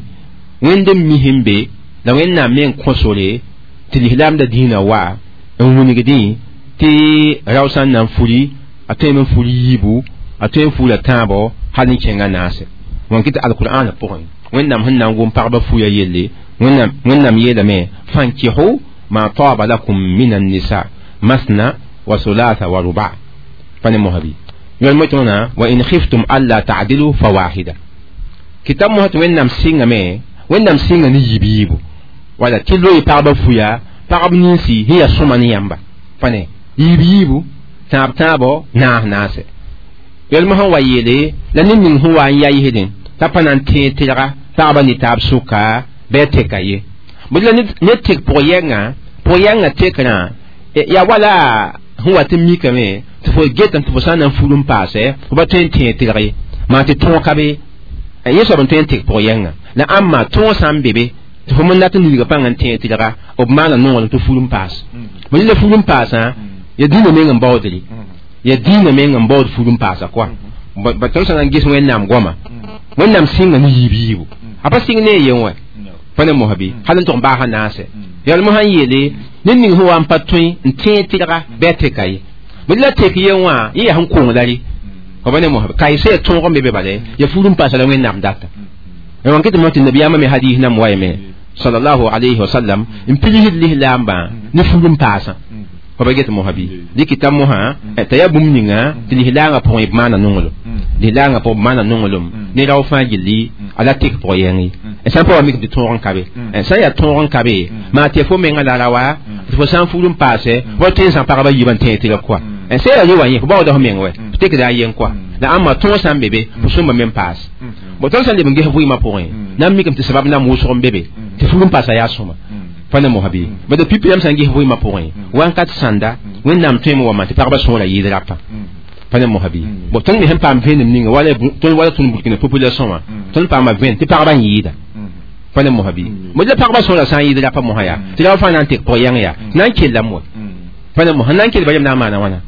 wẽnd n mi sẽn be la wẽnnaam me n kõ sore tɩ lislaamda dĩinã wa n wilgdẽ tɩ rao sã n na n furi a tõeme n fur yiibu a tõe n fura tãabo hal n kẽngã naase wãn kɩ tɩ alqur'ana pʋgẽ wẽnnaam sẽn na n gom pagba fuya yelle wẽnnaam yeelame fankihu ma taaba lakum min annisa masna wa thulatha wa ruba فانا مهبي يقول وإن خفتم ألا تعدلوا فواحدة كتاب مهت وين نام سينغ مي وين نام سينغ ني يبيبو ولا تلو يبارب فويا بارب نينسي هي سوماني يامبا فانا يبيبو تاب تابو ناه ناسي يقول مهو ويلي لأن من هو أن يهدين تابنا تي تلغا تابا نتاب سوكا بيتكا يه بل نتك بوينغا بوينغا تكنا يا ولا هو تميكمي tɩ fo getame tɩ fo sã n na n ful n paase fo pa tõe n tẽeg tɩlg ye maa tɩ tõog ka be yẽ soab n tõe n tek pʋg yɛnga la ãmba tõog sã n be be tɩ fo me dat n wilga pãng n tẽeg tɩlga b maana noorem tɩ ful n paas bõ la ful n paasã ya dĩinã meng n baoodre ya dĩinã meng n baood ful n paasa koa ba tõnd sã na n ges wẽnnaam goama wẽnnaam sɩnga ne yiib yiibu a pa sɩng ne a yen wɛ pa ne mosã bɩ hal n tʋg n baasa naase yalmo sãn yeele ne ning sẽn wa n pa tõe n tẽeg tɩrga bɩ a teka ye bɩ la tek ye wã yẽ yaa sẽn kong la rɩ fo pa ne mosã kaɩ sã ya tõog n be be bala ya fuur n paasa la wẽnnaam data wãn ket tɩ nabiyaamã me hadiis nam wa yeme sallallahu alayhi wa sallam n pigsd lislaambã ne fuur n paasã fo pa get mosã bɩ dɩkɩta mosã t'a yaa bũmb ninga tɩ lislaangã pʋgẽ b maana nonglem lislaangã pʋgẽ b maana nonglem ne rao fãa gilli a la tek pʋgẽ yẽng ye sã n pa wa mik tɩ tõog n ka be sã n yaa tõog n ka be maa tɩ fo menga la ra wa tɩ fo sã n fuur n paase wa tõe n zã pagba yiibã n tẽeg tɩrg kɔa sã yaa re wa yẽ fo baooda fo meng wɛ fo tekda a yeng kɔa la ãmba tõog sã n be be fo sõmba me n paas bon tõnd sã n leb n ges vɩɩmã pʋgẽ na n mikame tɩ sabab nam wʋsg n be be tɩ fuur n paasa yaa sõma pa ne mosã bɩ bad pipi yam sã n ges vɩɩmã pʋgẽ wãnkat sãnda wẽnnaam tõeme wa maan tɩ pagba sõora yɩɩd rapa pa ne mosã bɩ bon tõnd me sẽn paam vẽenem ninga wala tõnd wala tõnd burkina population wã tõnd paama vẽen tɩ pagba n yɩɩda pa ne mosã bɩ mo la pagba sõora sã n yɩɩd rapa mosã yaa tɩ ra fãa na n tek pʋg yãng yaa na n kellame wa pa ne mosã na n kell ba yem na n maana wãna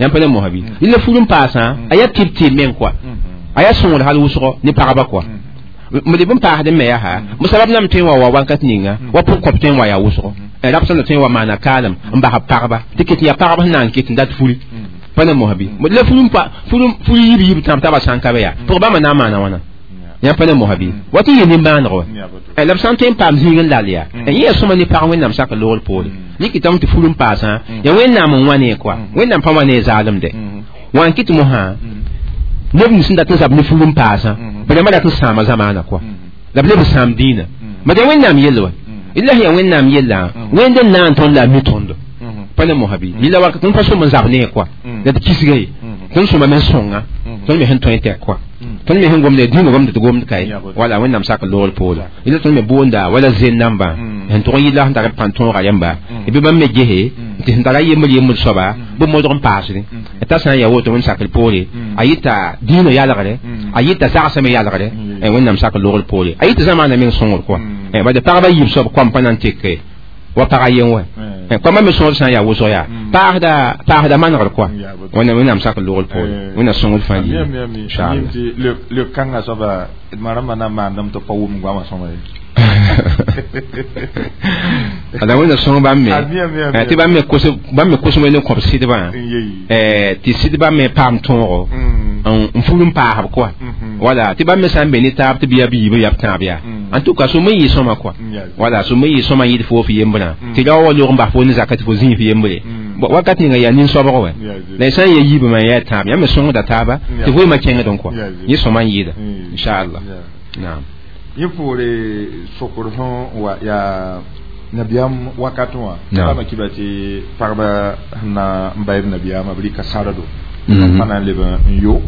yãmb pa ne mosã bɩ la fuur n paasã a yaa tɩb tɩɩb meng kɔa a yaa sõngd hal wʋsgo ne pagba kɔa m leb n paasd n me yaa mo sabab nam tõe n wa wa wakat ninga wa pʋg kõp tõe n wa yaa wʋsgo rab sẽn da tõe n wa maana kaalem n bas b pagba tɩ ket n yaa pagb sẽn na n ket n dat furi pa ne mosã bɩ la fur yib yib tãab taaba sã n ka be yaa pʋg bãmba na n maana wãna yãmb pa ne mosã bɩ wa tɩ yɩ nimbãaneg wa la b sã n tõe n paam zĩig n lal yaa yẽ yaa sõma ne pag wẽnnaam sak loogr poore rɩkɩtame tɩ fur n paasã yaa wẽnnaam n wã ne kɔa wẽnnaam pa wã ne zaalemde wã n kɩt mosã neb nins n dat n zab ne fur n paasã b rãmbã dat n sãama zamaana kɔa la b leb n sãam dĩinã bad yaa wẽnnaam yell wa illa yaa wẽnnaam yellã wẽnd n na n tõnd la a mi tõndo pa ne mosã bɩ yella wakat tõnd pa sõm n zab ne kɔa la d kisga ye tõnd sõma me n sõnga tõnd me sẽn tõe n tɛk kɔa tõnd me sẽn gomda dĩinã gomd tɩ gomd kaye wala wẽnnaam sak loogr poore yella tõnd me boonda wala zen nambã sẽn tʋg n yɩla sẽn tar pãn tõoga yãmba bɩ bãmb me gese tɩ sẽn tara yembr yembr soaba bɩ modg n paasdẽ t'a sã n yaa woto wẽnd sakr poore a yɩta dĩinã yalgre a yɩta zagsã me yalgre wẽnnaam sak loogr poore a yɩta zamaana meng sõngr kɔa bad pagba yiib soab koam pa na n teke wa pagã yen wɛ koamã me sõor sã n yaa wʋsg yaa paasda manegr kɔa wẽnnaam sak loogr poore wẽnna sõngr fãa yɩ inchallah le kãngã soaba d ma rãmbã na n maandame tɩ pa wʋm goamã sõma ye ala wẽnna sõng bãmb me tɩ bãmb me kos ne kõb sɩdbã tɩ sɩdbã me paam tõogo n fur n paasb kɔa wala tɩ bãmb me sã n be ne taab tɩ bɩ yaa biib yaa b tãab yaa en tout cas sõm n yɩ sõma kɔa wala sõm n yɩ sõma n yɩɩd fo f yembrã tɩ ra wa log n bas fo ne zaka tɩ fo zĩig f yembre wakat ninga yaa nin-soabg wɛ la y sã n ya yiibmã n yaa tãab yãmb me sõngda taaba tɩ vɩɩmã kẽngd n kɔa yẽ sõma n yɩɩda inchallah naam yẽ poore sokr sẽn wa yaa nabiyaam wakat wã bãmba kɩba tɩ pagba sẽn na n bayb nabiyaamã b rɩka sãrdo pa na n leb n yo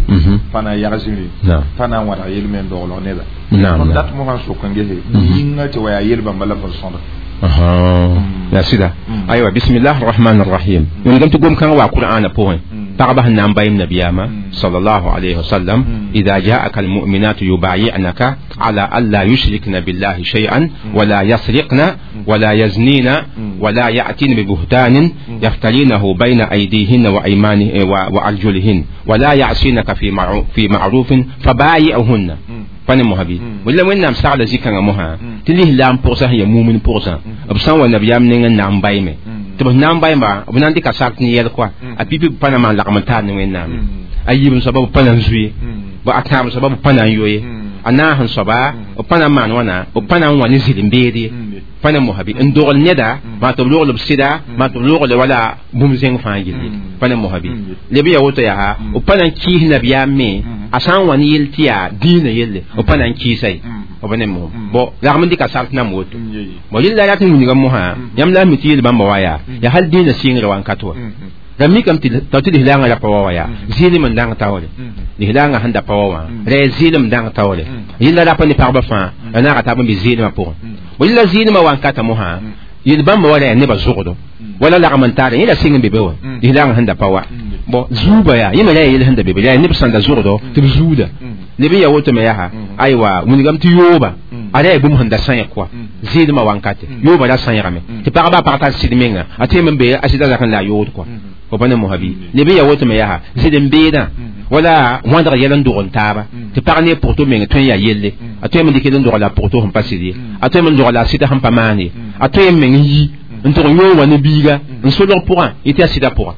pa na n yag zĩri pa na n wãdg yel me n doglg neda tõnd dat mosã n sok n gese yĩnga tɩ wa yaa yel bãmba la b sẽn sõda ya sɩda aywa bismillah arrahman arrahim wẽngame tɩ gom-kãngã waa qur'aana pʋgẽ pagba sẽn na n bayem nabiyaamã sallallahu alayhi wa sallam إذا جاءك المؤمنات يبايعنك على ألا يشركن بالله شيئا ولا يسرقن ولا يزنين ولا يأتين ببهتان يفترينه بين أيديهن وأيمانه وأرجلهن ولا يعصينك في معروف فبايعهن pa ne mosã bɩ wala wẽnnaam sagla zĩ-kãngã mosã tɩ lislaam pʋgsa sẽn yaa mumin pʋgsã b sã n wa nabiyaam neng n na n baime tɩ b na n baimba b na n dɩka sak ne yɛl kɔa a pipi b pa na maan lagm n taar ne wẽnnaam a yiib n soaba b pa na n zuye a tãab soaba b pa na n yoe a naas n soaba b pa na n maan wãna b pa na n wã ne zɩl-n-beed ye pa ne mosã bɩ n dogl neda maa tɩ b logl b sɩda maa tɩ b logl wala bũmb zẽng fãa gilli pa ne mosã bɩ leb n yaa woto yaa b pa na n kɩɩs nabiyaam me a sã n wa ne yell tɩ yaa dĩinã yelle b pa na n kɩɩsa ye b ne mosem bon lagm n dɩka sart nam woto bon yella rat n wilga mosã yãmb la m mi tɩ yel bãmba wa yaa yaa hal dĩinã sɩngre wãnkat wa la mikame tɩ tɩ lislaangã ra pa wa wa yaa zɩɩlem n dãng taoore lislaangã sẽn da pa wa wã ra yaa zɩɩlem dãng taoore yella rapa ne pagba fãa la naaga taab n bɩ zɩɩlemã pʋgẽ bon yella zɩɩlemã wankata mosã yel bãmba wa ra yaa nebã zʋgdo wala lagm n taara yẽ la sɩng n be be wa lislaangã sẽn da pa wa bon zuuba yaa yẽ me ra yaa yel sẽn da be be yaa neb sẽn da zʋgdo tɩ b zuuda leb n yaa woto me yaa aywa wilgame tɩ yooba a ra yaa bũmb sẽn da sãyẽ kɔa zɩɩdmã wankate yooba ra sãyegame tɩ pagba a pag tar sɩd menga a tẽem n be a sɩda zak n la a yood kɔa fo pa ne mosã bɩ leb n yaa woto me yaa zɩd-n-beedã wala wãdg yɛl n dog n taaba tɩ pag ne pʋgto meng tõe n yaa yelle a tõe n dɩk n dogla a pʋgto sẽn pa sɩd ye a tõe n dogla a sɩda sẽn pa maan ye a tõe n meng n yi N tʋg n yõo wã ne biiga n solg pʋgã yetɩ yaa sɩda pʋga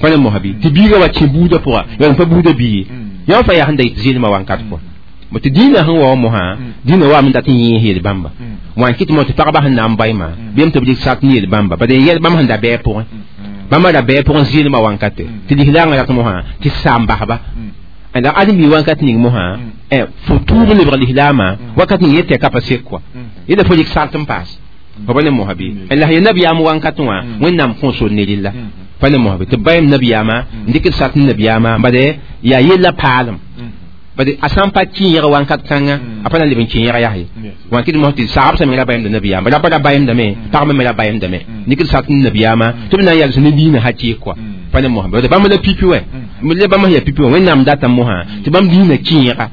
pa ne mosã bɩ tɩ biiga wa kẽ buudã pʋga yaa pa buudã bii yã fa yaa sẽn da yɩt zɩlmã wankat kɔa tɩ dĩinã sẽn wa wa mosã dĩinã waame dat n yẽes yel bãmba wã n kɩt mo tɩ pagba sẽn na n baɩmã bɩ tɩ b dɩk sat n yel bãmba bad yɛl bãmb sẽn da bɛɛ pʋgẽ bãmba da bɛɛ pʋgẽ zɩlmã wankate tɩ lislaangã rat mosã tɩ saam basba la ãdem-bi wakat ning mosã fo tuub n lebg lislaamã wakat ning yetɩ ka pa sek kɔa yela fo dɩk sart n paas fo pa ne mosã bɩ la ya nabiyaam wankat wã Wẽnnaam kõ sor ne rella pa ne mosã bɩ tɩ b bayam nabiyaamã n dɩk d sart n nabiyaamã bade yaa yella paalem bade a sã n pa kẽeg wankat kãnga a pa na leb n kẽega yaa ye wã kɩt mos tɩ saab sã me ra bayemda nabiyaam rapa ra bayemdame pagba me ra bayemdame dɩk d sart n nabiyaamã tɩ b na n yals ne diinã hakɩɩk kɔa pa ne mosã bade bãmb la pipi wɛ la bãmb sẽn yaa pipi wã Wẽnnaam data mosã tɩ bãmb diinã kẽega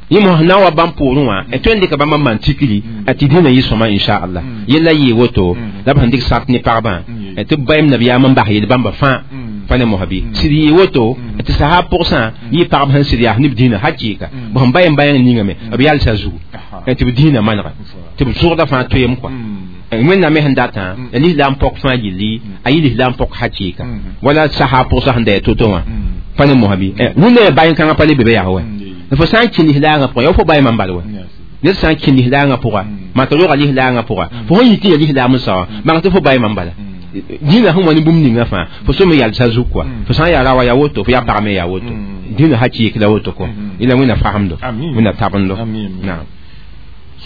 yẽ mos na n wa bãmb poorẽ wã tõe n dɩka bãmb n maan tikri tɩ dĩnã yɩ sõma inchallah yella yɩɩ woto la b sẽn dɩk sart ne pagbã tɩ b bayem nabiyaam n bas yel bãmba fãa pa ne mosã bɩ sɩd yɩ woto tɩ sahab pʋgsã yɩ pagb sẽn sɩd yaa ne b dĩnã hakɩɩka b sẽn bayem bayãng ningame b yalsa zugu tɩ b dĩnã manega tɩ b zʋgda fãa toeem kɔa Wẽnnaam me sẽn datã ya lislaam pɔk fãa yilli a yɩ lislaam pɔk hakɩɩka wala sahab pʋgsã sẽn da yaa to-to wã pa ne mosã bɩ wẽnna ya bayẽ kãngã pa le be be yaa wɛ fo sã n kẽ lislaangã pʋgã yaa fo bayemã n bal wɛ ned sã n kẽ lislaangã pʋga maan t'a roga lislaangã pʋga fo sẽn yɩ tɩ ya lislaam n sao bãng tɩ fo bayemã n bala dĩnã sẽn wa ne bũmb ninga fãa fo so me yalsa zug kɔa fo sã n yaa rawa yaa woto fo yaa pag me yaa woto dĩnã hakɩɩk la woto kɔa yẽla Wẽnna fagemdo Wẽnna tabendo naam.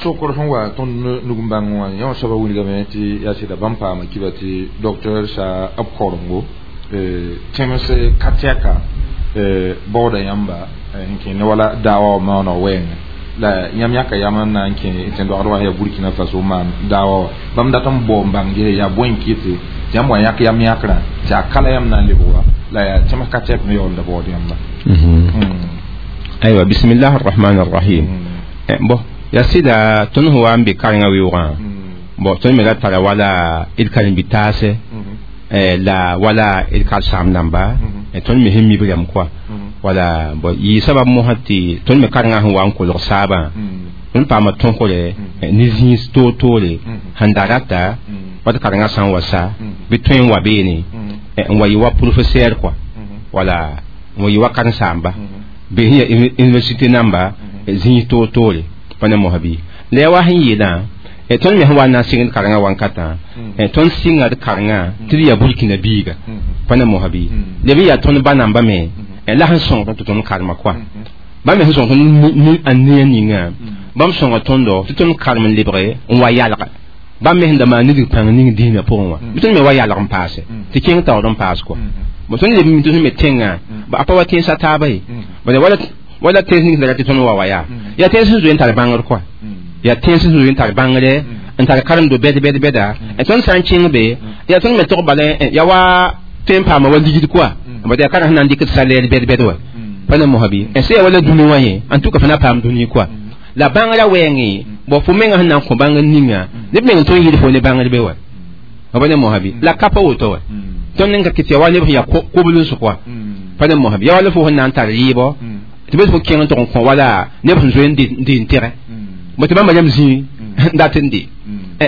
Sokr sẽn wa tõnd nug n bãng wã yã soaba wilgame tɩ yaa sɩda bãmb paama kiba tɩ docteur sa b korengo tẽms ka tɛka baooda yãmba n kẽ ne wala daawa wã maooneg wɛɛngẽ la yãmb yãka yam n na n kẽ tẽn-doagd wã yaa Burkina Faso maan daawa wã bãmb dat n bao n bãng ges yaa bõe n kɩte tɩ yãmb wa yãk yam yãkrã tɩ a kala yãmb na n lebg wa la yaa tẽms ka tɛk me yaoolda baood yãmba. Aywa, bismillah arrahman arrahim. Bon, yaa sɩda tõnd sẽn wa n be karengã weoogã, bon, tõnd me ra tara wala d karen-bi-taase la wala d karsaam dãmba tõnd me sẽn mib rɛm kɔa wala. Bon, yɩ sabab mosã tɩ tõnd me karengã sẽn wa n kolg saabã tõnd paama tõsgre ne zĩis toor-toore sẽn da rata wa tɩ karengã sã n wa sa bɩ tõe n wa beene n wa yɩ wa professeur kɔa wala n wa yɩ wa karen-saamba be sẽn yaa université namba zĩis toor-toore pa ne mosã bɩ la yaa wa sẽn yeelã tõnd me sẽn wa n na n sɩngd karengã wankatã tõnd sɩnga d karengã tɩ d yaa Burkina biiga pa ne mosã bɩ la bɩ yaa tõnd ba namba me la sẽn sõng tɩ tõnd karema kɔa bãmb me sẽn sõng tõnd a neã ninga bãmb sõnga tõndo tɩ tõnd karem n lebge n wa yalga bãmb me sẽn da maan nidg pãng ning dĩinã pʋgẽ wã bɩ tõnd me wa yalg n paase tɩ kẽng taood n paas kɔa. Bon, tõnd leb mi tõnd me tẽngã a pa wa tẽnsã taaba ye wala wala tẽns ning sẽn da tɩ tõnd wa wa yaa yaa tẽns sẽn zoe n tar bãngr kɔa yaa tẽns sẽn zoe n tar bãngre n tar karemdo bɛd bɛd bɛda tõnd sã n kẽng be yaa tõnd me tog bala yaa wa tõe n paama wa ligd kɔa bad yaa karã sẽn na n dɩk d salaire bɛd bɛd wa pa ne mosã bɩ sã yaa wala dũni wã yẽ en tout cas fo na paam dũni kɔa la bãngrã wɛɛngẽ. Bon, fo menga sẽn na n kõ bãngr ninga neb meng tõe n yɩl fo ne bãngr be wa pa ne mosã bɩ la ka pa woto wa tõnd n ka kɩt yaa wa neb sẽn yaa kobl n sʋk wa pa ne mosã bɩ yaa wala fo sẽn na n tar rɩɩbɔ tɩ bes fo kẽng n tʋg n kõ wala neb sẽn zoe n dɩ n tɩgɛ bõ tɩ bãmba yam zĩig n dat n de.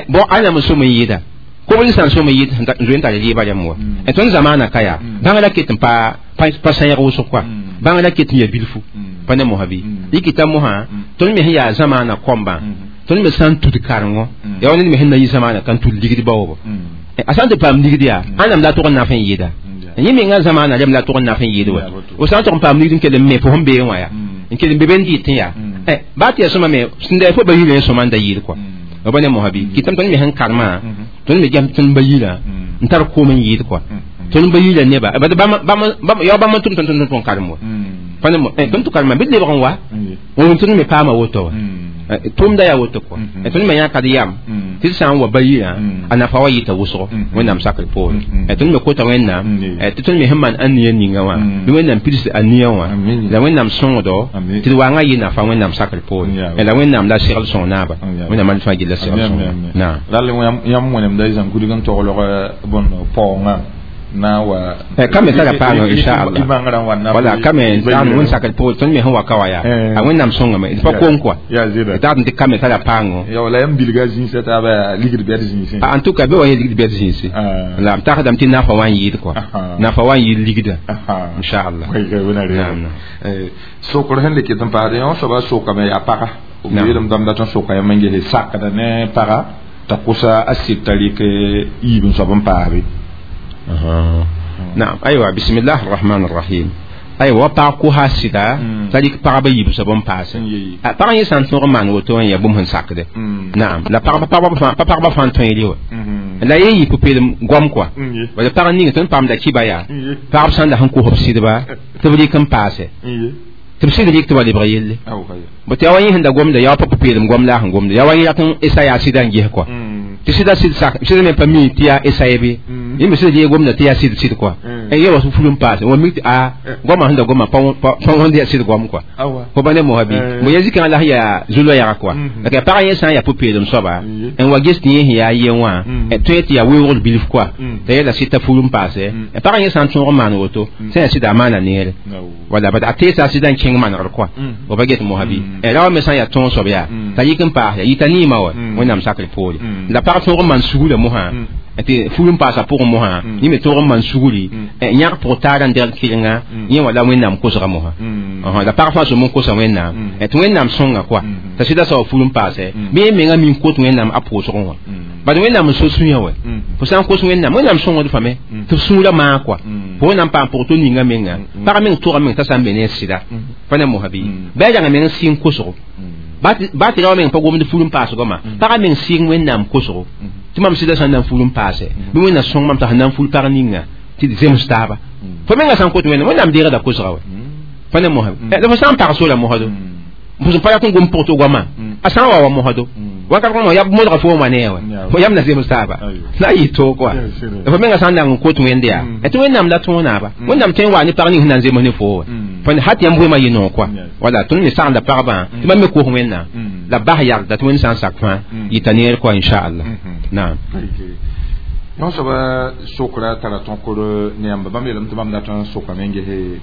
Bon, ãnam n sõm n yɩɩda kobl sã n sõm n yɩɩd n zoe n tar rɩɩbã rãmb wa tõnd zamaana ka yaa bãngrã ket n pa pa sãyg wʋsg kɔa bãngrã ket n yaa bilfu pa ne mosã bɩ yikita mosã tõnd me sẽn yaa zamaana kõmbã tõnd me sã n tud karengo yaa wa ned me sẽn na yɩ zamaana kan tud ligd baoobo a sã n tɩ paam ligd yaa ãnam la tʋg n naf n yɩɩda yẽ menga zamaana rem la tʋg n naf n yɩɩd wa fo sã n tʋg n paam ligd n kell n me fo sẽn beẽ wã yaa n kell n be be n dɩt n yaa baa tɩ yaa sõma me sẽn da fo ba yirã sõma n da yɩɩd kɔa ba ne mosã bɩ kɩtame tõnd me sẽn karemã tõnd me gem tõnd ba yirã n tar koom n yɩɩd kɔa tõnd ba yirã neba yaa bãmb n tʋm tõnd tõnd tõnd karem wa pa ne tõnd tɩ karema bɩ d lebg n wa tõnd me paama woto wa tʋʋmda yaa woto kɔa tõnd me yãka d yam tɩ d sã n wa ba yirã a nafa wa yɩta wʋsgo Wẽnnaam sakr poore tõnd me kota Wẽnnaam tɩ tõnd me sẽn maan ãnia ninga wã bɩ Wẽnnaam pids ania wã la Wẽnnaam sõngdo tɩ d waangã yɩ nafa Wẽnnaam sakr poore la Wẽnnaam la segl sõng naaba Wẽnnaam al fãa gilla segl sõng naam. Rall yãmb wẽnemda y zãn kudg n toglg bõn paoongã. Na wa kame tara paango inshallah wala kame tan wẽn sakr pʋgẽ tõnd me sẽn wa ka wa yaa a wẽnnaam sõngame d pa kom kɔa d tɩ kame tara paango ya wala yãmb bilga zĩisã taaba ligd bɛd zĩisẽ en tout cas be wa yẽ ligd bɛd zĩisi la m tagsdame tɩ nafa wa n yɩɩd kɔa nafa wa n yɩɩd ligda inshallah sokr sẽn le ket n paasd yõ soaba sokame yaa paga b yeelame dãmb dat n soka yãmb n gese sakda ne paga t'a kosa a sɩd t'a rɩk yiib n soab n paasbe. نعم أيوة بسم الله الرحمن الرحيم أيوة باقوها سيدا تلك بابا يبسا بوم باس باقا يسان تنغ مان وتون يا بوم هنساكده نعم لا بابا بابا بابا فان تون يليو لا يي بوبيل غوم كوا ولا باقا نيغ تون بام دا كيبايا بابا سان دا هنكو هوب سيدبا تبلي كم باس تبسيد ليك تبالي بغيل بتي اوين هندا غوم دا يا بوبيل غوم لا هن غوم دا يا وين ياتن إسا يا سيدا نجيه كوا تسيدا سيد ساك سيدا مي بامي تيا إسا يبي yẽ sɩd yee gomda tɩ yaa sɩd sɩd kɔa yẽ wa ful n paase wa mik tɩ a goamã sẽn da goma pa wõnd yaa sɩd goam kɔa fo ba ne mosa bɩ mo ya zikãngã la sẽn yaa zu-loɛɛga kɔa la pagã yẽ sã n yaa pʋ-peelem soaba n wa ges tɩ yẽ sẽn yaa ye wã tõe tɩ yaa weoogr bilf kɔa t'a yeela sɩd t'a ful n paase pagã yẽ sã n tõog n maan woto sẽn yaa sɩda a maana neere wala bad a teesa a sɩda n kẽng manegr kɔa fo pa get mosa bɩ ra wa me sã n yaa tõog soab yaa t'a yik n paas yaa yita niima wa wẽnnaam sakr poore la pag tõog n maan sugla mosã tɩ ful n paasa pʋgẽ mosã yẽ me tõog n maan sugri yãg pʋg taara n degl kɩrenga yẽ wala wẽnnaam kosga mosã la pag fãa sõm n kosa wẽnnaam tɩ wẽnnaam sõnga kɔa t'a sɩda soaba ful n paasɛ bɩ yẽ menga min kot wẽnnaam a pʋʋsgẽ wã bad wẽnnaam n so sũyã wɛ fo sã n kos wẽnnaam wẽnnaam sõngd fame tɩ f sũurã maa kɔa fo wẽnnaam paam pʋg to ninga menga pag meng tʋga meng t'a sã n be ne sɩda pa ne mosã bɩ bɩ a rãng meng sɩng kosgo ba tɩ ra meng pa gomd ful n paasgõ ma pagã meng sɩng wẽnnaam kosgo tɩ mam sɩda sã n na n ful n paase bɩ wẽnna sõng mam t'a sẽn na n ful pag ninga tɩ d zems taaba fo menga sã n kot wẽnnaam wẽnnaam deegda kosga wɛ pa ne mosã la fo sã n pag sola mosdo fo sẽn pa rat n gom pʋg tɩ goamã a sã n wa wa mosdo wakat kõ ya modga fo wã nee wɛ fo yam na zems taaba la a yɩ toog kɔa fo menga sã n na n kot wẽnd yaa tɩ wẽnnaam la tõo naaba wẽnnaam tõe n waa ne pag ning sẽn na n zems ne fo wɛ fo hat yãmb wema yɩ noog kɔa wala tõnd me sagenda pagbã tɩ bãmb me kos wẽnnaam la bas yagda tɩ wẽnd sã n sak fãa yɩta neer kɔa inchallah naam yõ soaba sokra tara tõkr ne yãmba bãmb yeelame tɩ bãmb dat n sokame n gese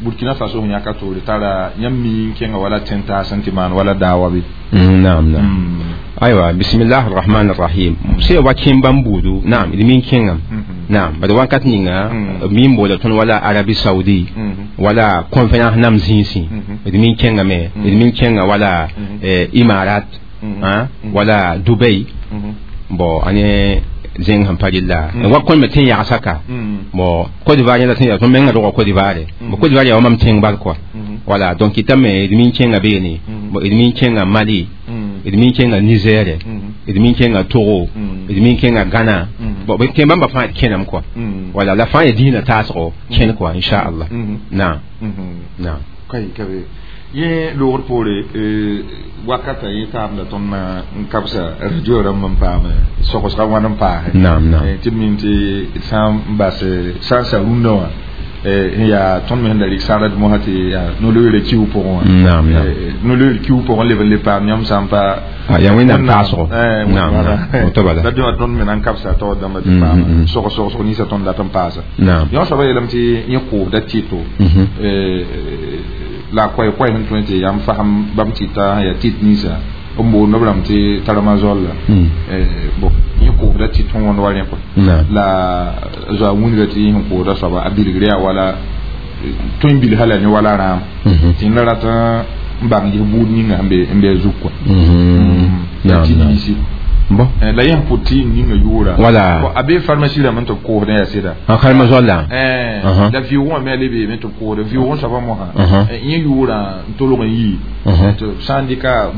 Burkina Faso sẽn yãka toore tara yãmb mi n kẽnga wala tẽn-taas n tɩ maan wala daawa be naam naam aywa bismillah arrahman arrahim sẽn wa kẽem bãmb buudu naam d mi n kẽngame naam bad wakat ninga mi n boola tõnd wala Arabie Saoudi wala conférence nam zĩisẽ d mi n kẽngame d mi n kẽnga wala Imarat wala Dubai bon ane zẽng sẽn pa rɩlla wa kõn me tẽn yagsã ka bon Côte d'Ivoire yẽla tẽn yaa tõnd menga roga Côte d'Ivoire bon Côte d'Ivoire yaa wa mam tẽng bal kɔa voilà donc ɩtame d mi n kẽnga beene bon d mi n kẽnga Mali d mi n kẽnga Niger d mi n kẽnga Togo d mi n kẽnga Ghana bon b kẽ bãmba fãa d kẽname kɔa voilà la fãa yaa dĩinã taasgo kẽn kɔa inchallah naam naam yẽ loogr poore wakata yẽ taabda tõnd na n kabsa radio rãmb n paam sogsga wãn n paase naam naam tɩ d mim tɩ d sã n bas sã n sa rũndã wã n yaa tõnd me sẽn da rɩk sãgrd mosã tɩ yaa no-loeerã kiu pʋgẽ wã naam naam no-loeer kiu pʋgẽ leb n le paam yãmb sã n pa yaa wẽnnaam taasgo naam naam woto bala la dẽwã tõnd me na n kabsa taoor dãmba tɩ paam sogs ninsã tõnd dat n paasa yõ soaba yeelame tɩ yẽ koobda tɩto la koɛ koɛ sẽn tõe tɩ yãmb fasem bãmb tɩta yaa tɩt ninsã n boond b rãmb tɩ taramazol la bon yẽ koobda tɩt sẽn wõnd wa rẽ kɔa la zoa wĩnga tɩ yẽ sẽn koosda soaba a bilgr yaa wala tõe n bilsa la ne wala rãam tɩ yẽnda rat n bãng ges buud ninga sẽn be a zug kɔa tɩ niisi bon la yẽ pʋt tɩ ninga yʋʋra wala a bee pharmacie rãmb n tɩ b koosdẽ yaa sɩda kalma zolla la vɩʋʋgã me a le beeme tɩ b koosda vɩʋʋgẽ soabã mosã yẽ yʋʋrã n tolg n yii tɩ sã n dɩka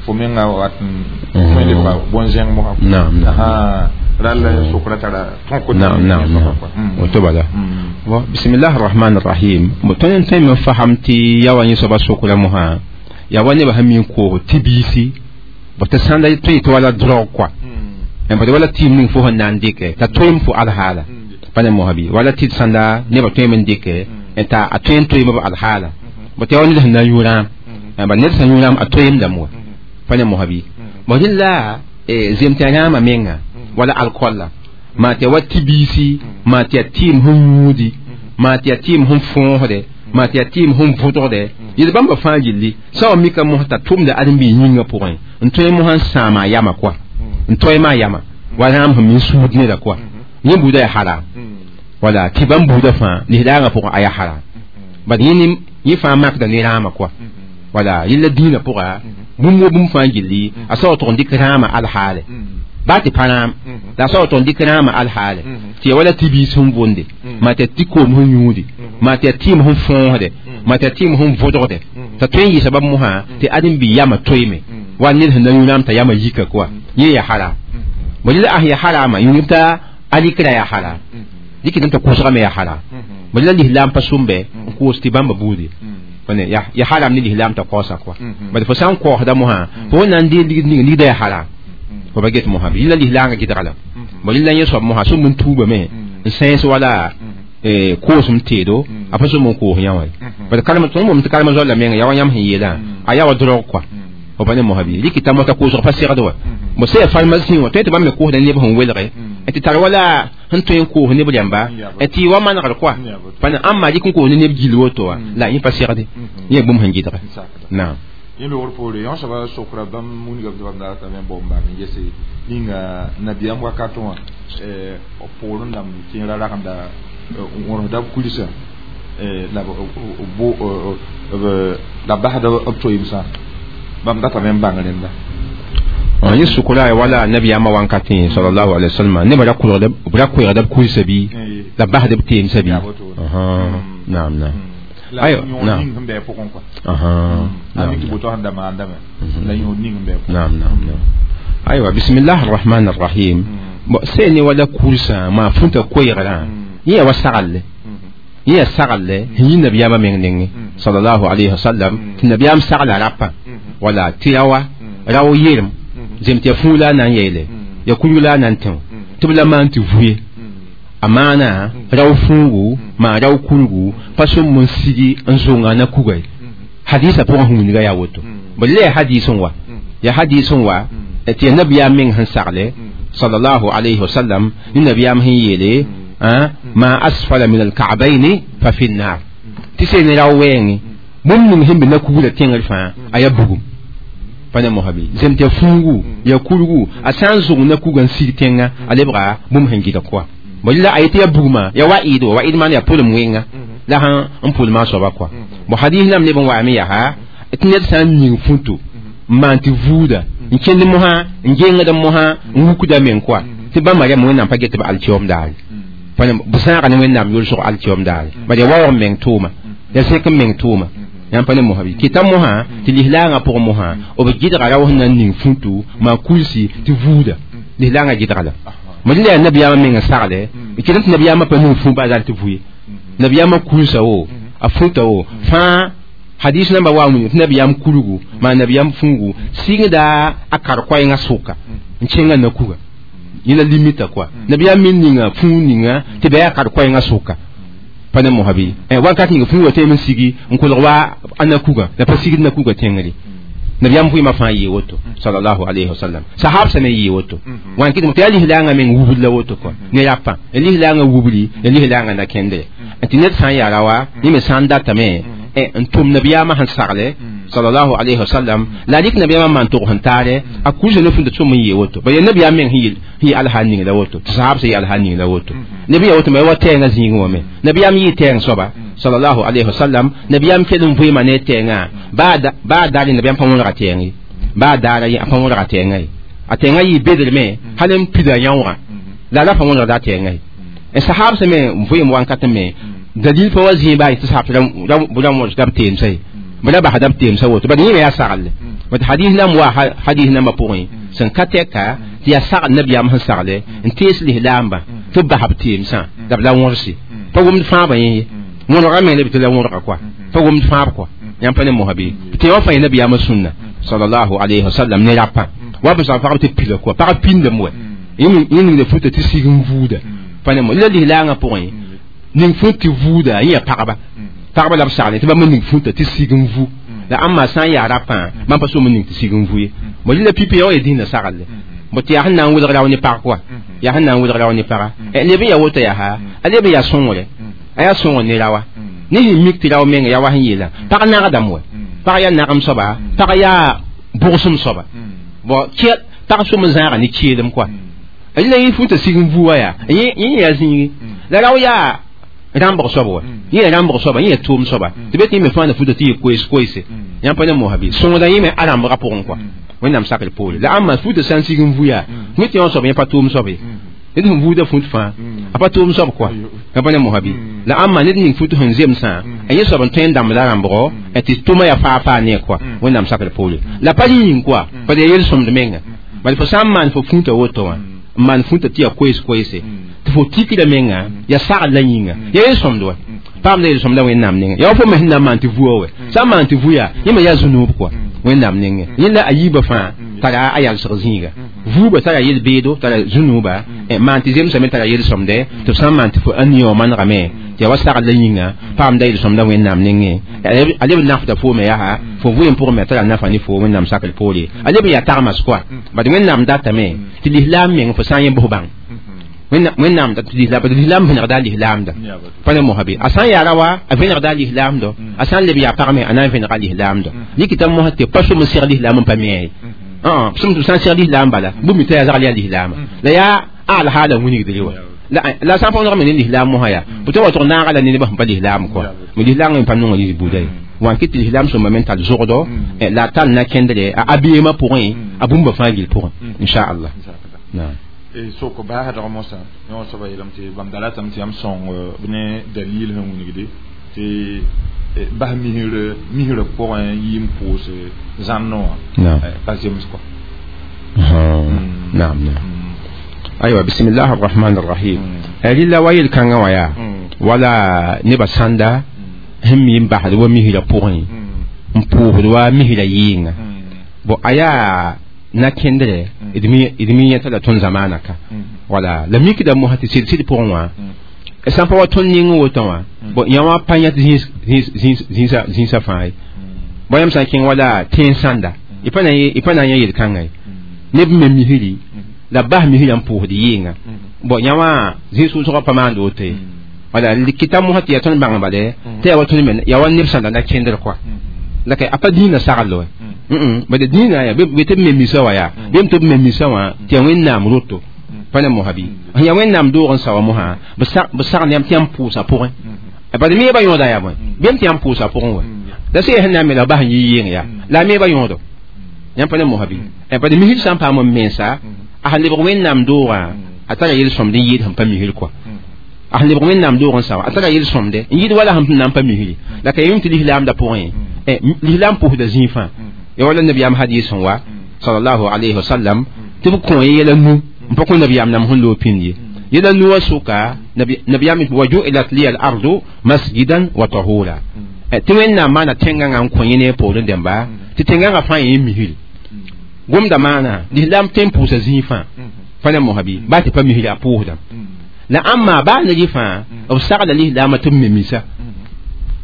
fo menga wat n tõe lebga bõn-zẽng mosã rall sokra tara tõk naam naam woto bala bon bismillah arrahman arrahim bo tõnd n tõe me fasam tɩ ya wa yẽ soaba sokra mosã yaa wa nebã sẽn mi n koos tɩ biisi bo tɩ sãnda tõe tɩ wala drogue kɔa bad wala tɩɩm ning fo sẽn na n dɩkɛ t'a toeem fo alhaala pa ne mosã bɩ wala tɩ sãnda nebã tõem n dɩkɛ t'a a tõe n toeem b alhaala bo tɩ ya wa ned sẽn na n yũ rãam bad ned sẽn yũ rãam a toeemdame wa pa ne mosã bɩ bo rɩla zem tɩ a rãamã menga wala alcool la maa tɩ ya wa tɩ-biisi maa tɩ ya tɩɩm sẽn yũudi maa tɩ ya tɩɩm sẽn fõosde maa tɩ ya tɩɩm sẽn vʋdgde yel bãmba fãa gilli sã wa mika mosã t'a tʋmda ãdem-biig yĩngã pʋgẽ n tõe mosã n sãama a yama koa n toɛɛma a yama wa rãam sẽn min suud neda koa yẽ buudã yaa haram wala tɩ bãmb buudã fãa lislaangã pʋgẽ a yaa haram bad yẽ fãa makda ne rãamã koa wala yella dĩinã pʋga bũmb wo bũmb fãa gilli a sa wa tʋg n dɩk rãamã alhaale baa tɩ pa rãam la a sa wa tʋg n dɩk rãamã alhaale tɩ ya wala tɩ-biis sẽn vʋnde maa tɩ ya tɩ koom sẽn yũudi maa tɩ ya tɩɩm sẽn fõosde maa tɩ ya tɩɩm sẽn vʋdgde t'a tõe n yɩɩsa bãmb mosã tɩ ãdem-bi yama toeeme wa ned sẽn na yũ rãam t'a yama yika koa yẽ yaa haram bõ la ãs yaa harama yũud t'a alikra yaa haram dɩk t'a kʋsgame yaa haram bõ la lislaam pa sʋmbe n koos tɩ bãmba buudi ya haram ne lislaam t'a kaoosa koa bad fo sã n kaoosda mosã fo na n dee ligd ninga ligda yaa haram fo ba get mosã yẽla lislaangã gɩdga la bõ la yẽ soab mosã sũm n tuubame n sẽes wala koosem teedo a pa sũm n koos yã wã bad karem tõnd bom tɩ karem zoala menga ya wa yãmb sẽn yeelã a yaa wa drog koa fo pa ne mosã bɩ rɩk t'a mosã koosg pa segd wa bõ sã ya farmasi wã tõe tɩ bãmb me koosda neb sẽn welge tɩ tar wala sẽn tõe n koos neb rãmba tɩ wa manegr koa pa ne ãmba rɩk n koos ne neb gill woto wa la yẽ pa segde yẽ bũmb sẽn gɩdge naam yẽ loogr poore yõ soaba sokra bãmb mungame tɩ bãmb da ratame n bao n bang n gese ninga nabiyaam wakatẽ wã poorẽ dãmb kẽera ragenda wõrsda b kulsã la b basda b toeemsã bãmb datame n bãng rẽnda yẽ sʋkra ya wala nabiyaamã wankatẽ sallallahu alaihi wasallam nebã ra koɛɛgda b kulsã bɩ la basd b teemsã bɩ naam naam ayo naam naam naam aywa bismillah arrahman arrahim sẽn ne wala kulsã maa fũta koɛɛgrã yẽ ya wa sagalle yẽ ya sagalle sẽn yi nabiyaamã meng nengẽ sallallahu alayhi wasallam tɩ nabiyaam sagla rapa wala tɩ rawa rao yerem zem tɩ ya fũu la a na n yeele ya kurg la a na n tẽ tɩ b la maan tɩ vuye a maana rao fũugu maa rao kurgu pa sõm n sigi n zõnga na kuga ye hadisa pʋgã sẽn wilga yaa woto bõ la ya hadis n wa ya hadis n wa tɩ ya nabiyaam meng sẽn sagle sallallahu alayhi wasallam ne nabiyaam sẽn yeele ma asfala min alka'bayni fa fi nnar tɩ sẽn ne rao wɛɛngẽ bũmb ning sẽn be na kugrã tẽngr fãa a yaa bugum pa ne mosã bɩ zem tɩ ya fũugu ya kurgu a sã n zʋg na kuga n sig tẽngã a lebga bũmb sẽn gɩdg koa bõ la a yetɩ ya bugmã ya wa ɩɩd wa ɩd maan yaa pʋlem wẽnga la sẽn n pʋlmã soaba koa bõ hadis lam neb n waame yaa tɩ ned sã n ning fũto n maan tɩ vuuda n kẽnd mosã n gengd mosã n wukda meng koa tɩ bãmba rãmb wẽnnaam pa get tɩ b alkiom daare b sãaga ne wẽnnaam yolsg alkiom daare bad ya waoog n meng tʋʋma ya sẽk n meng tʋʋma yãmb pa ne mosã bɩ kɩta mosã tɩ lislaangã pʋgẽ mosã b gɩdga rao sẽn na n ning fũtu maa kulsi tɩ vuuda lislaangã gɩdga la ma la yaa nabiyaamã meng n sagle kɩt tɩ nabiyaamã pa ning fũ baa tɩ vu ye nabiyaamã kulsa wo a fũta wo fãa hadis namba wa wĩnga tɩ nabiyaam kulgu maa nabiyaam fũugu sɩngda a kar-koɛɛngã sʋka n kẽngã na kuga yẽ la limita koa nabiyaam me ninga fũu ninga tɩ bɩ yaa kar-koɛɛngã sʋka pa ne mosã bɩ wakat ninga fũu wa teem n sigi n kolg wa a na kuga la pa sigd na kuga tẽngre nabiyaam vɩɩmã fãa yee woto sallallahu alayhi wasallam sahab sã me yee woto wãn kɩtme tɩ yaa lislaangã meng wubd la woto kɔa ne rapã ya lislaangã wubli ya lislaangã na kẽndre tɩ ned sã n yaa rawa yẽ me sã n datame n tʋm nabiyaamã sẽn sagle sallallahu alayhi wasallam la rɩk nabiyaamã maan tʋg sẽn taare a kulsa ne fũnda tʋm n yee woto ba yaa nabiyaam meng sẽn yɩ alhaal ning la woto tɩ sahab sã yɩ alhaal ning la woto nabi yaa woto me wa tɛɛngã zĩigẽ wã me nabiyaam yɩɩ tɛɛng soaba sallallahu alayhi wasallam nabiyaam kell n vɩɩma ne tɛɛngã baa daare nabiyaam pa wõrga tɛɛng ye baa daara ye a pa wõrga tɛɛngã ye a tɛɛngã yɩ bedrme hal n pida yãoogã la la pa wõrgda a tɛɛngã ye sahab sã me n vɩɩm wankatẽ me dalil pa wa zĩig baa yetɩ sahab ra wõrsda b teemsã ye b ra basda b teemsã woto bad yẽ me yaa sagle bad hadis lam wa hadis nambã pʋgẽ sẽn ka tɛka tɩ yaa sagl nabiyaam sẽn sagle n tees lislaambã tɩ b bas b teemsã la b la wõrse pa wʋmd fãabã yẽ ye wõrga meng la b tɩ la wõrga koa pa wʋmd fãab koa yãmb pa ne mosã bɩ tɩ wã fãa yẽ nabiyaamã sũnna sallallahu alayhi wasallam ne rapã wa b sã pagb tɩ pila koa pag pĩndame wɛ yẽ ningda fũta tɩ sig n vuuda pa ne mo la lislaangã pʋgẽ ning fũut tɩ vuuda yẽ yaa pagba pagba la b sagle tɩ bãmb ning fũta tɩ sig n vu la ãmba sã n yaa rapã bãmb pa sõm n ning tɩ sig n vu ye bõ la pipi ya wa ya dĩnã sagle bõ tɩ yaa sẽn na n welg rao ne pag koa Yaa sẽn na n welg rao ne paga leb n ya woto yaa ha a leb n yaa sõngre a yaa sõngr ne raoa ne sẽn mik tɩ rao menga yaa wa sẽn yeelã pag nagdame wa pag yaa nagem soaba pag yaa bʋgsem soaba bon pag sʋm n zãaga ne keelem kɔa la yẽ futa sig n vua yaa yẽ yaa zĩigi la rao yaa rãmbg soab wa yẽ yaa rãmbg soaba yẽ yaa tʋʋm soaba tɩ be tɩ yẽ me fãa na futa tɩ yɩ koees koeese yãmb pa ne mosa bɩ sõngda yẽ me a rãmbga pʋgẽ kɔa wẽnnaam sakr poore la ãmba futa sã n sig n vu yaa fũ tɩ yõ soab yẽ pa tʋʋm soab ye ned sẽn vuuda fũt fãa a pa tʋʋm soab kɔa yãmb pa ne mosa bɩ la ãmba ned ning fut sẽn zemsã a yẽ soab n tõe n dãmbda rãmbgo tɩ tʋma yaa faa faa ne kɔa wẽnnaam sakr poore la pa yĩng kɔa pa yaa yel-sõmd menga bala fo sã n maan fo fũta woto wã n maan fũta tɩ yaa koees koeese tɩ fo tikda menga yaa sagl la yĩnga yaa yel-sõmd wa paamda yel-sõmda wẽnnaam nengẽ yaa wa fo me sẽn na n maan tɩ vua wɛ sã n maan tɩ vu yaa yẽ me yaa zũnuub kɔa wẽnnaam nengẽ yẽ la a yiibã fãa tara a yalsg zĩiga vuubã tara yel-beedo tara zũnuuba maan tɩ zemsã me tara yel-sõmdɛ tɩ b sã n maan tɩ fo a nia wã manegame tɩ yaa wa sagl la yĩnga paamda yel-sõmda wẽnnaam nengẽ a leb n nafda foome yaa fo vʋ pʋgẽ me tara nafa ne fo wẽnnaam sakr poore a leb n yaa tagmas kɔa bad wẽnnaam datame tɩ lislaam meng fo sã n yẽ bʋs bãng wẽnnaam lislaam vẽnegda a lislaamda pa ne mosa bɩ a sã n yaa rawa a vẽnegda a lislaamdo a sã n leb yaa pag me a na n vẽnega a lislaamdo likita mosa tɩ pa sʋm n seg lislaam n pa me ye sʋm tɩ sã n seg lislaam bala bũmb mi t'a yaa zagl yaa lislaama la yaa alhaala wilgdre wa la sã n pa me ne lislaam mosã yaa bʋ tɩ wa tʋg naaga la ne nebã sẽn pa lislaam kɔa me lislaam n pa nonga yis buda ye wã kɩ tɩ lislaam sõma me n tar zogdo la a tar na kẽndre a abeemã pʋgẽ a bũmba fãa gill pʋgẽ inchallah naam soko baasdg mosã yõ soaba yeelame tɩ bãmb da ratame tɩ yãmb sõng b ne dalil sẽn wilgde tɩ bas misrã pʋgẽ yɩ n pʋʋs zãnno wã pa zems kɔ naam naam aywa bismillah arrahman arrahim rɩla wa yel-kãngã wã yaa wala nebã sãnda sẽn mi n basd wa misrã pʋgẽ n pʋʋsd wa misrã yɩɩnga bon a yaa na kẽndre d mi yẽta la tõnd zamaana ka wala la mikda mosã tɩ sɩd-sɩd pʋgẽ wã sã n pa wa tõnd ning woto wã bon yã wã pa yãt zĩnsã fãa ye bõe yãmb sã n kẽng wala tẽen sãnda y pa na n yã yel-kãngã ye neb me misri la bas misrã n pʋʋsd yɩɩnga bon yã wã zĩig-sʋʋsgã pa maand woto ye wala kɩta mosã tɩ yaa tõnd bãng bale tɩ yaa wa tõnd me yaa wa neb sãnda na kẽndr kɔa la ka a pa dĩinã sagl wa bad dĩinã yaa be tɩ b me misa wã yaa bem tɩ b me misa wã tɩ yaa wẽnnaam roto pa ne mosã bɩ sẽn yaa wẽnnaam doog n sa wã mosã b sagl yãmb tɩ yãmb pʋʋsã pʋgẽ bad me ba yõoda yaa bõe bem tɩ yãmb pʋʋsã pʋgẽ wa la sẽn sẽn na n me la bas n yɩ yɩng yaa la a me ba yõodo yãmb pa ne mosã bɩ bad misd sã n paam n mensa a sẽn lebg wẽnnaam doogã a tara yel-sõmd n yɩɩd sẽn pa misr kɔa a sẽn lebg wẽnnaam doog n sa wã a tara yel-sõmde n yɩɩd wala sẽn na n pa misri la ka yem tɩ lislaamda pʋgẽ lislaam pʋsda zĩig fãa ya wala nabiyaam hadis sẽn wa sallallahu alayhi wa sallam tɩ b kõ yɛla nu n pa kõ nabiyaam nam sẽn loog pĩnd ye yɛla nu wã sʋka nabiyaam wa ju'ilat liya al-ardu masjidan wa tahura tɩ wẽnnaam maana tẽngãngã n kõ yẽ ne poorẽ dẽmba tɩ tẽngãngã fãa yẽ misri gomda maana lislaam tõe n pʋʋsa zĩig fãa pa ne mosã bɩ baa tɩ pa misri a pʋʋsdame la ãmma baa ne rɩ fãa b sagla lislaamã tɩ b me misa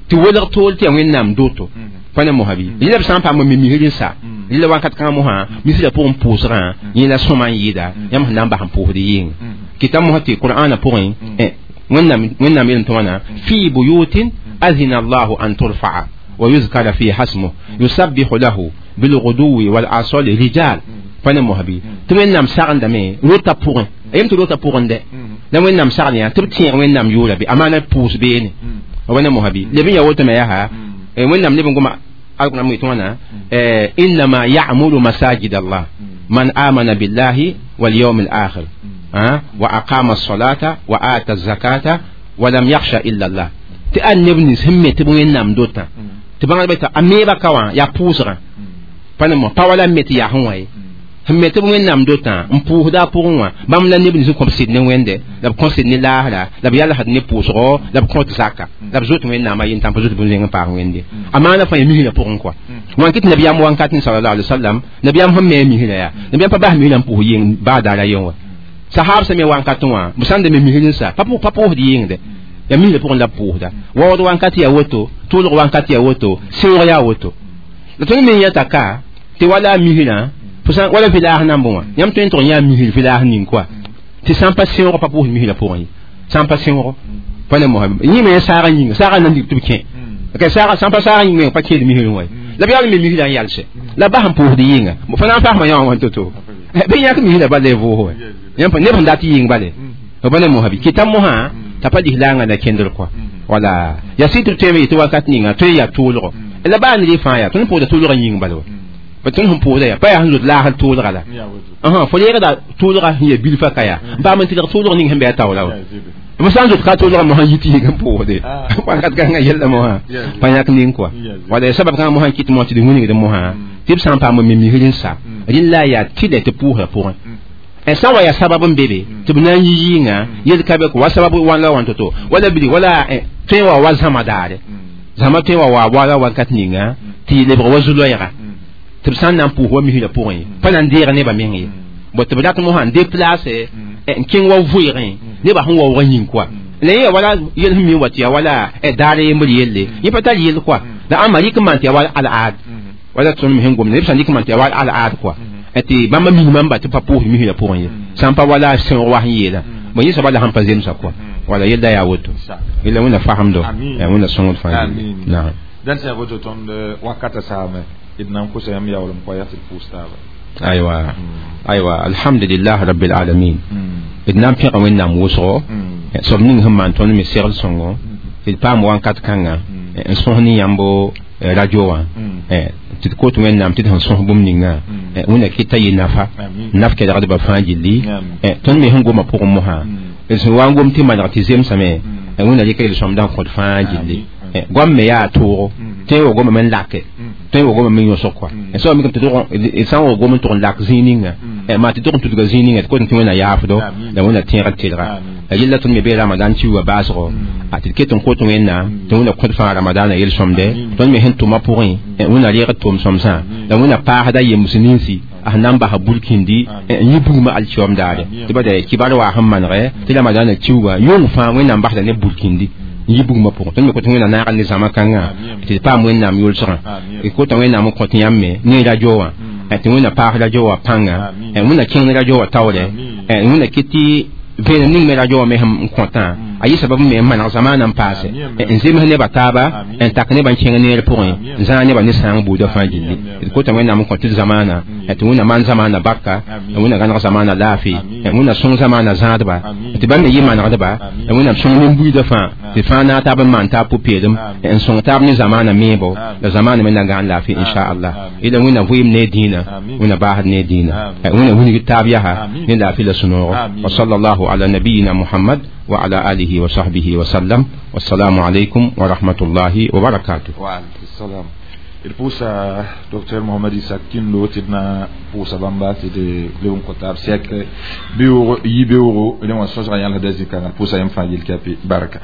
tɩ welg tool tɩ yaa wẽnnaam doto pa ne mosã bɩ rɩla b sã n paam n me misr n sa rɩla wakat kãngã mosã misrã pʋgẽ pʋʋsgã yẽ la sõma n yɩɩda yãmb sẽn na n bas n pʋʋsd yɩɩnga kɩta mosã tɩ qur'aanã pʋgẽ wẽnnaam yeelm tɩ wãna fi buyutin azina allahu an turfa'a wa yuzkara fiha ismuhu yusabbihu lahu bilguduwi wal asali rijal pa ne mosã bɩ tɩ wẽnnaam sagendame rota pʋgẽ a yem tɩ rota pʋgẽ dɛ la wẽnnaam sagl yã tɩ b tẽeg wẽnnaam yʋʋra bɩ amaana pʋʋs beene wa ne mosã bɩ leb n yaa woto me yaa wẽnnaam leb n goma alqur'an yetɩ wãna innama ya'muru masajid allah man amana billahi wal yawm al akhir wa aqama as-salata wa ata az-zakata wa lam yakhsha illa allah tɩ a neb nins sẽn me tɩ b wẽnnaam dotã tɩ bãngdbã t'a a meeba ka wã yaa pʋʋsgã pa ne mo pa wala n me tɩ yaa sẽn wã ye sẽn me tɩ b wẽnnaam dotã n pʋʋsda a pʋgẽ wã bãmb la neb nins n kõ b sɩd ne wẽnde la b kõ sɩd ne laasra la b yalsd ne pʋʋsgo la b kõt zaka la b zoet wẽnnaamã yentãm pa zoet bũmb zẽng n paas wẽnde a maana fãa yaa misrã pʋgẽ kɔa wã kɩ tɩ nabiyaam wakat sallallahu alaihi wasallam nabiyaam sẽn me a misrã yaa nabiyaam pa bas misrã n pʋʋs yeng baa daara yen wa sahab sẽn me wakat wã b sãn da me misr n sa pa pʋʋsd yɩngde yaa misrã pʋgẽ la b pʋʋsda waood wakat yaa woto tʋʋlg wakat yaa woto sẽoog yaa woto la tõnd me yãta ka tɩ wala a misrã wala village nambẽ wã yãmb tõe n tʋg yã misr village ning kɔa Tɩ sã n pa sẽoog pa pʋʋs misrã pʋgẽ ye, sã n pa sẽoogo pa ne mosã yẽ me saaga yĩnga saaga nan dig tɩ b kẽ ka saaga sã n pa saaga yĩnga pa kẽed misrẽ wa la b yaa me misrã n yalsɛ la bas n pʋʋsd yɩnga fo na n fasma yã wã wãn to-to bɩ yãk misrã bala y vʋʋs wa yãmb neb sẽn dat yɩng bale b pa ne mosã bɩ kɩta mosã t'a pa lislaangã na kẽndr kɔa wala ya sɩ tɩ b tõeme yetɩ wakat ninga tõe yaa tʋʋlgo la baa ned fãa yaa tõnd pʋʋsda tʋʋlgã yĩng bala wa pa tõnd sẽn pʋʋsda yaa pa yaa sẽn zoet laasr tʋʋlga la fo leegda tʋʋlga sẽn yaa bilfã ka yaa n paam n tɩlg tʋʋlg ning sẽn bɩ a taoola wa b sã n zoet ka tʋʋlga mosã yit yɩg n pʋʋsde wakat kãngã yella mosã pa yãk ning kɔa wala ya sabab kãngã mosã kɩt mosã tɩ d wilgd mosã tɩ b sã n paam n me misr n sa rẽnd la yaa tɩlɛ tɩ pʋʋsra pʋgẽ sã wa yaa sabab n be be tɩ b na n yi yɩɩngã yel ka be wa sabab wãn la wãn to-to wala bili wala tõe wa wa zãma daare zãma tõe wa wa wala wakat ninga tɩ lebg wa zu-loɛɛga tɩ b sã n na n pʋʋs wa misrã pʋgẽ ye pa na n deeg nebã meng ye bõ tɩ b rat mosã n déplace n kẽng wa vʋɩgẽ nebã sẽn waoogã yĩng koa la yẽ wala yel sẽn mi wa tɩ yaa wala daar yembr yelle yẽ pa tar yel koa la ãmba rɩk n maan tɩ yaa wala al-aad wala tõnd me sẽn gomda b sã n rɩk n maan tɩ yaa wala al-aad koa tɩ bãmba minimum ba tɩ pa pʋʋs misrã pʋgẽ ye sã n pa wala sẽoog wa sẽn yeelã bõe yẽ soaba la sẽn pa zemsa koa wala yella yaa woto yella wẽnna fasemdo wẽnna sõngd fãa naam dãn sã woto tõnd wakata saame d na n kosa yãmb yaoolem koa yaa tɩ d pʋʋs taaba aywa aywa alhamdulillah rabbil alamin d na n pẽga wẽnnaam wʋsgo soab ning sẽn maan tõnd me segl sõngo tɩ d paam wãnkat kãnga n sõs ne yãmbo radio wã tɩ d kot wẽnnaam tɩ d sẽn sõs bũmb ninga wẽnna kɩta yɩ nafa naf kelgdbã fãa gilli tõnd me sẽn goma pʋgẽ mosã d sẽn wa n gom tɩ maneg tɩ zemsame wẽnna rɩka yel-sõmdã n kõt fãa gilli goam me yaa toogo tõe wa gomame n lake tõe wa gomame n yõsg kɔa soab mikame tɩ d sã n wa gom n tʋg n lak zĩig ninga maa tɩ tʋg n tudga zĩig ninga tɩ kot n tɩ wẽnna yaafdo la wẽnna tẽegd tɩlga la yella tõnd me bee ramadan kiuugã baasgo a tɩ d ket n kot wẽnnaam tɩ wẽnna kõt fãa ramadaanã yel-sõmde tõnd me sẽn tʋma pʋgẽ wẽnna reegd tʋʋm-sõmsã la wẽnna paasda yems ninsi a sẽn na n basa burkindi n yɩ bugmã alkiom daare tɩ ba da kibar waa sẽn manegɛ tɩ ramadaanã kiuugã yʋng fãa wẽnnaam basda ne burkindi n yɩ bugmã pʋgẽ tõnd me kot wẽnna naaga ne zãma kãngã tɩ d paam wẽnnaam yʋlsgã d kota wẽnnaam n kõt yãmb me ne radio wã tɩ wẽnna paas radio wã pãnga wẽnna kẽng radio wã taoorɛ wẽnna kɩ tɩ vẽenem ning me radio wã me sẽn kõtã a yɩ sabab me n maneg zamaanã n paase n zems nebã taaba n tak nebã n kẽng neer pʋgẽ n zãag nebã ne sãang buudã fãa gilli d kota wẽnnaam n kõ tɩ d zamaana tɩ wẽnna maan zamaana barka wẽnna gãneg zamaana laafɩ wẽnna sõng zamaana zãadba tɩ bãmb me yɩ manegdba wẽnnaam sõng nin-buiidã fãa tɩ fãa naag taab n maan taab pʋ-peelem n sõng taab ne zamaana meebo la zamaana me na gãan laafɩ inchallah yela wẽnna vɩɩm ne dĩinã wẽnna baasd ne dĩinã wẽnna wilg taab yaa ne laafɩ la sũ-noogo wa sallallahu ala nabiyina muhammad وعلى آله وصحبه وسلم والسلام عليكم ورحمة الله وبركاته. وعليكم السلام. D pʋʋsa docteur Mohamad Isak Kindo tɩ d na pʋʋsa bãmba tɩ d leb n kõ taab sɛk beoog yi beoogo rẽ wã sõsga yãlsda zĩ-kãngã d pʋʋsa yãmb fãa yel-kape barka.